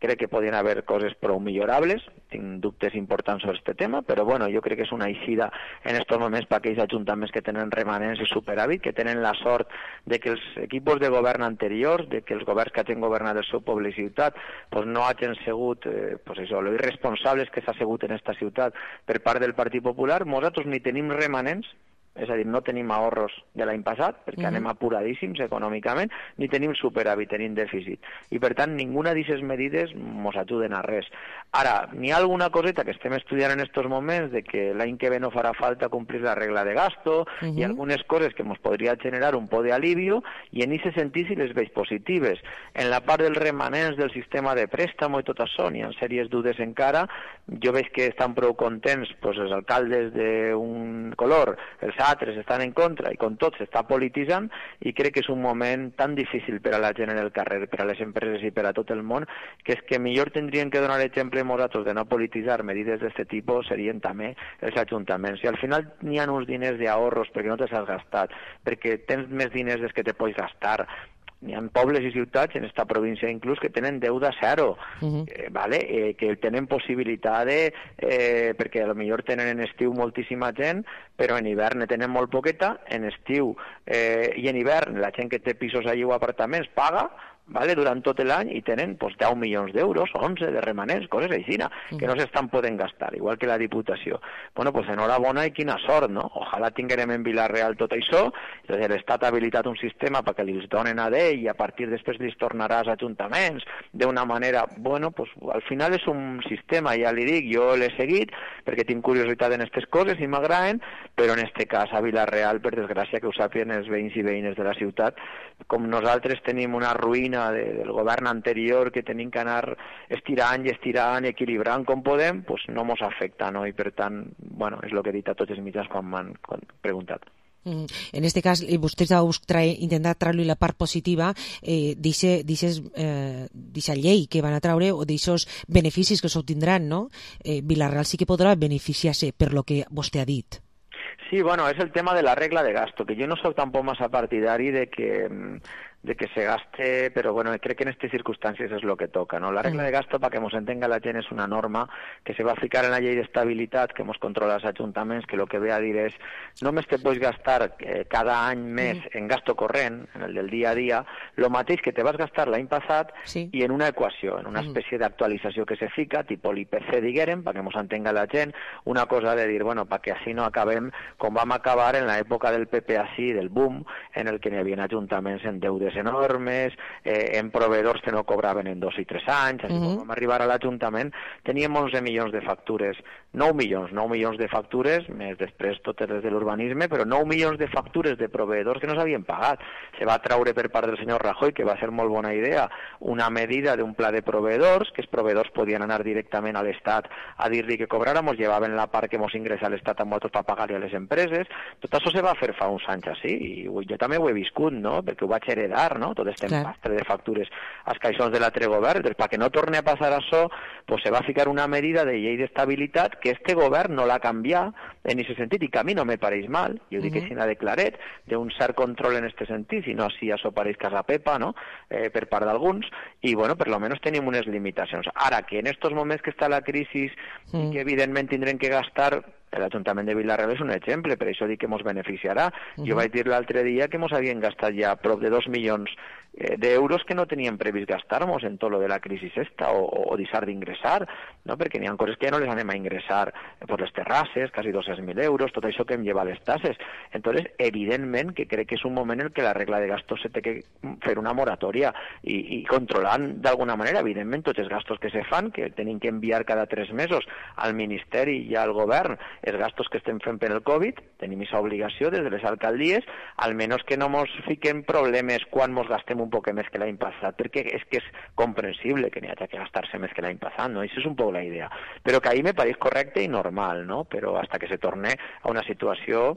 Crec que podien haver coses prou millorables, tinc dubtes importants sobre aquest tema, però bueno, jo crec que és una eixida en aquests moments per aquells ajuntaments que tenen remanents i superàvit, que tenen la sort de que els equips de govern anteriors, de que els governs que hagin governat el seu poble i ciutat, pues no hagin sigut lo irresponsables que s'ha sigut en aquesta ciutat per part del Partit Popular. Nosaltres ni tenim remanents, és a dir, no tenim ahorros de l'any passat, perquè anem apuradíssims econòmicament, ni tenim superàvit, tenim dèficit. I, per tant, ninguna d'aquestes medides ens ajuden a res. Ara, n'hi ha alguna coseta que estem estudiant en aquests moments, de que l'any que ve no farà falta complir la regla de gasto, i algunes coses que ens podria generar un poc d'alivio, i en aquest sentit si les veig positives. En la part dels remanents del sistema de préstamo i tot això, n'hi ha sèries dudes encara. Jo veig que estan prou contents els alcaldes d'un color, els altres estan en contra i com tot s'està polititzant, i crec que és un moment tan difícil per a la gent en el carrer, per a les empreses i per a tot el món, que és que millor tindrien que donar exemple nosaltres de no polititzar medides d'aquest tipus serien també els ajuntaments. I al final n'hi ha uns diners d'ahorros perquè no te s'has gastat, perquè tens més diners dels que te pots gastar, N'hi ha pobles i ciutats en esta província inclús que tenen deuda zero, que tenen possibilitat perquè potser tenen en estiu moltíssima gent, però en hivern ne tenen molt poqueta, en estiu i en hivern la gent que té pisos allí o apartaments paga, durant tot l'any, i tenen 10 milions d'euros, 11 de remanents, coses així, que no s'estan podent gastar, igual que la Diputació. Bueno, pues enhorabona i quina sort, no? Ojalà tinguem en Vila-real tot això, l'Estat ha habilitat un sistema perquè li donen a d'ell i a partir després li tornarà als ajuntaments d'una manera, bueno, pues al final és un sistema, ja li dic, jo l'he seguit perquè tinc curiositat en aquestes coses i m'agraden, però en este cas a Vila-real, per desgràcia, que ho sàpiguen els veïns i veïnes de la ciutat, com nosaltres tenim una ruïna del govern anterior que tenim que anar estirant i equilibrant com podem, doncs no mos afecta, no? I per tant, bueno, és el que he dit a tots els mitjans quan m'han preguntat. En este cas, vostès heu intentat treure la part positiva d'aquesta llei que van a treure o d'aquests beneficis que s'obtindran, no? Vila-real sí que podrà beneficiar-se per lo que vostè ha dit. Sí, bueno, es el tema de la regla de gasto, que yo no soy tampoco más partidario de que se gaste, pero bueno, creo que en estas circunstancias es lo que toca, ¿no? La regla de gasto, para que nos entenga la gent, es una norma que se va a ficar en la ley de estabilidad que hemos controlado los ayuntamientos, que lo que ve a dir es, només te puedes gastar cada any més en gasto corrent, en el del dia a dia, lo mateix que te vas gastar l'any passat i en una equació, en una espècie d'actualització que se fica, tipo l'IPC, diguérem, perquè ens entenga la gent, una cosa de dir, bueno, perquè així no acabem com vam acabar en l'època del PP així, del boom, en el que hi havia ajuntaments en deudes enormes, en proveedors que no cobraven en 2 i 3 anys, així quan vam arribar a l'Ajuntament teníem 11 milions de factures, 9 milions de factures, més després totes les de l'urbanisme, però 9 milions de factures de proveedors que no s'havien pagat. Se va traure per part del senyor Rajoy, que va ser molt bona idea, una medida d'un pla de proveedors, que els proveedors podien anar directament a l'Estat a dir-li que cobráramos, llevaven la part que mos ingressa a l'Estat amb nosaltres per pagar-li a les empreses. Tot això se va fer fa uns anys així, i jo també ho he viscut, no?, perquè ho vaig heredar, no?, tot este empastre de factures als caixons de l'altre govern. Doncs perquè no torni a passar això, pues se va ficar una medida de llei d'estabilitat que este govern no l'ha canviat en aquest sentit, i que a mi no me pareix mal, jo dic així de claret, d'un cert control en aquest sentit, si no així això pareix casa pepa, no?, per part d'alguns, i bueno, per lo menos tenim unes limitacions. Ara, que en estos moments que està la crisi i que evidentment tindrem que gastar, l'Ajuntament de Vila-real és un exemple, per això dic que ens beneficiarà. Jo vaig dir l'altre dia que ens havien gastat ja prop de 2 milions d'euros que no teníem previst gastar-nos en tot lo de la crisi esta, o deixar d'ingressar, no? Perquè n'hi ha coses que ja no les anem a ingressar per les terrasses, quasi 200.000 euros, tot això que hem llevat les tasses. Entonces, evidentment que crec que és un moment en què la regla de gastos se té que fer una moratòria i controlant d'alguna manera, evidentment, tots els gastos que se fan, que tenim que enviar cada 3 mesos al Ministeri i al Govern els gastos que estem fent per el Covid, tenim aquesta obligació des de les alcaldies, almenys que no ens fiquem problemes quan ens gastem un poc més que l'any passat, perquè és que és comprensible que n'hi hagi que gastar-se més que l'any passat, no? Això és un poc la idea. Però que ahir me pareix correcte i normal, no? Però hasta que se torne a una situació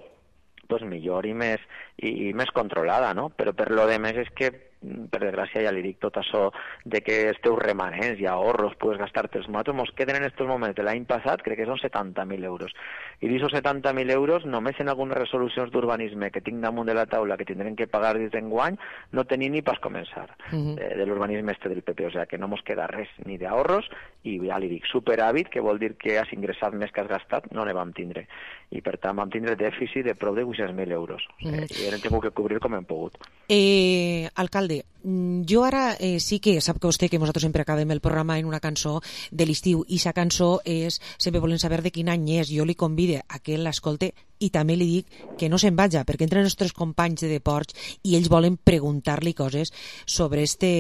pues millor i més controlada, no? Però per lo de més és que, per desgràcia, ja li dic tot això de que els teus remanents i ahorros puedes gastar-te'ls nosaltres, mos queden en estos moments de l'any passat, crec que són 70.000 euros. I d'aquests 70.000 euros, només en algunes resolucions d'urbanisme que tinc damunt de la taula que tindrem que pagar des d'enguany, no tenim ni pas començar de l'urbanisme este del PP, o sigui que no mos queda res ni d'ahorros, i ja li dic, superàvit, que vol dir que has ingressat més que has gastat, no ne vam tindre. I per tant vam tindre dèficit de prop de 800.000 euros. I hem tingut que cobrir com hem pogut. Alcalde, jo ara sí que sap que vostè que nosaltres sempre acabem el programa en una cançó de l'estiu, i sa cançó és sempre volem saber de quin any és. Jo li convide a que l'escolte i també li dic que no se'n vagi, perquè entren els nostres companys de Deports i ells volen preguntar-li coses sobre este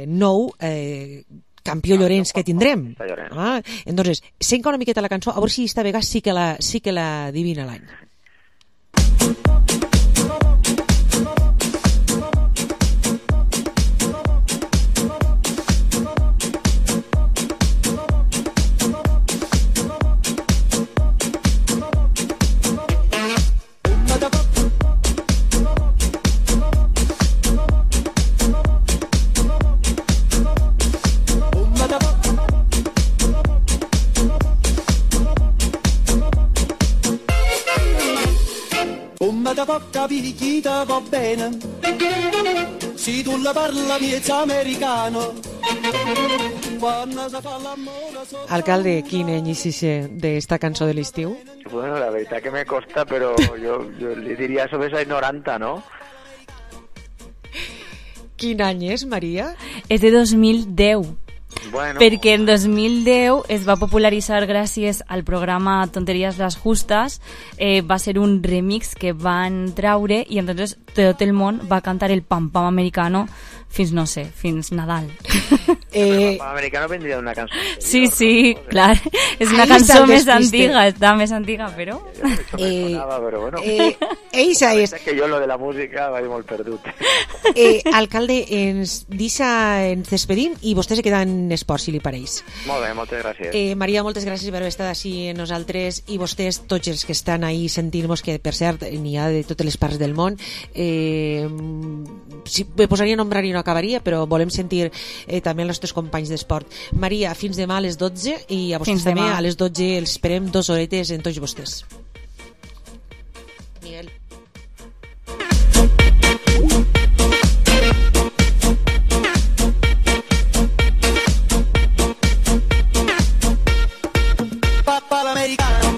nou campió Llorenç que tindrem. Entonces, senca una miqueta la cançó, a veure si esta vegada sí que la adivina l'any. te può capire chi te va bene. Si tu la parla miezza americano. Alcalde, quin any hiciste d'esta cançó de l'estiu? Bueno, la veritat que me costa, però jo li diria sobre els 90, no? Quin any és, Maria? És de 2010. Bueno. Perquè en 2010 es va popularitzar gràcies al programa Tonterías las Justas, va ser un remix que van traure i entonces tot el món va cantar el Pam Pam americano fins, no sé, fins Nadal. El Pam americano vendria d'una cançó. Sí, clar. És una cançó més antiga, està més antiga, però... Però bueno, eixa és... que jo lo de la música vaig molt perdut. Alcalde, ens despedim i vostè se queda en esport, si li pareix. Molt bé, moltes gràcies. Maria, moltes gràcies per haver estat així amb nosaltres i vostès, tots els que estan ahí sentint-nos, que per cert n'hi ha de totes les parts del món. Si me posaria a nombrar i no acabaria, però volem sentir també els nostres companys d'esport. Maria, fins demà a les 12 i a vostès també a les 12 els esperem 2 horetes en tots vostès. Miguel. Papa l'americano.